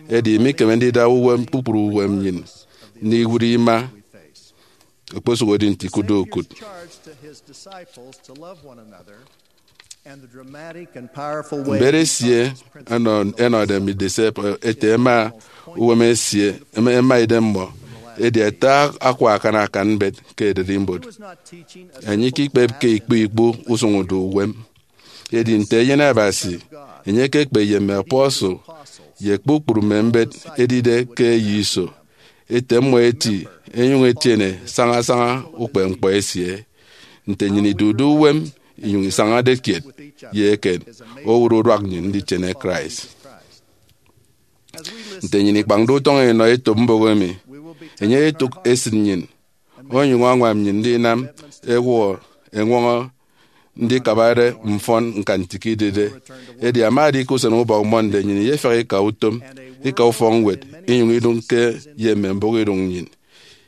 edi imikeme ndida uwem kpukpru uwem nnyịn ndiwụt ima, okposụkedi nte ikụtde ukụt. Mbet esie ẹnọ-, ẹnọde mme disciple ete ẹma uwem esie, ẹma, ẹma idem mmọ, edi ẹta akwa akan akan mbet ke ererimbot. Enye ikikpepke ikpu ikpu usụñ udu uwem. Edi nte eyen Abasi, enye ekekpe ye mme apostle ye kpukpru mme mbet edide ke eyo iso. Ete mmọ eti, enyụñ etiene sañasaña ukpepñkpọ esie. Nte nnyịn idude uwem inyụñ isañade kiet ye eken, owụt uduak nnyịn nditiene Christ. Nte nnyịn ikpañde utọñ inọ etop mbụk emi, enye etụk esịt nnyịn, onyụñ añwam nnyịn ndinam ewụhọ eñwọñọ ndikabade mfọn ñkantikọ idide. Edi ama edi ke usen ubọk Monday, nnyịn iyefiak ika utom, ika ufọkñwed, inyụñ idụñke ye mme mbụk idụñ nnyịn,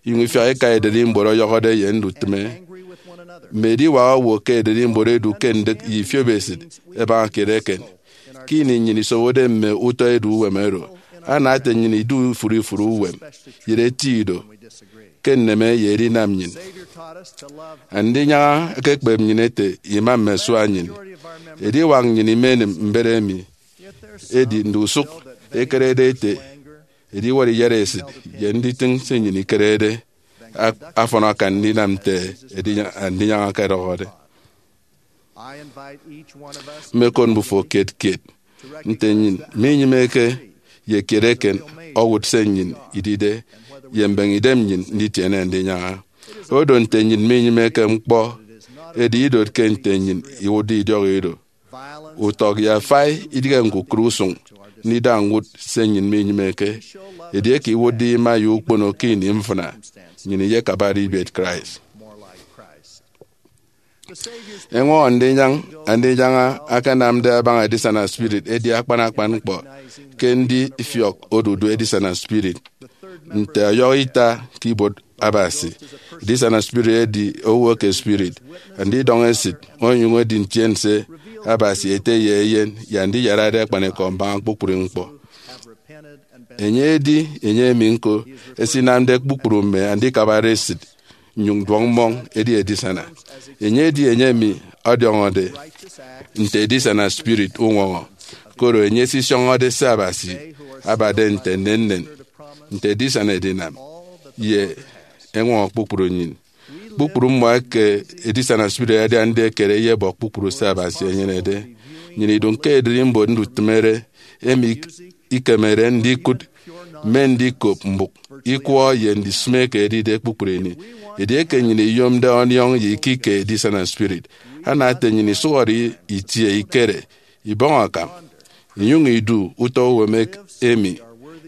inyụñ ifiak ika ererimbot ọyọhọde ye ndutịme. Mme ediwak owo ke ererimbot edu ke ndịk ye ifiopesịt ẹbaña kiet eken. Ke ini nnyịn isobode mme utọ edu uwem oro, ana ete nnyịn idu ifụre ifụre uwem, yet eti ido ke nneme ye edinam nnyịn. Andinyaña ekekpep nnyịn ete ima mme asua nnyịn. Ediwak nnyịn imenịm mbet emi, edi ndusụk ekerede ete ediwọrọ iyatesịt ye nditịñ se nnyịn ikerede a-, afọn akan ndinam nte Andinyaña ọkọdọhọde. Mmekot mbufo kiet kiet nte nnyịn minyịmeke ye kiet eken owụt se nnyịn idide ye mbeñe idem nnyịn nditiene Andinyaña. Odo nte nnyịn minyịmeke ñkpọ, edi idotke nte nnyịn iwụtde idiọk ido. Utọk ye afai idịghe ñkukụre usụñ ndida ñwụt se nnyịn minyịmeke. Edieke iwụtde ima ye ukpono ke ini mfịna, nnyịn iyekabade ibiet Christ. Eñwọñọ ndinyañ Andinyaña akanamde abaña edisana spirit edi akpan akpan ñkpọ ke ndifiọk odudu edisana spirit. Nte ọyọhọ ita ke ibuot Abasi, edisana spirit edi owo eke spirit, andidọñ esịt, onyụñ edi ntiense Abasi Ete ye Eyen ye Andiyarade akpanikọ mbaña kpukpru ñkpọ. Enye edi enye emi ñko esinamde kpukpru mme andikabare esịt nnyụñ duọk mmọñ edi edisana. Enye edi enye emi ọdiọñọde nte edisana spirit uñwọñọ, koro enye esisioñode se Abasi abade nte nnennen, nte edisana edinam, ye eñwọñọ kpukpru nnyịn. Kpukpru mmọ eke edisana spirit adiande ekere eyebọ kpukpru se Abasi enyenede. Nnyịn idụñ ke ererimbot ndutịmere emi ikemede ndikụt mme ndikop mbụk, ikwọ, ye ndisịme eke edide kpukpru ini. Edieke nnyịn iyomde ọniọñ ye ikike edisana spirit, ana ete nnyịn isụhọde itie ikere, ibọñ akam, inyụñ idu utọ uwem ek-, emi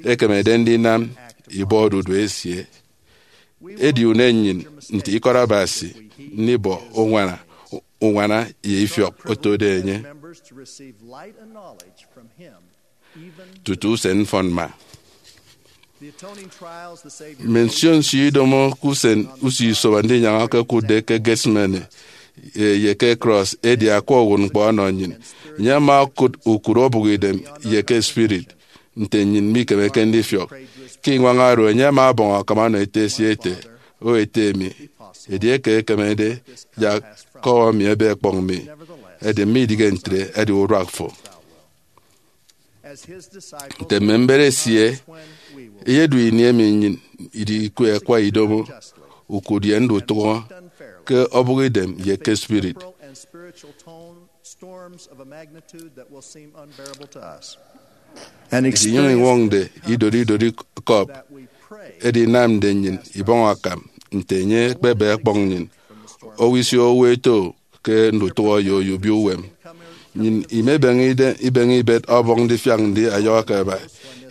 ekemede ndinam ibọ odudu esie. Edi unen nnyịn nte ikọt Abasi ndibọ uñwana, uñwana ye ifiọk otode enye tutu usen mfọnmma. Mme nsio nsio idomo ke usen usio isobo Andinyaña okokụtde ke Gethsemane, e, ye ke krọs edi akwa uwụtñkpọ ọnọ nnyịn. Enye ama okụt ukụre obụkidem ye ke spirit nte nnyịn mikemeke ndifiọk. Ke iñwañ oro, enye ama ọbọñ akam ọnọ Ete esie ete, O Ete mi, edieke ekemede, yak kọhọ mi ebe ekpọñ mi, edi midịghe ntre, edi uduak fo. Nte mme mbet esie, eyedu ini emi nnyịn idiku akwa idomo, ukụt ye ndutụhọ ke ọbụk idem ye ke spirit. Edi inyụñ iñwọñde idori idori cup edinamde nnyịn ibọñ akam nte enye ekpebe ọkpọñ nnyịn, owo isio owo eto ke ndutụhọ ye oyobio uwem. Nnyịn imebeñe ide- ibeñe ibet ọbọñ ndifiak ndi ọyọhọ ke aba.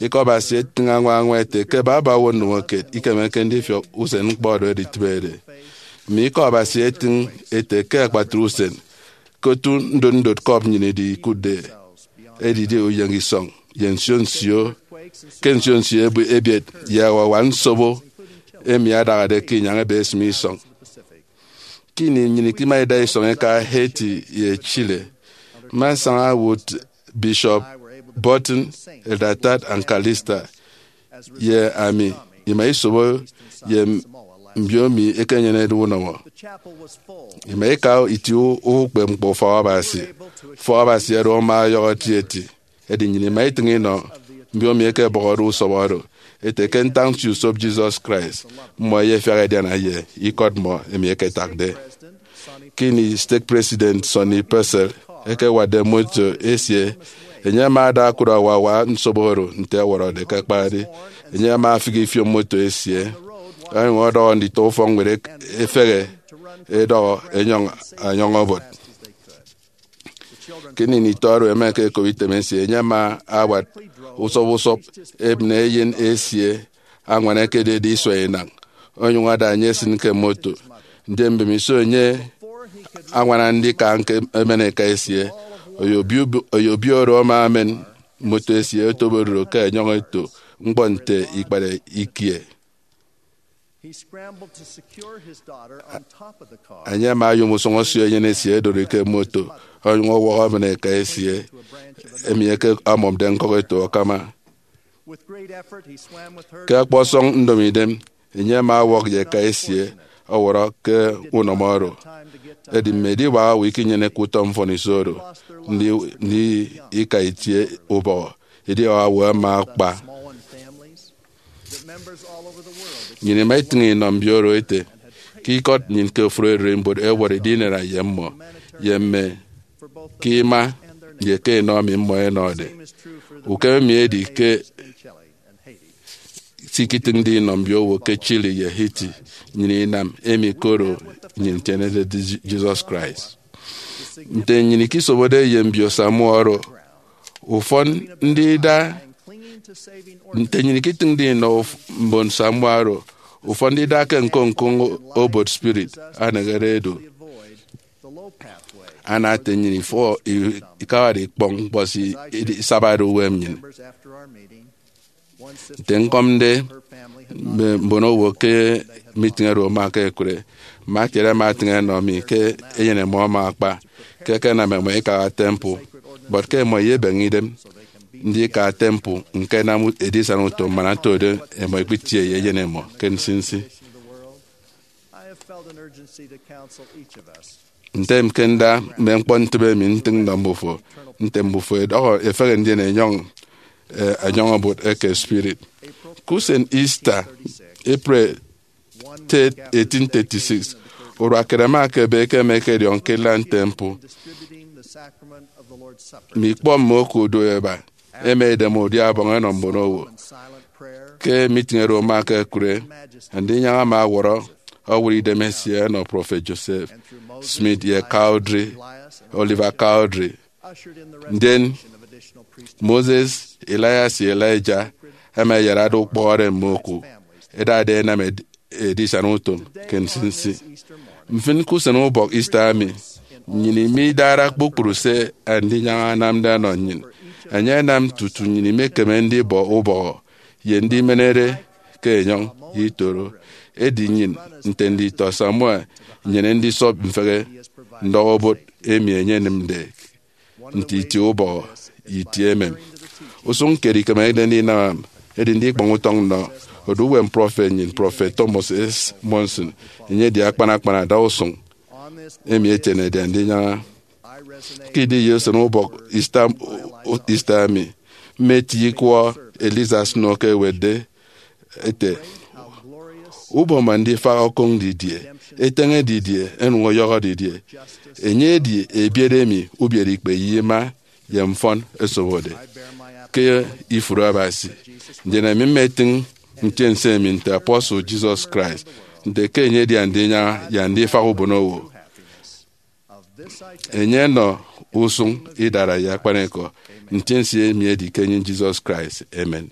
Ikọ Abasi etịñ añwa añwa ete ke baba owo ndomokiet ikemeke ndifiọk usen ñkpọ oro editịbede. Mme Ikọ Abasi etịñ ete ke akpatre usen, ke otu ndot ndot cup nnyịn idi ikụtde, edide uyeñ isọñ ye nsio nsio, ke nsio nsio ebi- ebiet ye awawa nsobo emi adahade ke inyañ ebe esịm isọñ. Ke ini nnyịn ikima ida isọñ ika Haiti ye Chile, mma nsaña wụt Bishop Burton, Elder Tad, and Calista ye ami ima isobo ye mbio mi ekenyenede unọmọ. Ima ika iti u- ukpepñkpọ ufọk Abasi. Ufọk Abasi oro ama ọyọhọ etieti. Edi nnyịn ima itịñ inọ mbio mi eke ẹbọhọde usọbọ oro, ete ke ntañnsiusop Jesus Christ, mmọ ẹyefiak ẹdiana ye ikọt mmọ emi ẹketakde. Ke ini stake president Sonny Purcell ekewatde moto esie, enye ama ada akụt awawa nsobo oro nte ọwọrọde ke akpari. Enye ama afịk ifiop moto esie, onyụñ ọdọhọ nditọ ufọkñwed ek- efehe, edọhọ enyọñ añwam obot. Ke ini itọ oro ẹma ẹkekop item esie, enye ama awat usọp usọp ebịne eyen esie añwan ekededi isua inañ, onyụñ ada enye esịn ke moto. Ndien mbemiso enye añwana ndika ñka emen eka esie, oyobio, oyobio oro ama emen moto esie otobo ododu ke enyọñ eto ñkpọ nte ikpat ikie. Enye ama oyom usụñ osio eyen esie edori ke moto, onyụñ ọwọhọ emen eka esie emi eke ọmọmde ñkọk eto akama. Ke ọkpọsọñ ndomo idem, enye ama ọwọk ye eka esie ọwọrọ ke unọmọ oro. Edi mme ediwak owo ikinyeneke utọ mfọniso oro, ndi, ndi ika itie ubọhọ, ediwak owo ama akpa. Nnyịn ima itịñ inọ mbio oro ete ke ikọt nnyịn ke ofụri ererimbot ẹwọrọ idinana ye mmọ, ye mme ke ima ye ke enọ emi mmọ ẹnọde. Ukem emi edi ke se ikitịñde inọ mbiowo ke Chile ye Haiti. Nnyịn inam emi koro nnyịn itienede Jesus Christ. Nte nnyịn ikisobode ye mbio Samoa oro, ufọn ndida, nte nnyịn ikitịñde inọ uf- mbon Samoa oro, ufọn ndida ke ñkoñkoñ obot spirit anehede edu, ana ete nnyịn ifo- i- ikawade ikpọñ ñkpọ se idi- isabade uwem nnyịn. Nte ñkọmde mme mbon owo ke meeting oro ama ke ekure, mma kiet ẹma ẹtịñ ẹnọ mi ke eyen mmọ ama akpa ke ẹkenam mmọ ikaha temple, but ke mmọ iyebeñe idem ndika temple ñkenam edisana utom man otode mmọ ikpitie ye eyen mmọ ke nsinsi. Ntem ke nda mme ñkpọ ntịbe emi ntịñ nnọ mbufo, nte mbufo ẹdọhọ ẹfehe ndien ẹnyọñ, eh, ẹnyọñ obot eke spirit. Ke usen Easter, April eighteen thirty-six, urua kiet ẹma ẹkebe ke ẹma ẹkediọñ ke Inland Temple. Mme ikpọ mme oku do ẹba ẹma ẹdeme udia Ọbọñ ẹnọ mbon owo. Ke meeting oro ama ke ekure, Andinyaña ama ọwọrọ ọwọrọ idem esie ẹnọ Prophet Joseph Smith ye Cowdery, Oliver Cowdery. Ndien Moses, Elias, ye Elijah ẹma ẹyarade ukpọhọde mme oku ẹdade ẹnam ed- edisana utom ke nsinsi. Mfịn, ke usen ubọk Easter emi, nnyịn imidara kpukpru se Andinyaña anamde ọnọ nnyịn. Enye anam tutu nnyịn imekeme ndibọ ubọhọ ye ndimenere ke enyọñ ye itoro. Edi nnyịn, nte nditọ Samoa, inyene ndisọp mfehe ndọhọ obot emi enye enịmde nte itie ubọhọ ye itie emem. Usụñ kiet ikemekde ndinam edi ndikpọñ utọñ nnọ odu uwem prọfet nnyịn, Prọfet Thomas S. Monson. Enye edi akpan akpan adausụñ emi etienede Andinyaña. Ke idi ye usen ubọk Easter, Easter emi, Mme eti ikwọ Eliza Snow ke ewetde ete, ubọñ man ndifak okoñ didie, eteñe didie, enyuñ ọyọhọ didie. Enye edi ebiet emi ubiereikpe ye ima ye mfọn esobode ke ifụre Abasi. Ndien ami mma etiñ ntiense emi nte apostle Jesus Christ, nte ke enye edi andinyaña ye andifak ubonowo. Enye ọnọ usuñ idara ye akpanikọ. Ntiense emi edi ke enyin Jesus Christ. Amen.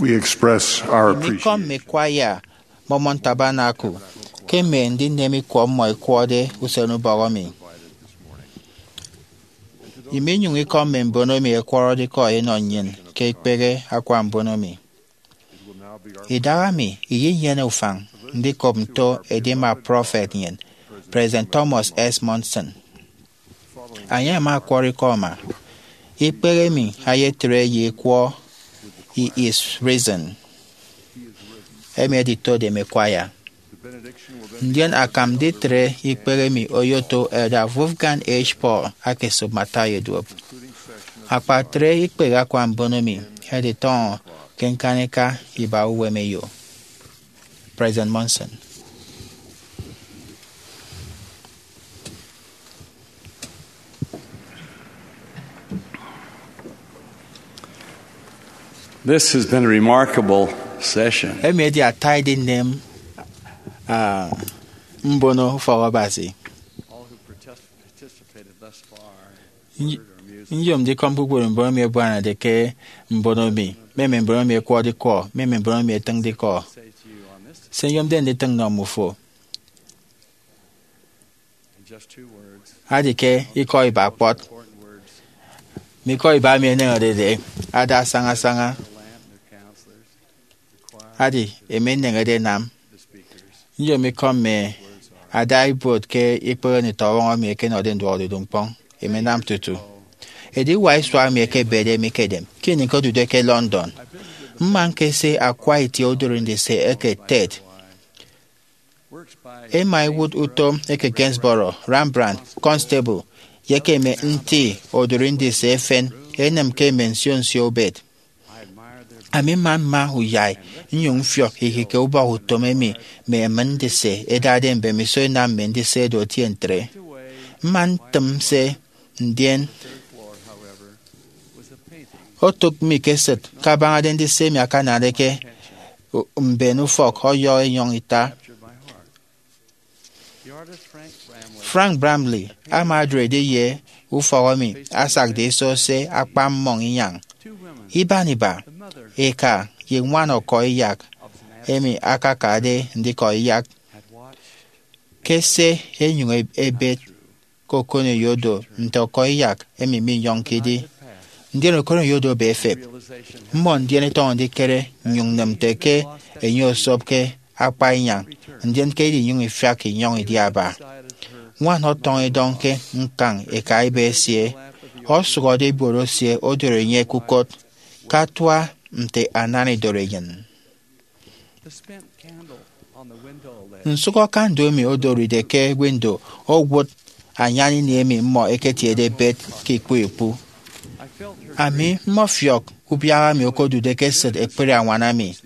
We express our Mme ikọ mme appreciation kwaya Mormon Tabernacle ke mme ndineme ikwọ mmọ ẹkwọde usenubọk emi. Iminyụñ ikọ mme mbon emi ẹkwọrọde ikọ ẹnọ nnyịn ke ikpehe akwa mbon emi. Idahaemi iyenyene ufañ ndikop nto edima prọfet nnyịn, President Thomas S. Monson. Enye ama ọkwọrọ ikọ ama. Ikpehe emi eyetre ye ikwọ He Is Risen, emi editode mme kwaya. Ndien akam nditre ikpehe emi oyoto Elder Wolfgang H. Paul aka esop Matthew Eduop. Akpatre ikpehe akwa mbon emi editọñọ ke ñkanika iba uwemeyo. President Monson. This has been a remarkable session. Emi edi ata edinem, ah, mbono ufọk Abasi. All who partic- participated thus far in Ny- word or music. Nyom ndikọm kpukpru mbon emi ẹbuanade ke mbono mi, mme mme mbon emi ẹkwọde ikọ, mme mme mbon emi ẹtịñde ikọ. Say to you on this Se nyomde nditịñ nnọ mmufo in just two words, adi ke ikọ iba kpọt, important words, mme ikọ iba emi ẹneñerede ada asaña asaña, their lamp, their counselors, the choir, adi emi eneñede enam. The speakers. Nyom ikọ mme ada ibuot ke ikpehe nditọwọñ emi ẹkenọde nduọkodudu ñkpọñ, emi ẹnam tutu ediwak isua emi ẹkebede mi ke edem ke ini ñkodude ke London. Mma ñkese akwa itie odụri ndise eke Ted, ema iwụt utom eke Gainsborough, Rembrandt, Constable, ye eke mme nti odụri ndise efen enịm ke mme nsio nsio ubet. Ami mma mma uyai nnyụñ mfiọk ihịke ubọk utom emi mme emịn ndise ẹdade mbemiso ẹnam mme ndise ẹdu ẹtie ntre. Mma ntịm se, ndien otụk mi ke esịt kabañade ndise emi akanade ke mben ufọk ọyọ enyọñ ita. Frank Bramley ama odụrede ye ufọk emi asakde iso se akpa mmọñ inyañ. Iban iba, eka ye ñwan ọkọiyak emi akakade ndikọ iyak, ke se enyụñ ebet ke okoneyo do nte ọkọiyak emi minyọñke idi. Ndien okoneyo do ebe efep. Mmọ ndien ẹtọñọ ndikere nnyụñ nnịm nte ke enye osopke akpa inyañ, ndien ke edinyụñ ifiak inyọñ idi aba. Ñwan ọtọñ idọñ ke ñkañ eka iba esie, osụhọde ibuot esie odoro enye ke ukot, ke atua nte anana idoro enyịn. Nsụhọ kandụl emi odoride ke windo owụt anyan ini emi mmọ ẹketiede ẹbet ke ikpu ikpu. Ami mmọfiọk ubiaha emi okodude ke esịt ekpri añwana mi.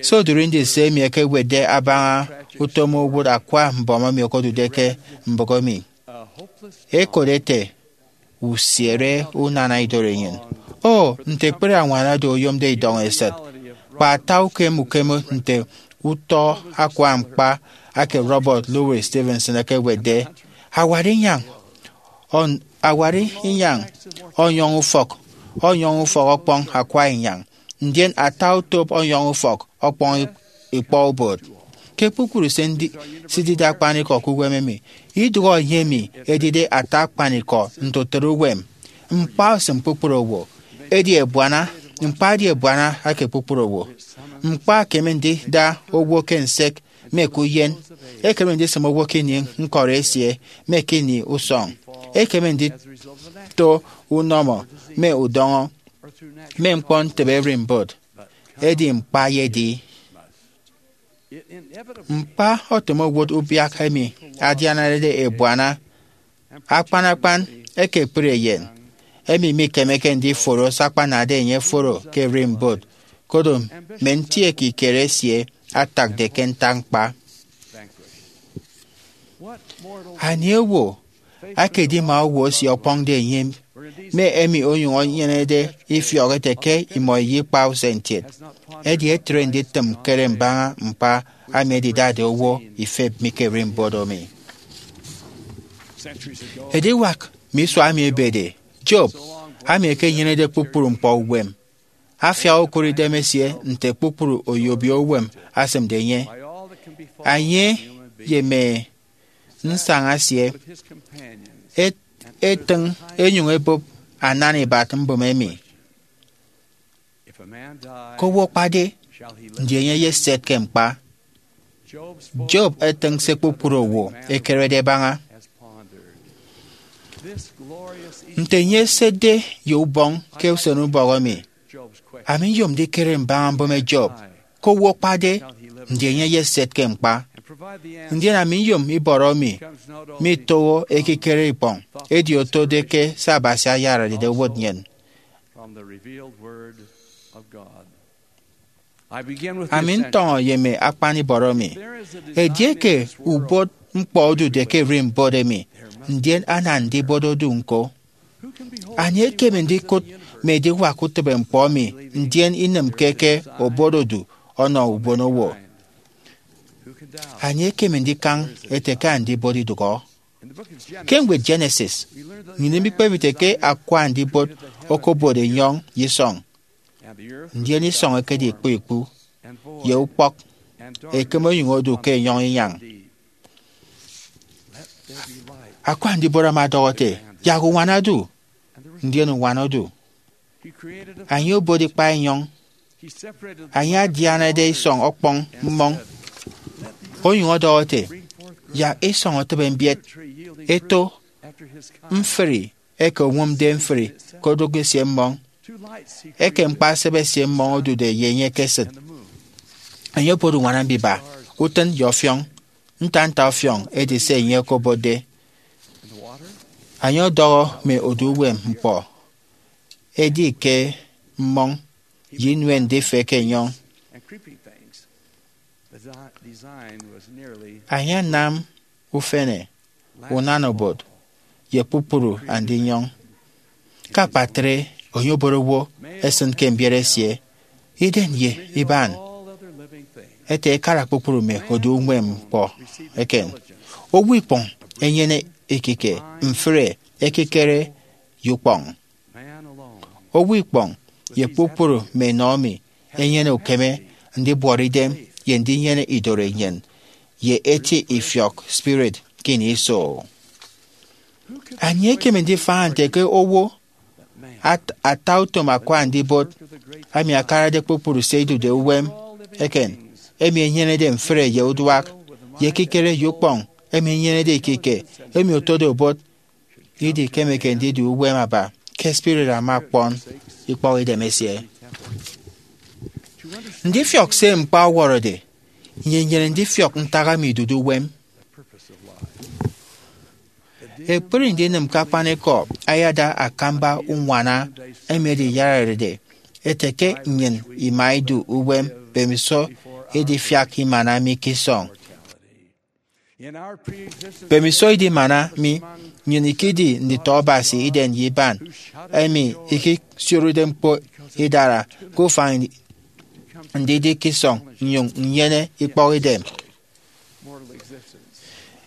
Se odụri ndise emi ẹkewetde abaña utom owụt akwa mbọm emi okodude ke mbụk emi. Ẹkot ẹte, usiere unana idoro enyịn. O, nte ekpri añwana do oyomde idọñ esịt! Kpa ata ukem ukem nte utọ akwa ñkpa eke Robert Louis Stevenson ekewetde, awari inyañ, on- awari inyañ ọnyọñ ufọk, ọnyọñ ufọk ọkpọñ akwa inyañ, ndien ata otop ọnyọñ ufọk ọkpọñ ikpọ ubot. Ke kpukpru se ndi- sidide akpanikọ ke uwem emi, idụhe enye emi edide ata akpanikọ nte utịt uwem. Ñkpa osịm kpukpru owo, edi ebuana, ñkpa edi ebuana eke kpukpru owo. Ñkpa ekeme ndida owo ke nsek me ke uyen, ekeme ndisịm owo ke ini ñkọri esie me ke ini usọñ, ekeme ndito unọmọ me udọñọ, me ñkpọ ntịbe ererimbot, edi ñkpa eyedi. Ñkpa otịm owụt ubiak emi adianade ebuana, akpan akpan eke ekpri eyen, emi mikemeke ndiforo se akpanade enye oforo ke ererimbot, koro mme nti ekikere esie atakde ke ntak ñkpa. Anie owo akedima owo esie ọkpọñde enye, mme emi onyụñ enyenede ifiọk ete ke imọ iyikpa usen kiet? Edi etre nditịm ñkere mbaña ñkpa emi edidade owo ifep mi ke ererimbot emi. Ediwak mme isua emi ebede, Job, ami ekenyenede kpukpru ñkpọ uwem, afiak okụre idem esie nte kpukpru oyobio uwem asịmde enye. Enye ye mme nsaña esie et- etịñ enyụñ ebụp anan ibat mbụme emi. Ke owo akpade, ndi enye eyeset ke ñkpa? Job etịñ se kpukpru owo ẹkerede ẹbaña. Nte enye esetde ye ubọñ ke usenubọk emi? Ami nyom ndikere mbaña mbụme Job. Ke owo akpade, ndi enye eyeset ke ñkpa? Ndien ami nyom ibọrọ mi mitoho ekikere ikpọñ, edi otode ke se Abasi ayararede owot nnyịn. Ami ntọñọ ye mme akpan ibọrọ mi. Edieke ubot ñkpọ odude ke ererimbot emi, ndien ana ndibot odu ñko. Ani ekeme ndikụt mme ediwak utịbe ñkpọ emi, ndien inịmke ke obot odu ọnọ ubonowo? Ani ekeme ndikañ ete ke andibot idụhọ? Ke ñwed Genesis, nnyịn imikpep ite ke akwa andibot okobot enyọñ ye isọñ, ndien isọñ ekedi ikpu ikpu, ye ukpọk ekeme onyụñ odu ke enyọñ inyañ. Akwa andibot ama ọdọhọ ete, yak uñwana odu, ndien uñwana odu. Enye obot ikpa enyọñ. Enye adianade isọñ ọkpọñ mmọñ, onyụñ ọdọhọ ete, yak isọñ etịbe mbiet, eto mfri eke oñwụmde mfri ke odụk esie mmọñ, eke ñkpa esịbe esie mmọñ odude ye enye ke esịt. Enye obot uñwana mbiba, utịn ye ọfiọñ, nta nta ọfiọñ edi se enye okobotde. Enye ọdọhọ mme odu uwem ñkpọ, edi ke mmọñ ye inuen ndife ke enyọñ. Enye anam ufene, unana obot, ye kpukpru andinyọñ. Ke akpatre, enye obot owo esịn ke mbiet esie, idem ye iban, ete ekara kpukpru mme odu uñwem ñkpọ eken. Owo ikpọñ enyene ekike, mfre, ekikere, ye ukpọñ. Owo ikpọñ ye kpukpru mme enọ emi enyene ukeme ndibuọt idem ye ndinyene idoro enyịn ye eti ifiọk spirit ke ini iso. Anie ekeme ndifaña nte ke owo at- ata utom akwa andibot emi akarade kpukpru se idude uwem eken, emi enyenede mfre ye uduak, ye ekikere ye ukpọñ emi enyenede ikike, emi otode obot, idikemeke ndidu uwem aba ke spirit ama ọkpọn ikpọk idem esie? Ndifiọk se ñkpa ọwọrọde, nnyịn inyene ndifiọk ntak emi idude uwem. Ekpri ndinịm ke akpanikọ ayada akamba uñwana emi ediyararede ete ke nnyịn ima idu uwem mbemiso idifiak imana mi ke isọñ. Mbemiso idimana mi, nnyịn ikedi nditọ Abasi idem ye iban, emi ikisioride ñkpo idara ke ufañ ndidi ke isọñ nnyụñ nnyene ikpọk idem.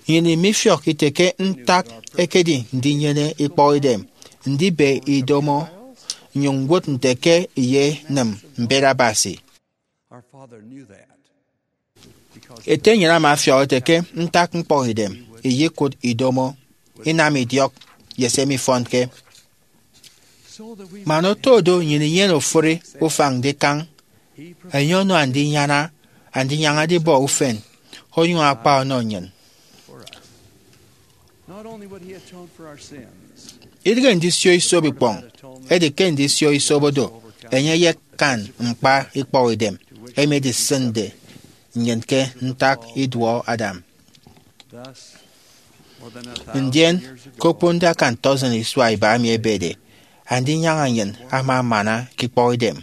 Nnyịn imifiọk ite ke ntak ekedi ndinyene ikpọk idem, ndibe idomo, nnyụñ ñwụt nte ke iyenịm mbet Abasi. Ete nnyịn ama afiọk ete ke ntak ñkpọkidem iyekụt idomo, inam idiọk, ye se mifọnke. Man oto do nnyịn inyene ofụri ufañ ndikañ, enye ọnọ andinyaña, andinyaña edibọ ufen, onyụñ akpa ọnọ nnyịn. Idịghe ndisio isop ikpọñ, edi ke ndisio isop odo, enye eyekan ñkpa ikpọkidem emi edisịnde nnyịn ke ntak iduọ Adam. Ndien, ke okponde akan tọsin isua iba emi ebede, andinyaña nnyịn ama amana ke ikpọkidem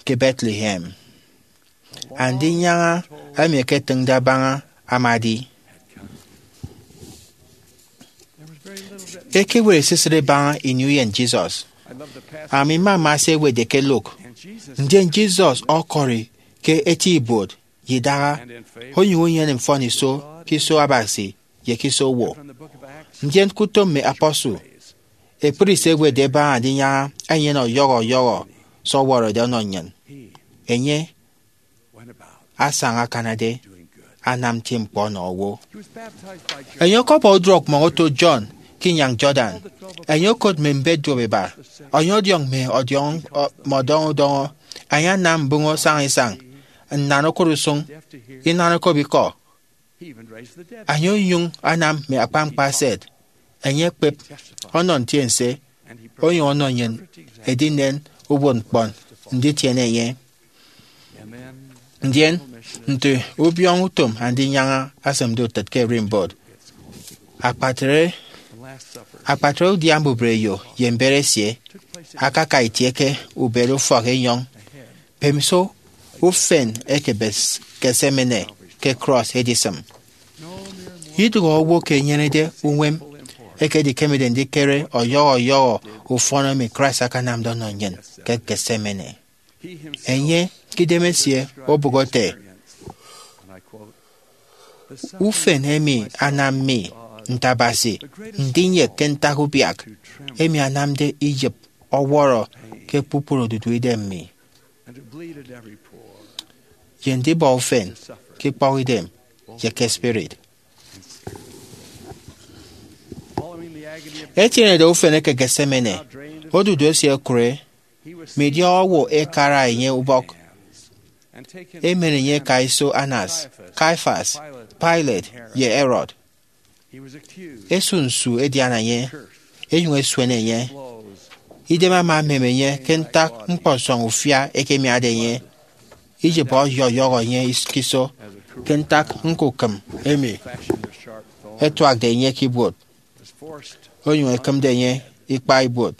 ke Bethlehem. Andinyaña emi eketịñde abaña ama edi. Ekewet esisịt ibaña ini uyen Jesus. Ami mmama se ẹwetde ke Luke. Ndien Jesus ọkọri ke eti ibuot ye idaha, onyụñ enyene mfọniso ke iso Abasi ye ke iso owo. Ndien ke utom mme apostle, ekpri se ẹwetde ẹbaña andinyaña enyene ọyọhọ ọyọhọ se ọwọrọde ọnọ nnyịn. Enye asaña akanade anam nti ñkpọ ọnọ owo. Enye ọkọbọ uduọkmọñ oto John ke inyañ Jordan. Enye okot mme mbet duop iba, enye ọdiọñ mme ọdiọñ, mme ọdọñọ udọñọ. Enye anam mbụñọ saña isañ, nnan okot usụñ, inan okop ikọ. Enye onyụñ anam mme akpañkpa eset. Enye ekpep ọnọ ntiense, onyụñ ọnọ nnyịn edinen uwụtñkpọ nditiene enye. Ndien, nte ubiọñ utom Andinyaña esịmde utịt ke ererimbot, akpatre, akpatre udia mbubreyo ye mbet esie akaka itie ke ubet ufọk enyọñ. Mbemiso ufen eke Gethsemane ke cross edisịm. Idụhe owo ke enyenede uñwam eke edikemede ndikere ọyọhọ ọyọhọ ufọn emi Christ akanamde ọnọ nnyịn ke Gethsemane. Enye ke idem esie obụk ete, "Ufen emi anam mi, nte Abasi, ndinyek ke ntak ubiak emi anamde iyịp ọwọrọ ke kpukpru odudu idem mi, ye ndibọ ufen ke ikpọkidem ye ke spirit." Etienede ufen eke Gethsemane, odudu esie okụre, midiọk owo ẹkara enye ubọk, emen enye ẹka iso Annas, Caiaphas, Pilate, ye Herod. Esu nsu edian enye, enyụñ esuen enye. Idem ama emem enye ke ntak ñkpọsọñ ufia ẹkemiade enye. Iyịp ọyọyọhọ enye ke iso ke ntak ñkukịm emi ẹtuakde enye ke ibuot, onyụñ ekịmde enye ikpa ibuot.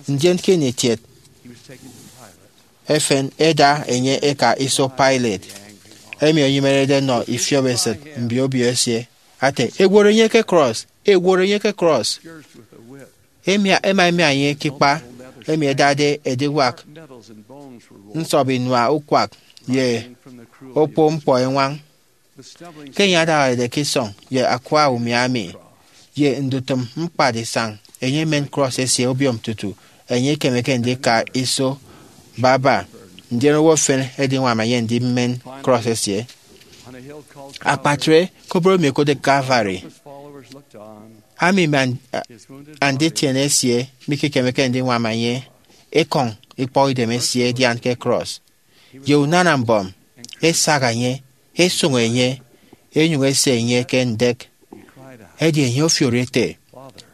Ndien ke ini etiet efen, ẹda enye ẹka iso Pilate, emi enyemerede nọ ifiop esịt mbio obio esie, ate, "Eworo enye ke cross! Eworo enye ke cross!" Emia, ẹma ẹmia enye ke ikpa emi ẹdade ediwak nsọp inua ukwak ye okpo ñkpọ eñwañ. Ke enye adañarede ke isọñ ye akwa umiami ye ndutịm ñkpad isañ, enye emen cross esie obiom tutu enye ikemeke ndika iso baba, ndien owo efen ẹdiñwam enye ndimen cross esie. Akpatre koboro emi ẹkotde Calvary, ami mme an-, anditiene esie mikekemeke ndiñwam enye, ekọñ ikpọkidem esie edian ke cross. Ye unana mbọm, esak enye, esụñ enye, enyụñ ese enye ke ndek. Edi enye ofiori ete,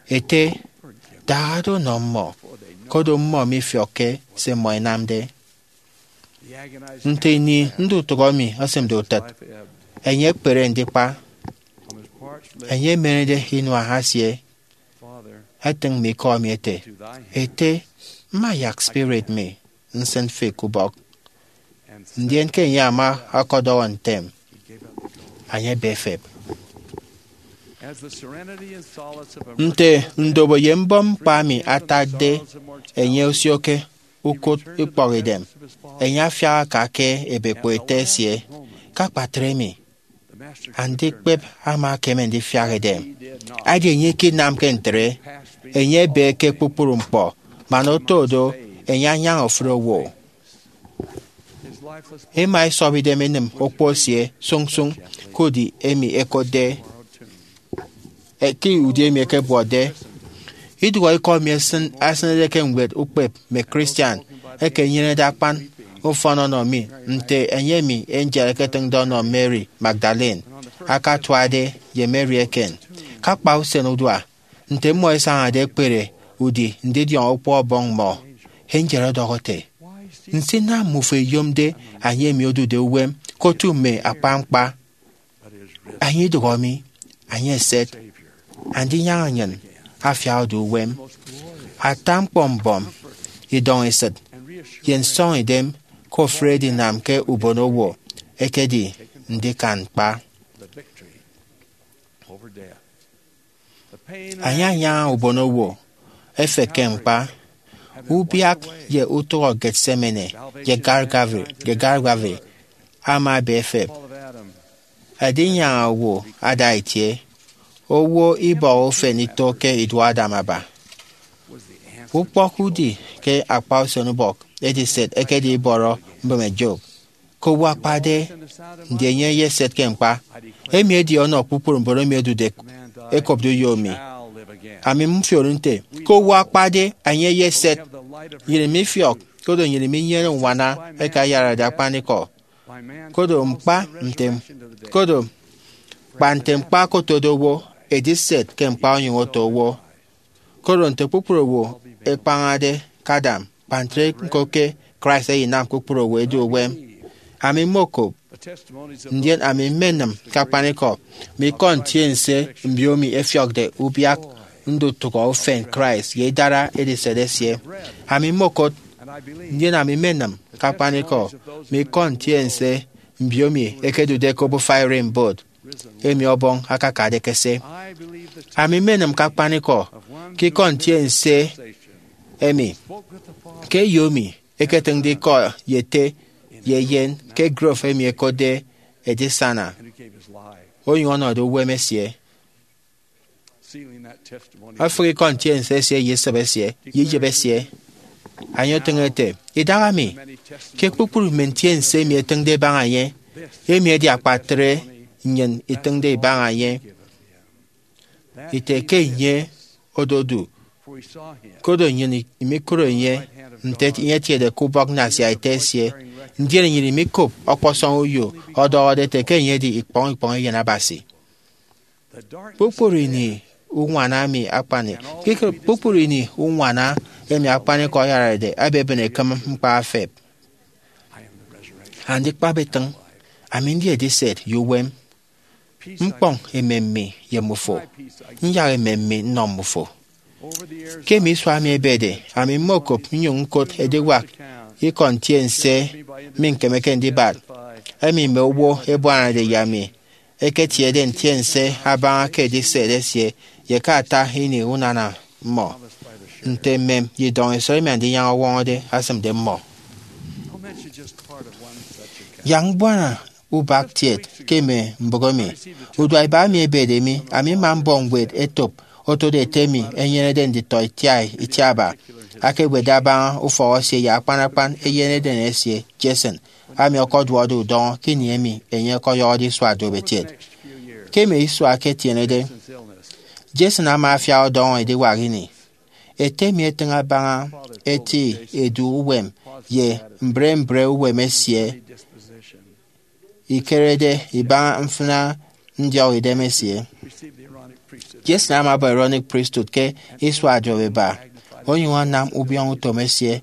"Ete, dahada unọ mmọ, koro mmọ mifiọkke se mmọ ẹnamde." Nte ini ndutụhọ emi esịmde utịt, enye ekpere ndikpa. Enye emenede inua esie, etịñ mme ikọ emi ete, "Ete, mma yak spirit mi nsịn fi ke ubọk." Ndien ke enye ama ọkọdọhọ ntem, enye ebe efep. Nte ndobo ye mbọm ñkpa emi atakde enye osio ke ukụt ikpọkidem, enye afiak aka ke ebekpo ete esie. Ke akpatre emi, andikpep ama ekeme ndifiak edem. Edi enye ikinamke ntre, enye ebe ke kpukpru ñkpọ, man oto do, enye anyaña ofụri owo. Ema esọp idem enịm okpo esie sụñsụñ ke udi emi ẹkotde, eh, ke udi emi ẹkebuọtde. Idụhe ikọ emi esịn-, esịnede ke ñwed ukpep mme Christian eke enyenede akpan ufọn ọnọ mi, nte enye emi angel eketịñde ọnọ Mary Magdalene akatuade ye Mary eken. Ke akpa usen udua, nte mmọ ẹsañade ẹkpere udi ndidiọñ Okpo Ọbọñ mmọ, angel ọdọhọ ete, "Nsinam mmufo ẹyomde enye emi odude uwem ke otu mme akpañkpa? Enye idụhọ mi, enye eset, Andinyaña nnyịn afiak odu uwem." Ata ñkpọ mbọm, idọñ esịt, ye nsọñidem ke ofụri edinam ke ubonowo ekedi ndikan ñkpa. Enye anyaña ubonowo, efekke ñkpa. Ubiak ye utụhọ Gethsemane ye Calvary, ye Calvary ama ebe efep. Edinyaña owo ada itie. Owo ibọhọ ufen ito ke iduọ Adam aba. Ukpọk udi ke akpa usenubọk ediset ekedi ibọrọ mbịme Job. Ke owo akpade, ndien enye eyeset ke ñkpa. Emi edi ọnọ kpukpru mbon emi ẹdude ẹkopde uyo mi. Ami mfiori nte, ke owo akpade, enye eyeset. Nnyịn mifiọk, koro nnyịn minyene uñwana eke ayarade akpanikọ. Koro ñkpa nte, koro kpa nte ñkpa okotode owo, ediset ke ñkpa onyụñ oto owo. Koro nte kpukpru owo ekpañade ke Adam, kpa ntre ñko ke Christ eyinam kpukpru owo ẹdu uwem. Ami mmokop, ndien ami mmenịm ke akpanikọ mme ikọ ntiense mbiomi ẹfiọkde ubiak ndutụhọ ufen Christ ye idara ediset esie. Ami mmokot, ndien ami mmenịm ke akpanikọ mme ikọ ntiense mbiomi ẹkedude ke obufa ererimbot emi Ọbọñ akakade ekese. Ami mmenịm ke akpanikọ ke ikọ ntiense emi, ke eyo emi eketịñde ikọ ye ete ye eyen ke grove emi ẹkotde edisana, onyụñ ọnọde uwem esie, efịk ikọ ntiense esie ye isịp esie ye iyịp esie. Enye otịñ ete, idaha mi, ke kpukpru mme ntiense emi ẹtịñde ẹbaña enye, emi edi akpatre nnyịn itịñde ibaña enye, ite ke enye ododu, koro nnyịn imikụre enye nte enye etiede ke ubọk nnasia ete esie, ndien nnyịn imikop ọkpọsọñ uyo ọdọhọde ete ke enye edi ikpọñ ikpọñ Eyen Abasi. Kpukpru ini uñwana emi akpani, kpukpru ini uñwana emi akpanikọ ayarade ebebịn ekịm ñkpa efep. Andikpep itịñ, ami ndi ediset ye uwem. Ñkpọñ emem mi ye mmufo, nyak emem mi nnọ mmufo. Ke mme isua emi ebede, ami mmokop nnyụñ ñkot ediwak ikọ ntiense mi ñkemeke ndibat, emi mme owo ẹbuanade ye ami ẹketiede ntiense abaña ke ediset esie ye ke ata ini unana mmọ, nte mmem ye idọñ isọñ emi Andinyaña ọwọñọde asịmde mmọ. Yak mbuana ubak kiet ke mme mbụk emi. Uduak iba emi ebede mi, ami mma mbọ ñwed etop otode ete mi enyenede nditọ itiaba itiaba, akewetde abaña ufọk esie ye akpan akpan eyen eden esie, Jason, ami ọkọduọkde udọñọ ke ini emi enye ọkọyọhọde isua duop etiet. Ke mme isua eke etienede, Jason ama afiak ọdọñọ ediwak ini. Ete mi etịñ abaña eti edu uwem ye mbre mbre uwem esie ikerede ibaña mfịna ndiọk idem esie. Jason ama abọ Aaronic Priesthood ke isua duop iba, onyụñ anam ubiọñọ utom esie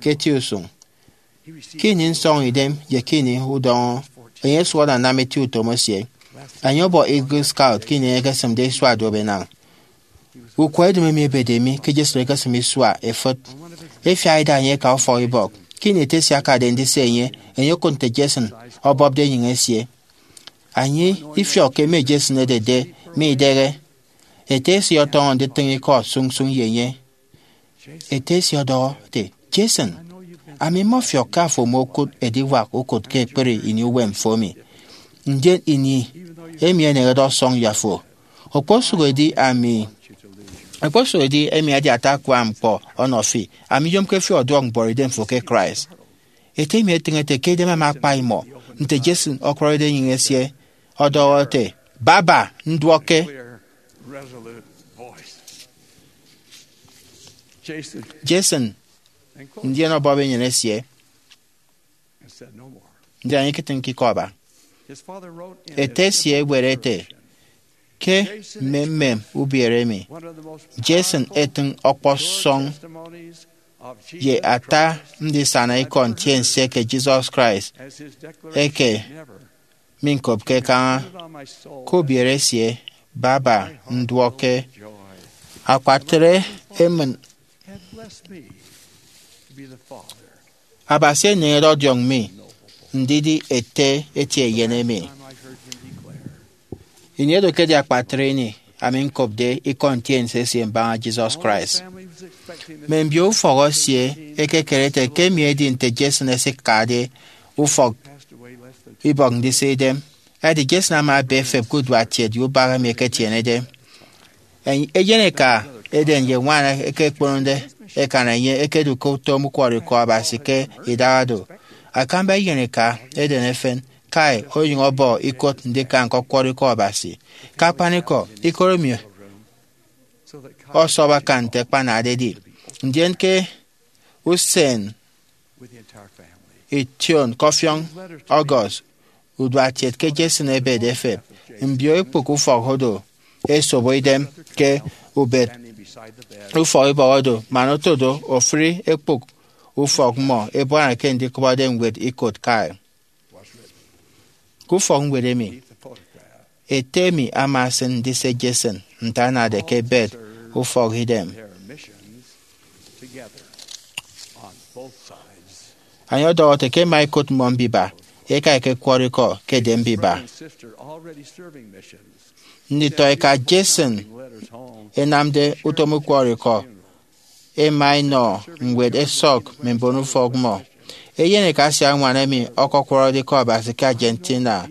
ke eti usụñ. Ke ini nsọñidem ye ke ini udọñọ, enye ọsụhọde anam eti utom esie. Enye ọbọ Eagle Scout ke ini enye ekesịmde isua duop enañ. Ukwọ edịm emi ebede mi ke Jason ekesịm isua efịt. Efiak ida enye eka ufọkibọk. Ke ini ete esie akade ndise enye, enye okụt nte Jason ọbọpde enyịñ esie. Enye ifiọk ke mme Jason ẹdede mme idịghe. Ete esie ọtọñọ nditịñ ikọ sụñsụñ ye enye. Ete esie ọdọhọ ete, Jason, ami mmọfiọk ke afo mokụt ediwak ukụt ke ekpri ini uwem fo emi. Ndien ini emi enehede ọsọñ ye afo, okposụkedi ami, okposụkedi emi edi ata akua ñkpọ ọnọ fi, ami nyomke fi ọduọk mbuọtidem fo ke Christ. Ete mi etịñ ete ke idem ama akpa imọ nte Jason ọkwọrọde enyịñ esie, ọdọhọ ete, baba, nduọkke. Jason ndien ọbọp enyịn esie, ndien enye iketịñke ikọ aba. Ete esie ewet ete, ke mmemmem ubiere emi, Jason etịñ ọkpọsọñ ye ata ndisana ikọ ntiense ke Jesus Christ eke miñkopke kaña. Ke ubiere esie, baba, nduọkke. Akpatre emịn Abasi eneñede ọdiọñ mi ndidi ete eti eyen emi. Ini oro ekedi akpatre ini ami ñkopde ikọ ntiense esie mbaña Jesus Christ. Mme mbio ufọk esie ẹkekere ete ke emi edi nte Jason esikade ufọk ibọk ndise idem. Edi Jason ama ebe efep ke uduak kiet ye ubak emi eketienede. Eyen eka eden ye ñwan eke ekponode ekan enye ekedu ke utom ukwọrọikọ Abasi ke idaha do. Akamba inyene eka eden efen, Kai onyụñ ọbọ ikot ndika ñkọkwọrọ ikọ Abasi. Ke akpanikọ, ikot emi ọsọp akan nte akpanade edi. Ndien ke usen ition ke ọfiọñ August, uduak kiet ke Jason ebede efep. Mbio ekpụk ufọk odo ẹsobo idem ke ubet ufọk ibọk odo, man otodo ofụri ekpụk ufọk mmọ ebuana ke ndikụbọde ñwed ikot Kai. Ke ufọkñwed emi, ete mi ama esịn ndise Jason nte anade ke ebet ufọkidem. Enye ọdọhọ ete ke ẹma ẹkot mmọ mbiba ẹka ẹkekwọrọ ikọ ke edem mbiba. Nditọeka Jason ẹnamde utom ukwọrọ ikọ ẹma ẹnọ ñwed ẹsọk mme mbonufọk mmọ. Eyeneka asiañwan emi ọkọkwọrọde Ikọ Abasi ke Argentina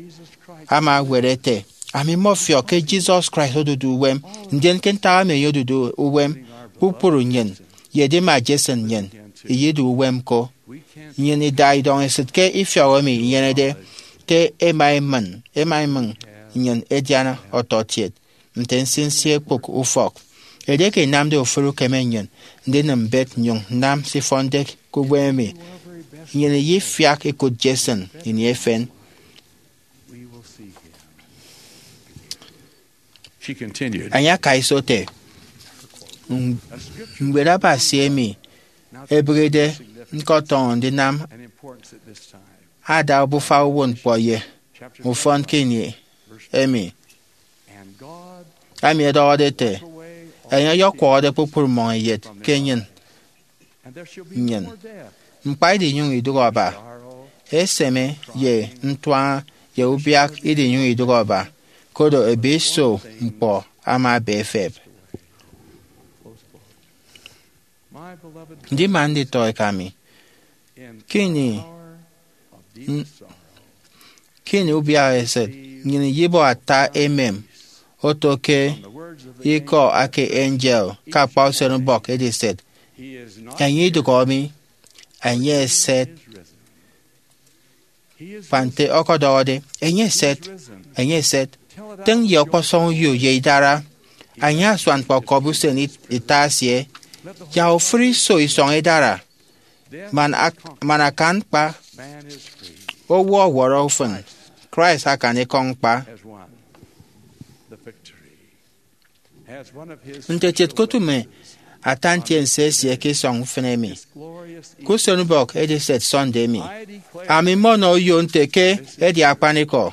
ama ewet ete, Ami mmọfiọk ke Jesus Christ odude uwem, ndien ke ntak emi enye odude uwem, kpukpru nnyịn, ye edima Jason nnyịn, iyedu uwem ko. Nnyịn ida idọñ esịt ke ifiọk emi inyenede ke ẹma ẹmịñ, ẹma ẹmịñ nnyịn ẹdian ọtọkiet nte nsinsi ekpụk ufọk. Edieke inamde ofụri ukeme nnyịn ndinịm mbet nnyụñ nnam se ifọnde ke uwem emi, nnyịn iyefiak ikụt Jason ini efen. Enye aka iso ete, Ñwed Abasi emi ebịghide ñkọtọñọ ndinam ada obufa uwụtñkpọ ye ufọn ke ini emi, ami ẹdọhọde ete, Enye ọyọkwọhọde kpukpru mmọñeyet ke enyịn nnyịn. Ñkpa idinyụñ idụhe ọba, eseme ye ntuaña ye ubiak idinyụñ idụhe ọba, koro ebiso ñkpọ ama ebe efep. Ndima nditọeka mi, ke ini, ke ini ubiaha esịt, nnyịn iyibọ ata emem oto ke ikọ eke angel ke akpa usenubọk ediset, Enye idụhọ mi, enye eset. Kpa nte ọkọdọhọde, Enye eset, enye eset, tịñ ye ọkpọsọñ uyo ye idara, anya asuan kpọkọbi usen it- ita esie, yak ofụri iso isọñ idara, man, ak- man akan ñkpa. Owo ọwọrọ ufịn, Christ akan ikọ ñkpa. Nte etiet kotu mme ata ntiense esie ke isọñ ufịn emi, ke usenubọk ediset Sunday emi, ami mmọnọ uyo nte ke edi akpanikọ.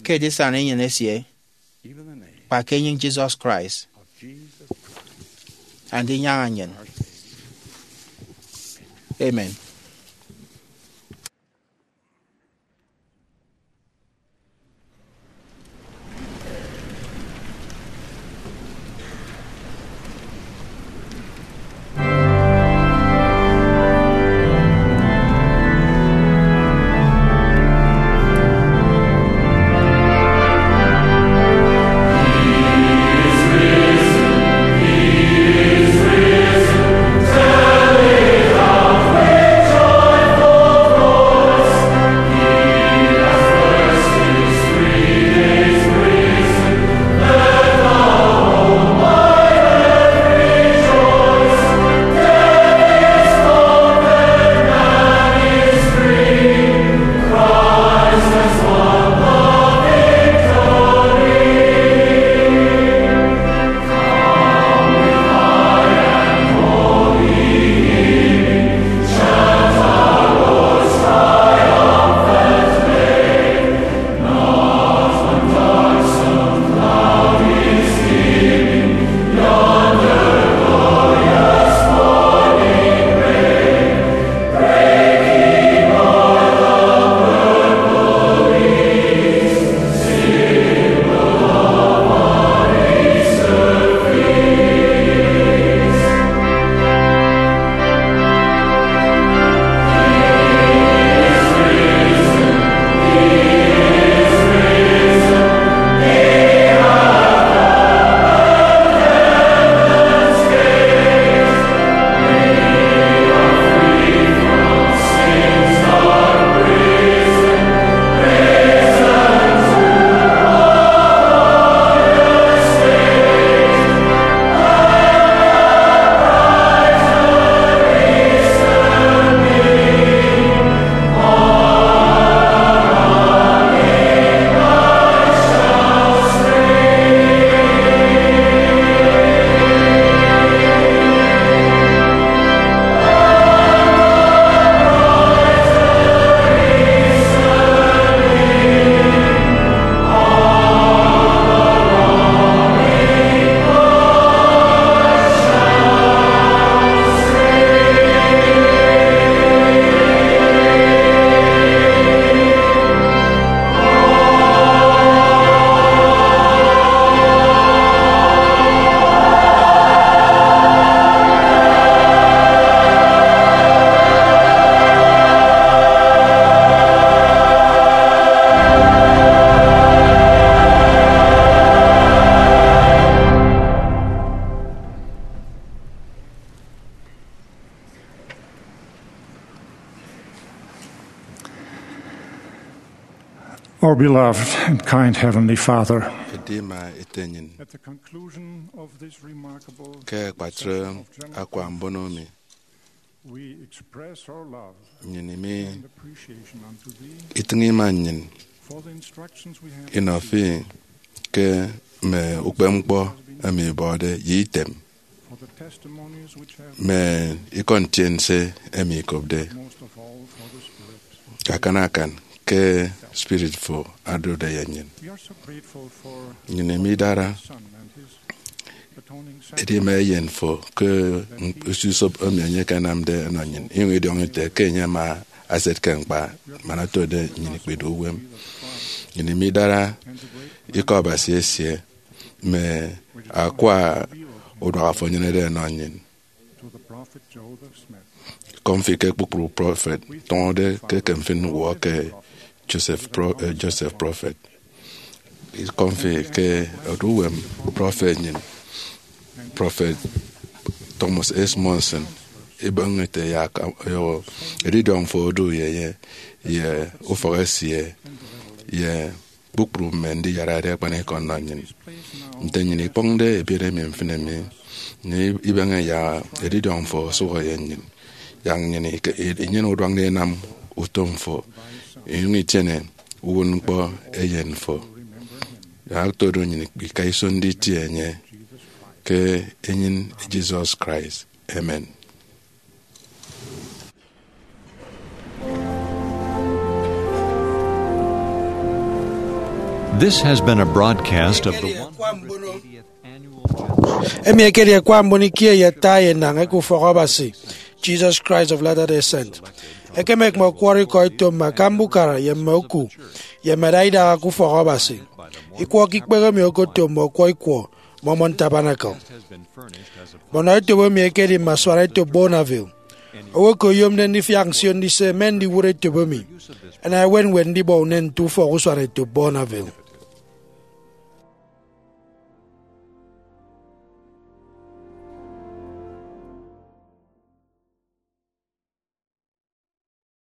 Ke edisana enyịn esie, kpa ke enyịñ Jesus Christ, Andinyaña nnyịn. Amen. Our beloved and kind Heavenly Father, Edima Ete nnyịn, at the conclusion of this remarkable ke akpatre exercise of generosity, akwa mbono mi, we express our love nnyịn imi and appreciation unto Thee itịñ ima nnyịn for the instructions we have inọ received, fi ke mme ukpepñkpọ emi ibọde ye item, for the testimonies which have mme ikọ ntiense emi ikopde, most of all for the Spirit, akan akan ke Spirit fo odude ye nnyịn. We are so grateful for nnyịn emi idara Son and His atoning sacrifice. Edima eyen fo ke usisop emi enye ekenamde enọ nnyịn, inyụñ idiọñọ ite ke enye ama aset ke ñkpa man otode nnyịn ikpidu uwem. Nnyịn emi idara Ikọ Abasi esie mme akwa uduak afo enyenede enọ nnyịn. To the prophet Joseph Smith, kọmfi ke kpukpru prọfet tọñọde ke ekem fi ñwọ ke Joseph Pro-, eh, Joseph prọfet. Kọmfi ke odu uwem prọfet nnyịn, prọfet Thomas S. Monson, ibọñ ete yak edidiọñ fo odu ye enye, ye ufọk esie, ye kpukpru mme ndiyarade akpanikọ nnọ nnyịn. Nte nnyịn ikpọñde ebiet emi mfịn emi, nnyịn ibeñe yak edidiọñ fo osụhọ ye nnyịn, yak nnyịn ike-, inyene uduak ndinam utom fo, inyụñ itiene uwụtñkpọ eyen fo. Yak otodu nnyịn ika iso nditie enye ke enyịn Jesus Christ. Amen. This has been a broadcast of the one hundred eightieth annual general. Emi ekedi akwa mbon ikie ye ata ye enañ eke Ufọk Abasi, Jesus Christ of Latter-day Saints. Ekem ekeme ọkwọrọ ikọ eto mme akamba ukara ye mme oku, ye mme ada idaha ke Ufọk Abasi. Ikwọ ke ikpehe emi okoto mme ọkwọ ikwọ Mormon Tabernacle. Bono etop emi ekedi mme asuana etop Bonneville. Owo eke oyomde ndifiak nsio ndise me ndiwụt etop emi, ana ewe ñwed ndibọ unen nte ufọk usuana etop Bonneville?